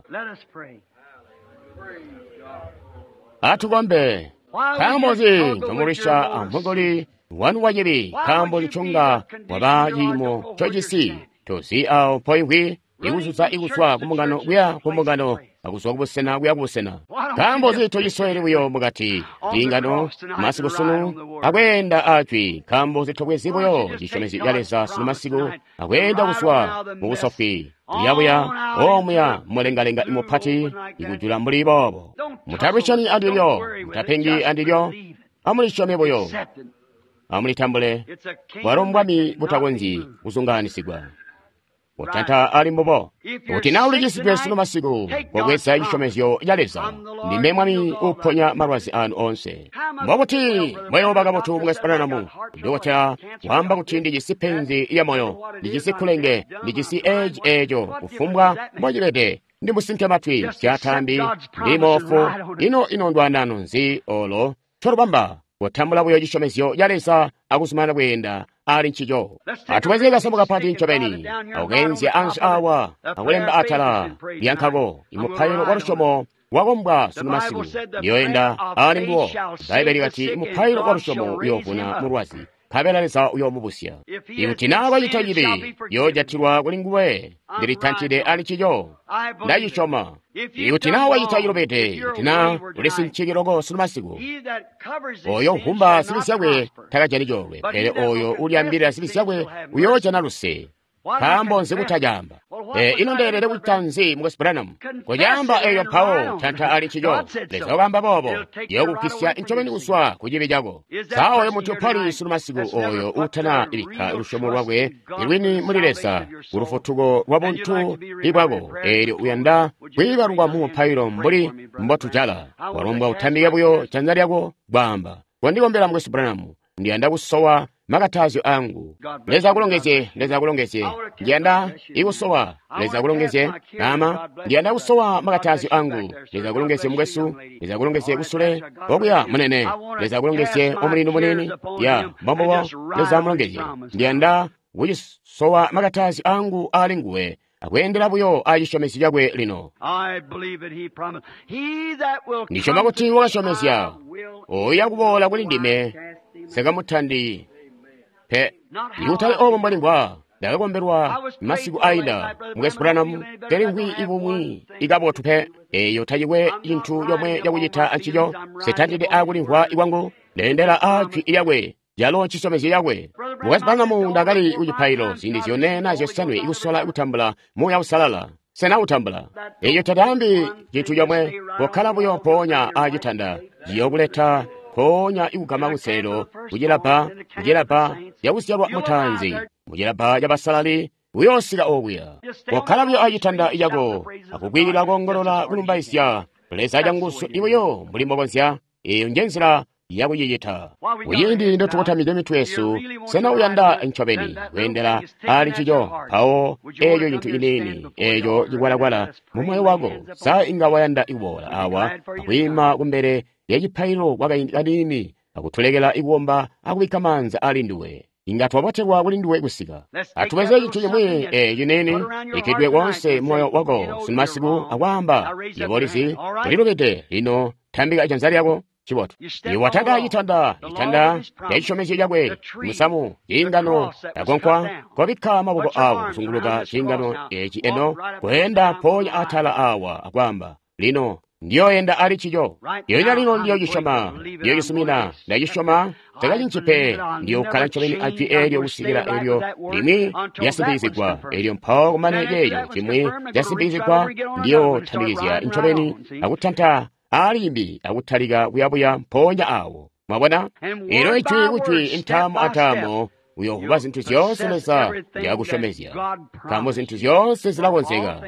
Atukombe. Nkaambo nzi ncomulwisya amugoli wanu wacibi? Nkaambo nconga waba ciimo ncojisi? Tozi awo mpoimvwi, ikuzuza ikuzwa kumbungano kuya kumbungano, akuzwa kubusena kuya kubusena. Nkaambo nzi tocisoweli buyo mukati ciingano masiku sunu akweenda ajwi? Nkaambo nzi tobwezi buyo cisyomezyo ca Leza sunu masiku akweenda kuzwa mubusofwi kuyabuya omuya mulengalenga imupati ikujula mbuli boobo? Mutalwisyani andilyo, mutapengi andilyo, amulisyome buyo, amulitambule. Bwalo mbwami butakonzyi kuzungaanisigwa. Utanta ali mbubo. Kuti naa ulicisidwe sunu masiku, kobweza cisyomezyo ca Leza. Ndime Mwami uponya malwazi anu onse. Mbokuti muyooba kabotu mukwesu Branham. Dokotela waamba kuti ndijisi penzi lya moyo, ndijisi kulenge, ndijisi eci eco, kufumbwa mbocibede. Ndi musinke matwi, syatambi, ndi moofu. Ino ino ndwanano nzi olo colubamba? Kutambula buyo cisyomezyo ca Leza akuzumanana kweenda ali ncico. Atubweze kasamu kapati ncobeni, akukenzya ansi awa, akulemba atala lyankako, imupailo wa lusyomo wakombwa sunu masiku, ndiyoenda ali nguwo. Bbaibbele likati imupailo wa lusyomo uyoovuna mulwazi, nkabela Leza uyoomubusya. Ikuti naa wacita cibi, yoojatilwa kuli nguwe. Ndilitantide ali ncico, ndacisyoma. Ikuti naa wacita cilubide, kuti naa ulisinchiki loko sunu masiku, oyo nkumba zibi zyakwe takajani coolwe, pele oyo ulyaambilila zibi zyakwe uyoojana luse. Nkaambo nzi kutacaamba? Ino ndeelede kucita nzi mukwesu Branham? Kucaamba eyo mpawo tanta ali ncico. Leza wakaamba boobo, yookugwisya ncobeni kuzwa ku cibi cako. Sa oyo muntu mpali sunu masiku oyo uutana ibikka lusyomo lwakwe lwini muli Leza ku lufutuko lwa buntu ibwako, eelyo uyanda kwiibalukwa mu mupailo mbuli mbotujala, walombwa utambike buyo janza lyako kwaamba, kondikombela mukwesu Branham, ndiyanda kusowa makatazyo angu. Leza akulongezye, Leza akulongezye. Ndiyanda ikusowa. Leza akulongezye. Nama, ndiyanda kusowa makatazyo angu. Leza akulongezye mukwesu. Leza akulongezye kusule. Okuya munene. Leza akulongezye omulindu munini. Ya, mbombobo. Leza amulongezye. Ndiyanda kucisowa makatazyo angu ali nguwe. akweendela buyo a cisyomezyo cakwe lino. Ndisyoma kuti wakasyomezya, oyo kuboola kuli ndime, nsikamutandi pe. Ikutali obo mbwalimvwa. Ndakakombelwa masiku aida Mukwesu Branham, telimvwi ibumwi ikabotu pe. Eyo tacikwe cintu comwe cakucita ancico. Sitandide akulimvwa ikwangu, ndeendela a jwi lyakwe, calo cisyomezyo cakwe. Mukwesu Branham, ndakali kucipailo ziindi zyone na zyosanwe ikusola kutambula Muuya Uusalala. Sena utambula? Eyo tataambi cintu comwe, kokkala buyo mpoonya acitanda, ciyokuleta mpoonya ikugama kunselelo kucilabba, kucilabba cakuzyalwa mutaanzi, mucilabba cabasalali, uyoosika okuya. Kokkala buyo acitanda cako akukwiilila koongolola kulumbaizya Leza canguzu ibuyo mbuli mbokonzya. Eyo njenzila yakucicita. Kuciindi ndotukotamide mitwe yesu, sena uyanda ncobeni kweendela ali ncico? Mpawo eeco cintu ciniini, eeco cikwalakwala mu moyo wako, sa inga wayanda kuboola awa akwiima kumbele lyacipaililo kwakaindi kaniini akutulekela ikukomba akubikka maanza ali nduwe? Inga twabotelwa kuli nduwe kusika. Atubweze cintu cimwi ciniini bikkidwe koonse moyo wako sunumasiku akwaamba, yebo ulizi, ulilubide lino, tambika janza lyako. Chibotu. Iwe wataka citanda, citanda cacisyomezyo cakwe, musamu, ciingano, akonkwa, kobikka maboko awo kuzunguluka ciingano eci eno, kweenda mpoonya atala awa akwaamba, lino ndiyoyenda ali cico. Lyonya lino ndiyocisoma, ndiyocisumina, ndacisyoma, takacinci pe, ndiyokkala ncobeni ajwi eelyo kusikila eelyo limwi lyasimpikizigwa, eelyo mpawo kumane ceeco cimwi casimpikizigwa, ndiyotambikizya ncobeni akutanta alimbi akutalika kuyabuya mpoonya awo. Mwabona? Elo ijwi kujwi intaamo ataamo uyovuba zintu zyoonse Leza nzyakusyomezya, nkaambo zintu zyoonse zilakonzeka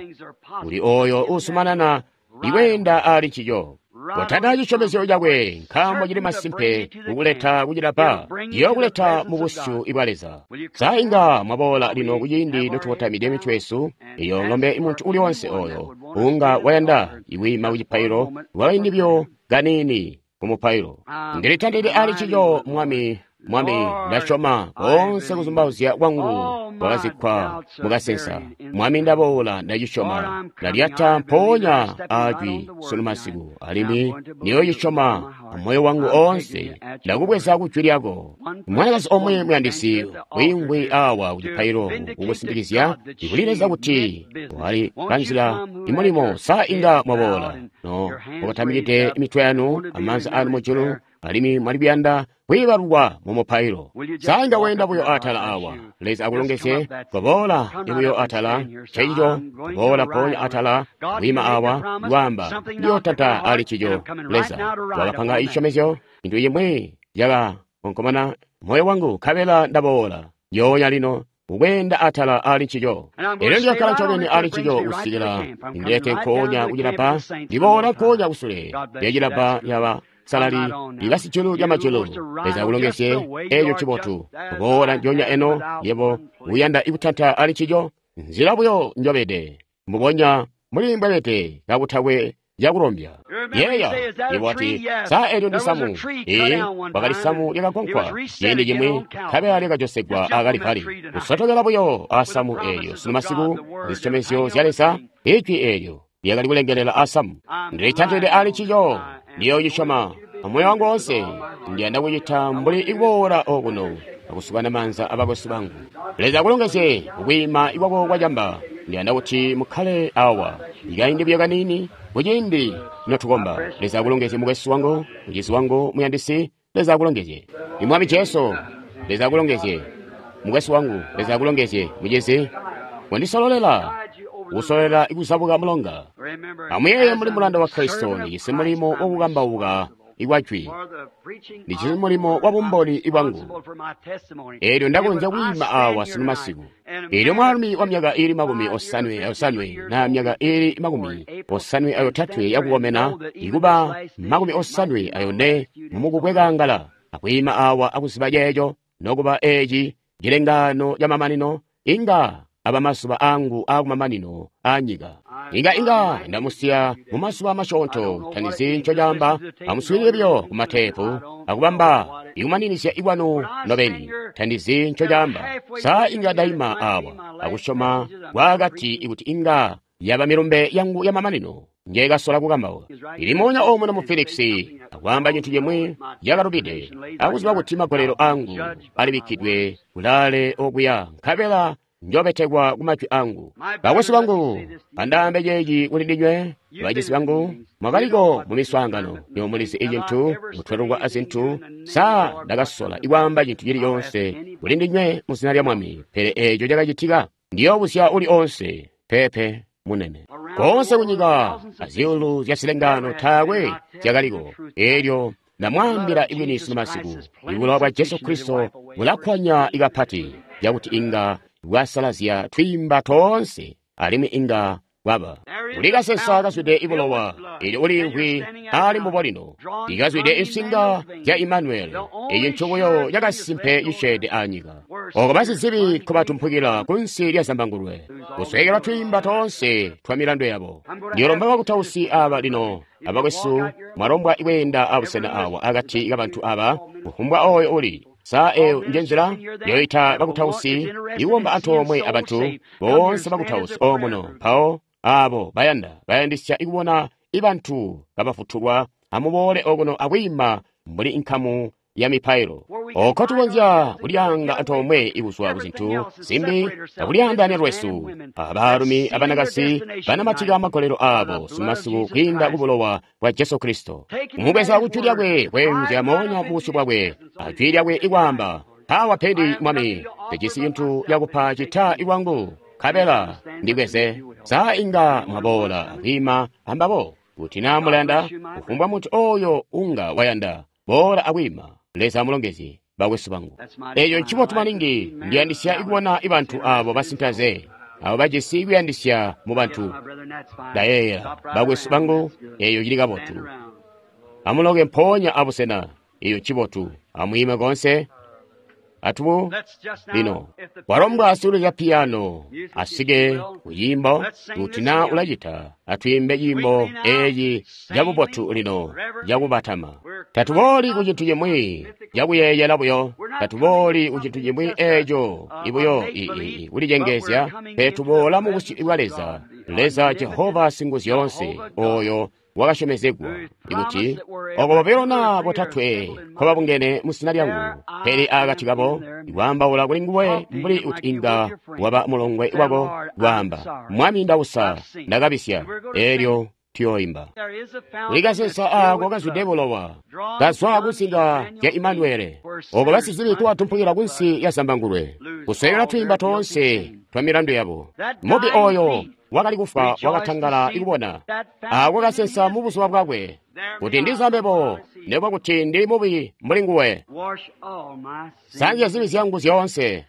kuli oyo uusumanana ikweenda ali ncico. Kotanda cisyomezyo cakwe, nkaambo cili masimpe kukuleta kucilabba, ciyokuleta mu busyu bwa Leza. Sa inga mwaboola lino kuciindi notukotamide mitwe yesu, iyo ng'ombe muntu uli wonse oyo unga wayanda ikwiima kucipailo lwakaindi buyo kaniini ku mupailo. Ndilitandide ali ncico, Mwami, Mwami, ndasyoma koonse kuzumbauzya kwangu kwakazikkwa mukasensa. Mwami, ndaboola, ndacisyoma, ndalyata mpoonya ajwi sunu masiku, alimwi ndiyocisyoma amoyo wangu oonse. Ndakubweza kujwi lyako. Mwanakazi omwe muyandisi wiimvwi awa kucipailo kukusindikizya ikuli Leza kuti wali kanzila imulimo. Sa inga mwaboola no mukotamikide imitwe yanu amaanza anu mujulu, alimwi mwali kuyanda kwiibalukwa mu mupailo? Sa inga weenda buyo atala awa? Leza akulongezye. Koboola ibuyo atala nceico, koboola mpoonya atala kwiima awa lwaamba, ndiyotanta ali ncico. Leza wakapanga cisyomezyo, cintu cimwi cakakonkomona moyo wangu, nkabela ndaboola njoonya lino ukweenda atala ali ncico. Elyo ndiyokkala ncobeni ali ncico kusikila ndilete nkoonya kucilabba, ndiboola nkoonya kusule lyacilabba lyaba salali libasijulu lya majulu. Leza akulongezye. Eeco cibotu. Kuboola njoonya eno, yebo uyanda ikutanta ali ncico, nzila buyo njobede, mbubonya muli mbwebede kakutakwe cakulombya. Yeeya, yebo wati, sa eelyo ndi samu? Ee, kwakali samu lyakagonkwa ciindi cimwi, nkabela lyakajosegwa akalipali. Kusotokela buyo asamu eelyo sunu masiku, zisyomezyo zya Leza, ijwi eelyo lyakali kulengelela asamu. Ndilitantide ali ncico, ndiyocisyoma amoyo wangu woonse. Ndiyanda kucita mbuli ikuboola okuno akusukana maanza abakwesu bangu. Leza akulongezye kukwiima ikwako kwacamba. Ndiyanda kuti mukkale awa ikaindi buyo kaniini kuciindi notukomba. Leza akulongezye mukwesu wangu, mucizi wangu muyandisi. Leza akulongezye. Imwami Jesu, Leza akulongezye mukwesu wangu. Leza akulongezye mucizi. Wandisololela kusololela ikuzabuka mulonga. Amuyeeye muli mulanda wa Kristo, ndijisi mulimo wakukambauka ikwajwi, ndijisi mulimo wa bumboni bwangu. Eelyo ndakonzya kwiima awa sunu masiku. Eelyo mwaalumi wa myaka iili 58 na myaka iili 58 yakukomena, ikuba 54 mumukubwekangala, akwiima awa akuziba ceeco, nokuba eeci cilengaano camamanino, inga aba mazuba angu akumamanino anyika. Inga ndamusiya mumazuba masyoonto, tandizi ncocaamba. Amuswiilile buyo kumateepu akubamba Ikumaninizya ikwanu nobeni, tandizi nco caamba. Sa inga ndaima awa akusyoma kwakati ikuti inga yaba milumbe yangu ya mamanino njekasola kukambauka. Ili moonya omuno mu Phoenix akwaamba cintu cimwi cakalubide, akuziba kuti magolelo angu alibikkidwe kulaale okuya, nkabela njobetekwa ku majwi angu. Bakwesu bangu, andaambe ceeci kuli ndinywe, bacisi bangu, mwakaliko mu miswaangano, nywebo mulizi icintu, mutwelukwa azintu. Sa ndakasola ikwaamba cintu cili coonse kuli ndinywe mu zina lya Mwami, pele eeco cakacitika? Ndiyoobuzya uli onse, peepe, munene. Koonse kunyika azyuulu zya zilengano taakwe zyakaliko. Eelyo ndamwaambila ibwini sunu masiku, ibulowa bwa Jesu Kristo bulakkwanya ikapati cakuti inga bwasalazya twiimba toonse, alimwi inga bwaba. Kuli kasesa kazwide ibulowa, eelyo uliimvwi ali mbubo lino, ikazwide insinga zya Imanueli, eeci ncubuyo cakasimpe cisyeede anyika. Oko basizibi nkobatumpukila kunsi lya zambangulwe, kusweekelwa twiimba toonse twa milandu yabo. Ndiyolomba bakutausi aba lino, abakwesu, mwalombwa ikweenda abusena awa akati kabantu aba, kufumbwa oyo uli. Sa eyo nje nzila yoita bakutausi ikukomba antoomwe abantu boonse bakutausi omuno, mpawo abo bayanda bayandisya ikubona ibantu kabafutulwa, amuboole okuno akwiima mbuli nkamu ya mipailo. Oko tukonzya kulyaanga antoomwe ikuzwa kuzintu zimbi akulyaandaanya lwesu, abaalumi abanakazi banamatika magolelo aabo sumasiku kwiinda kubulowa bwa Jesu Kristo. Kumubweza ku jwi lyakwe kweenzya moonya mubusyu bwakwe, ajwi lyakwe ikwaamba, Mpawa pedi Mwami, ndijisi cintu cakupa cita ikwangu, nkabela ndibweze. Sa inga mwaboola akwiima ambabo? Kuti naa mulayanda, kufumbwa muntu oyo unga wayanda, boola akwiima. Leza amulongezye, bakwesu bangu. Eeco ncibotu maningi. Ndiyandisya ikubona ibantu abo basintaze, abo bajisi kuyandisya mu bantu. Ndayeeyela, bakwesu bangu, eeyo cili kabotu. Amuloke mpoonya abusena, eeyo ncibotu. Amwiime koonse. Atubu lino walombwa sikulizya piyano asike kuciimbo. Kuti naa ulacita, atwiimbe ciimbo eeci cabubotu lino cakubatama. Tatubooli ku cintu cimwi cakuyeeyela buyo, tatubooli ku cintu cimwi eeco ibuyo kulicengeezya, pele tuboola mu busyu bwa Leza, Leza Jehova Singuzyoonse, ooyo wakasyomezegwa ikuti oko bobilo naa botatwe nkobabungene mu zina lyangu, pele akati kabo ikwaambaula kuli nguwe mbuli kuti inga waba mulongwe wako, kwaamba, Mwami, ndausa, ndakabisya. Eelyo tuyooimba. Kuli kasesa aako kazwide bulowa, kazwa kunsinga zya Imanuele, oko basizibi nkobatumpukila kunsi ya zambangulwe, kusweekela twiimba toonse twa milandu yabo. Mubi oyo wakali kufwa wakatangala ikubona aako kasesa mu buzuba bwakwe, kuti ndiza mbebo, nekuba kuti ndili mubi mbuli nguwe. Sanzya zibi zyangu zyoonse.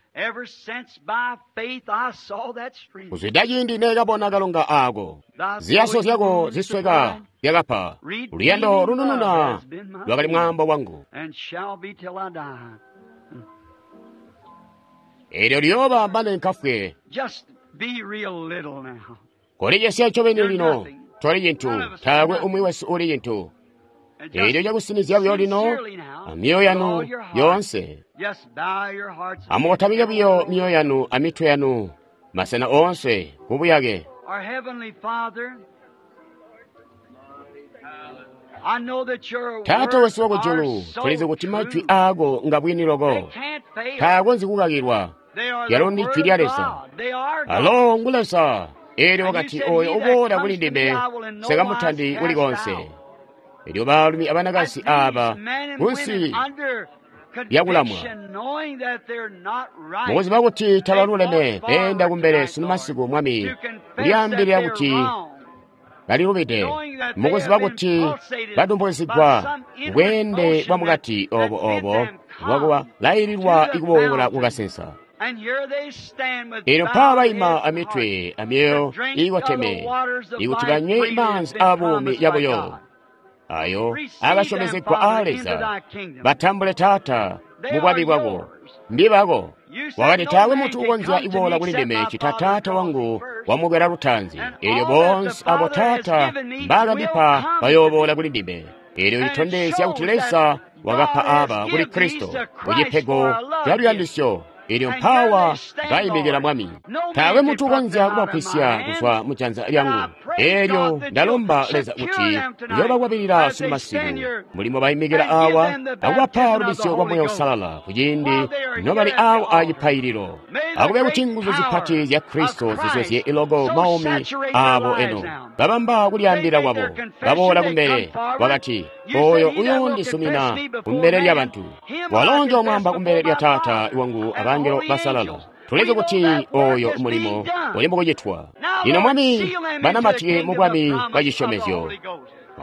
Kuzwida ciindi neekabona kalonga aako, ziyaso zyako zisweka zyakapa, luyando lunununa lwakali mwaambo wangu. Eelyo liyooba mane nkafwe. Kolicesya ncobeni lino, toli cintu, taakwe umwi wesu uli cintu. Eelyo cakusinizya buyo lino, amyoyo yanu yoonse. Amukotamike buyo myoyo yanu amitwe yanu, masena oonse kubuyake. Taata wesu wakujulu, tulizi kuti majwi aako ngabwini loko, taakonzyi kukakilwa. Lyalo ndi jwi lya Leza. Alo ngu Leza. Eelyo wakati, oyo uboola kuli ndime, nsikamutandi kuli koonse. Eelyo baalumi abanakazi aaba kunsi lyakulamwa, mukuziba kuti tabaluleme, beenda kumbele sunu masiku, Mwami, kulyaambilila kuti balilubide, mukuziba kuti badumpukizigwa bweende bwa mukati obo obo bwakulaililwa ikuboola kukasensa. Eelyo mpaa baima amitwe amyoyo iikoteme, ikuti banywe maanzi aabuumi yabuyo ayo akasyomezegwa aa Leza. Batambule, Taata, mu bwami bwako. Mbibako. Wakati, taakwe muntu ukonzya kuboola kuli ndime cita Taata wangu wamukwela lutaanzi. Eelyo boonse abo Taata mbaakandipa bayooboola kuli ndime. Eelyo litondezya kuti Leza wakapa aba kuli Kristo kucipego ca luyandisyo. Elyo mpawa baimikila Mwami. Taakwe muntu ukonzya kubagwisya kuzwa mu janza lyangu. Elyo ndalomba Leza kuti uyobakwabilila sunumasiku mulimo baimikila awa akubapa lubisyo lwa Muuya Uusalala kuciindi nobali awa acipaililo. Akube kuti nguzu zipati zya Kristo zizuzye iloko maumi abo eno. Babamba kulyaambila kwabo, baboola kumbele, wakati, oyo uyoondisumina kumbele lyabantu. Walo njoomwaamba kumbele lya Taata wangu abangelo basalala. Tulizi kuti oyo mulimo uli mukucitwa. Lino Mwami, banamatike mu bwami bwa cisyomezyo.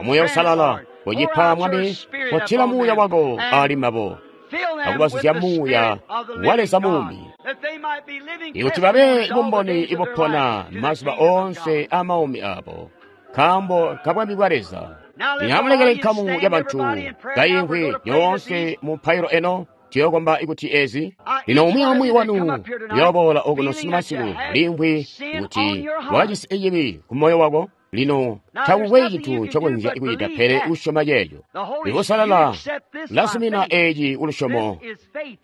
Muuya Uusalala, ucipa Mwami, kotila Muuya wako ali mbabo, akubazuzya Muuya wa Leza muumi, ikuti babe bumboni ibupona mazuba oonse amaumi abo, nkaambo ka bwami bwa Leza. Lino amulekele nkamu yabantu kaimvwi yoonse mu mpailo eno. Tuyokomba ikuti ezi. Lino umwi aumwi wanu uyooboola okuno sunumasiku limvwi kuti wakajisi cibi ku moyo wako. Lino takukwe cintu ncokonzya kucita pele kusyoma ceeco. Ikusalala lasumina eci kulusyomo.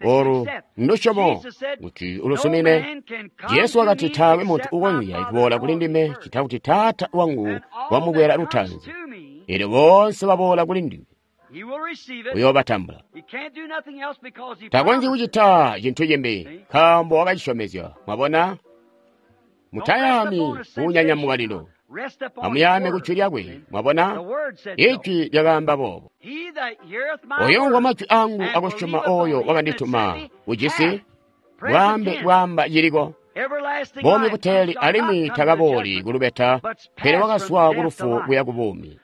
Olu ndusyomo kuti ulusumine. Jesu wakati taakwe muntu ukonzya kuboola kuli ndime cita kuti Taata wangu wamukwela lutaanzi. Elyo boonse baboola kuli ndime uyoobatambula. Takonzyi kucita cintu cimbi nkaambo wakacisyomezya. Mwabona? Mutayaami kuunyanyamuka lino. Amuyaame ku jwi lyakwe. Mwabona? Ijwi lyakaamba boobo. Oyo umvwa majwi angu akusyoma oyo wakandituma ujisi bwaambe bwaamba ciliko. Buumi buteeli alimwi takabooli kulubeta, pele wakazwa kulufu kuya ku buumi.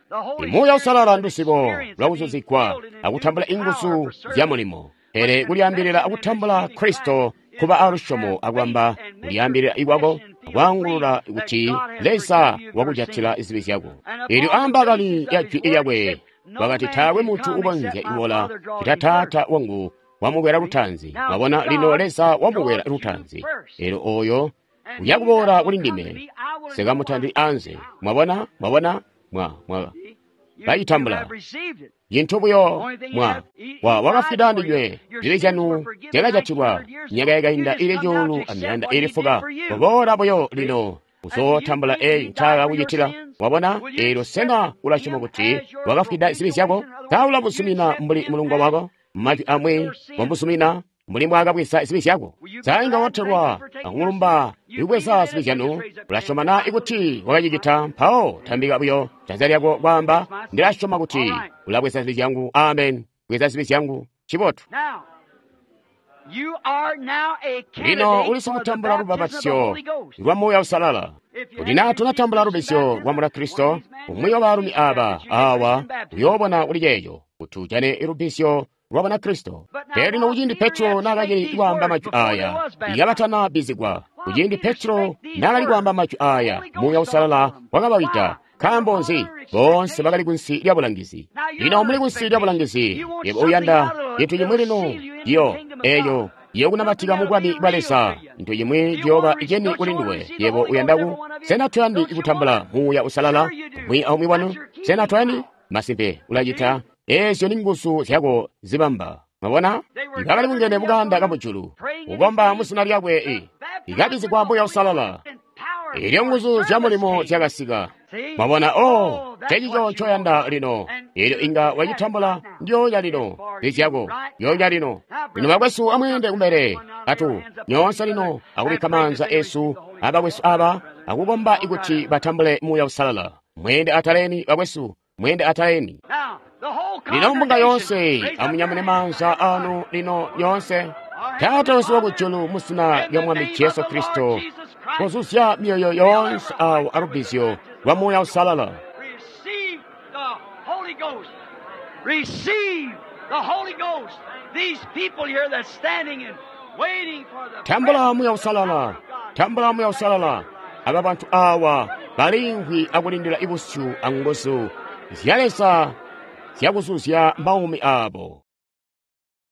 Muuya Uusalala nduzibo lwakuzuzigwa akutambula inguzu zya mulimo, pele kulyaambilila akutambula Kristo kuba alusyomo akwamba kulyaambilila ikwako akwaangulula kuti Leza wakujatila zibi zyako. Elyo aambakali ya jwi lyakwe wakati taakwe muntu ukonzya kubola cita Taata wangu wamukwela lutaanzi. Mwabona, lino Leza wamukwela lutaanzi. Elyo oyo uyakuboola kuli ndime sikamutandi anze. Mwabona, mwabona, mwa bayitambula cintu buyo mwa wakafwida ndinywe. Zibi zyanu zyakajatilwa myaka yakainda ili 1,400. Kuboola buyo lino uzootambula eyi ncaakakucitila. Wabona? Elyo sena ulasyoma kuti wakafwida zibi zyako? Sa ulabuzumina mbuli mulungo wako? Majwi amwi wambuzumina mbuli mbwaakabweza zibi zyako. Sa inga watelwa akumulumba ikubweza zibi zyanu? Ulasyoma na ikuti wakacicita? Mpawo tambika buyo janza lyako kwaamba, ndilasyoma kuti ulabweza zibi zyangu. Amen. Bweza zibi zyangu. Cibotu. Lino uli sikutambula lubapatizyo lwa Muuya Uusalala. Kuti naa tunatambula lubizyo lwa Munakristo, umwi wa baalumi aba awa uyoobona kuli ceeco kuti ujane lubizyo lwa Banakristo. Pele lino kuciindi Petro naakacili kwaamba majwi aya, ikabatana bizigwa. Kuciindi Petro naakali kwaamba majwi aya, Muuya Uusalala wakabawida. Nkaambo nzi? Boonse bakali kunsi lya bulangizi. Lino muli kunsi lya bulangizi, yebo uyanda cintu cimwi lino, iyo eyo yokunamatika mu bwami bwa Leza, cintu cimwi ciyooba ceni kuli nduwe. Yebo uyanda ku? Sena tuyandi kutambula Muuya Uusalala umwi aumwi wanu? Sena tuyandi? Masimpe ulacita. Ezyo ni nguzu zyako zibamba. Mwabona? Bakali bungene mukanda kamujulu, kukomba mu zina lyakwe, ikabizigwa Muuya Uusalala. Elyo nguzu zya mulimo zyakasika. Mwabona? Oh, cecico ncoyanda lino. Elyo inga wacitambula ndyonya lino. Lizyako ndyonya lino. Lino bakwesu amweende kumbele atu nyoonse lino akubikka maanza esu abakwesu aba akukomba ikuti batambule Muuya Uusalala. Mweende ataleni bakwesu, mweende ataleni. Lino mbunga yoonse amunyamune maanza anu lino nyoonse. Taata wesu wakujulu, mu zina lya Mwami Jesu Kristo, kuzuzya myoyo yoonse awo alubizyo lwa Muuya Uusalala. Tambula Muuya Uusalala, tambula Muuya Uusalala. Aba bantu awa balimvwi akulindila ibusyu anguzu zya Leza zyakuzuzya maumi abo.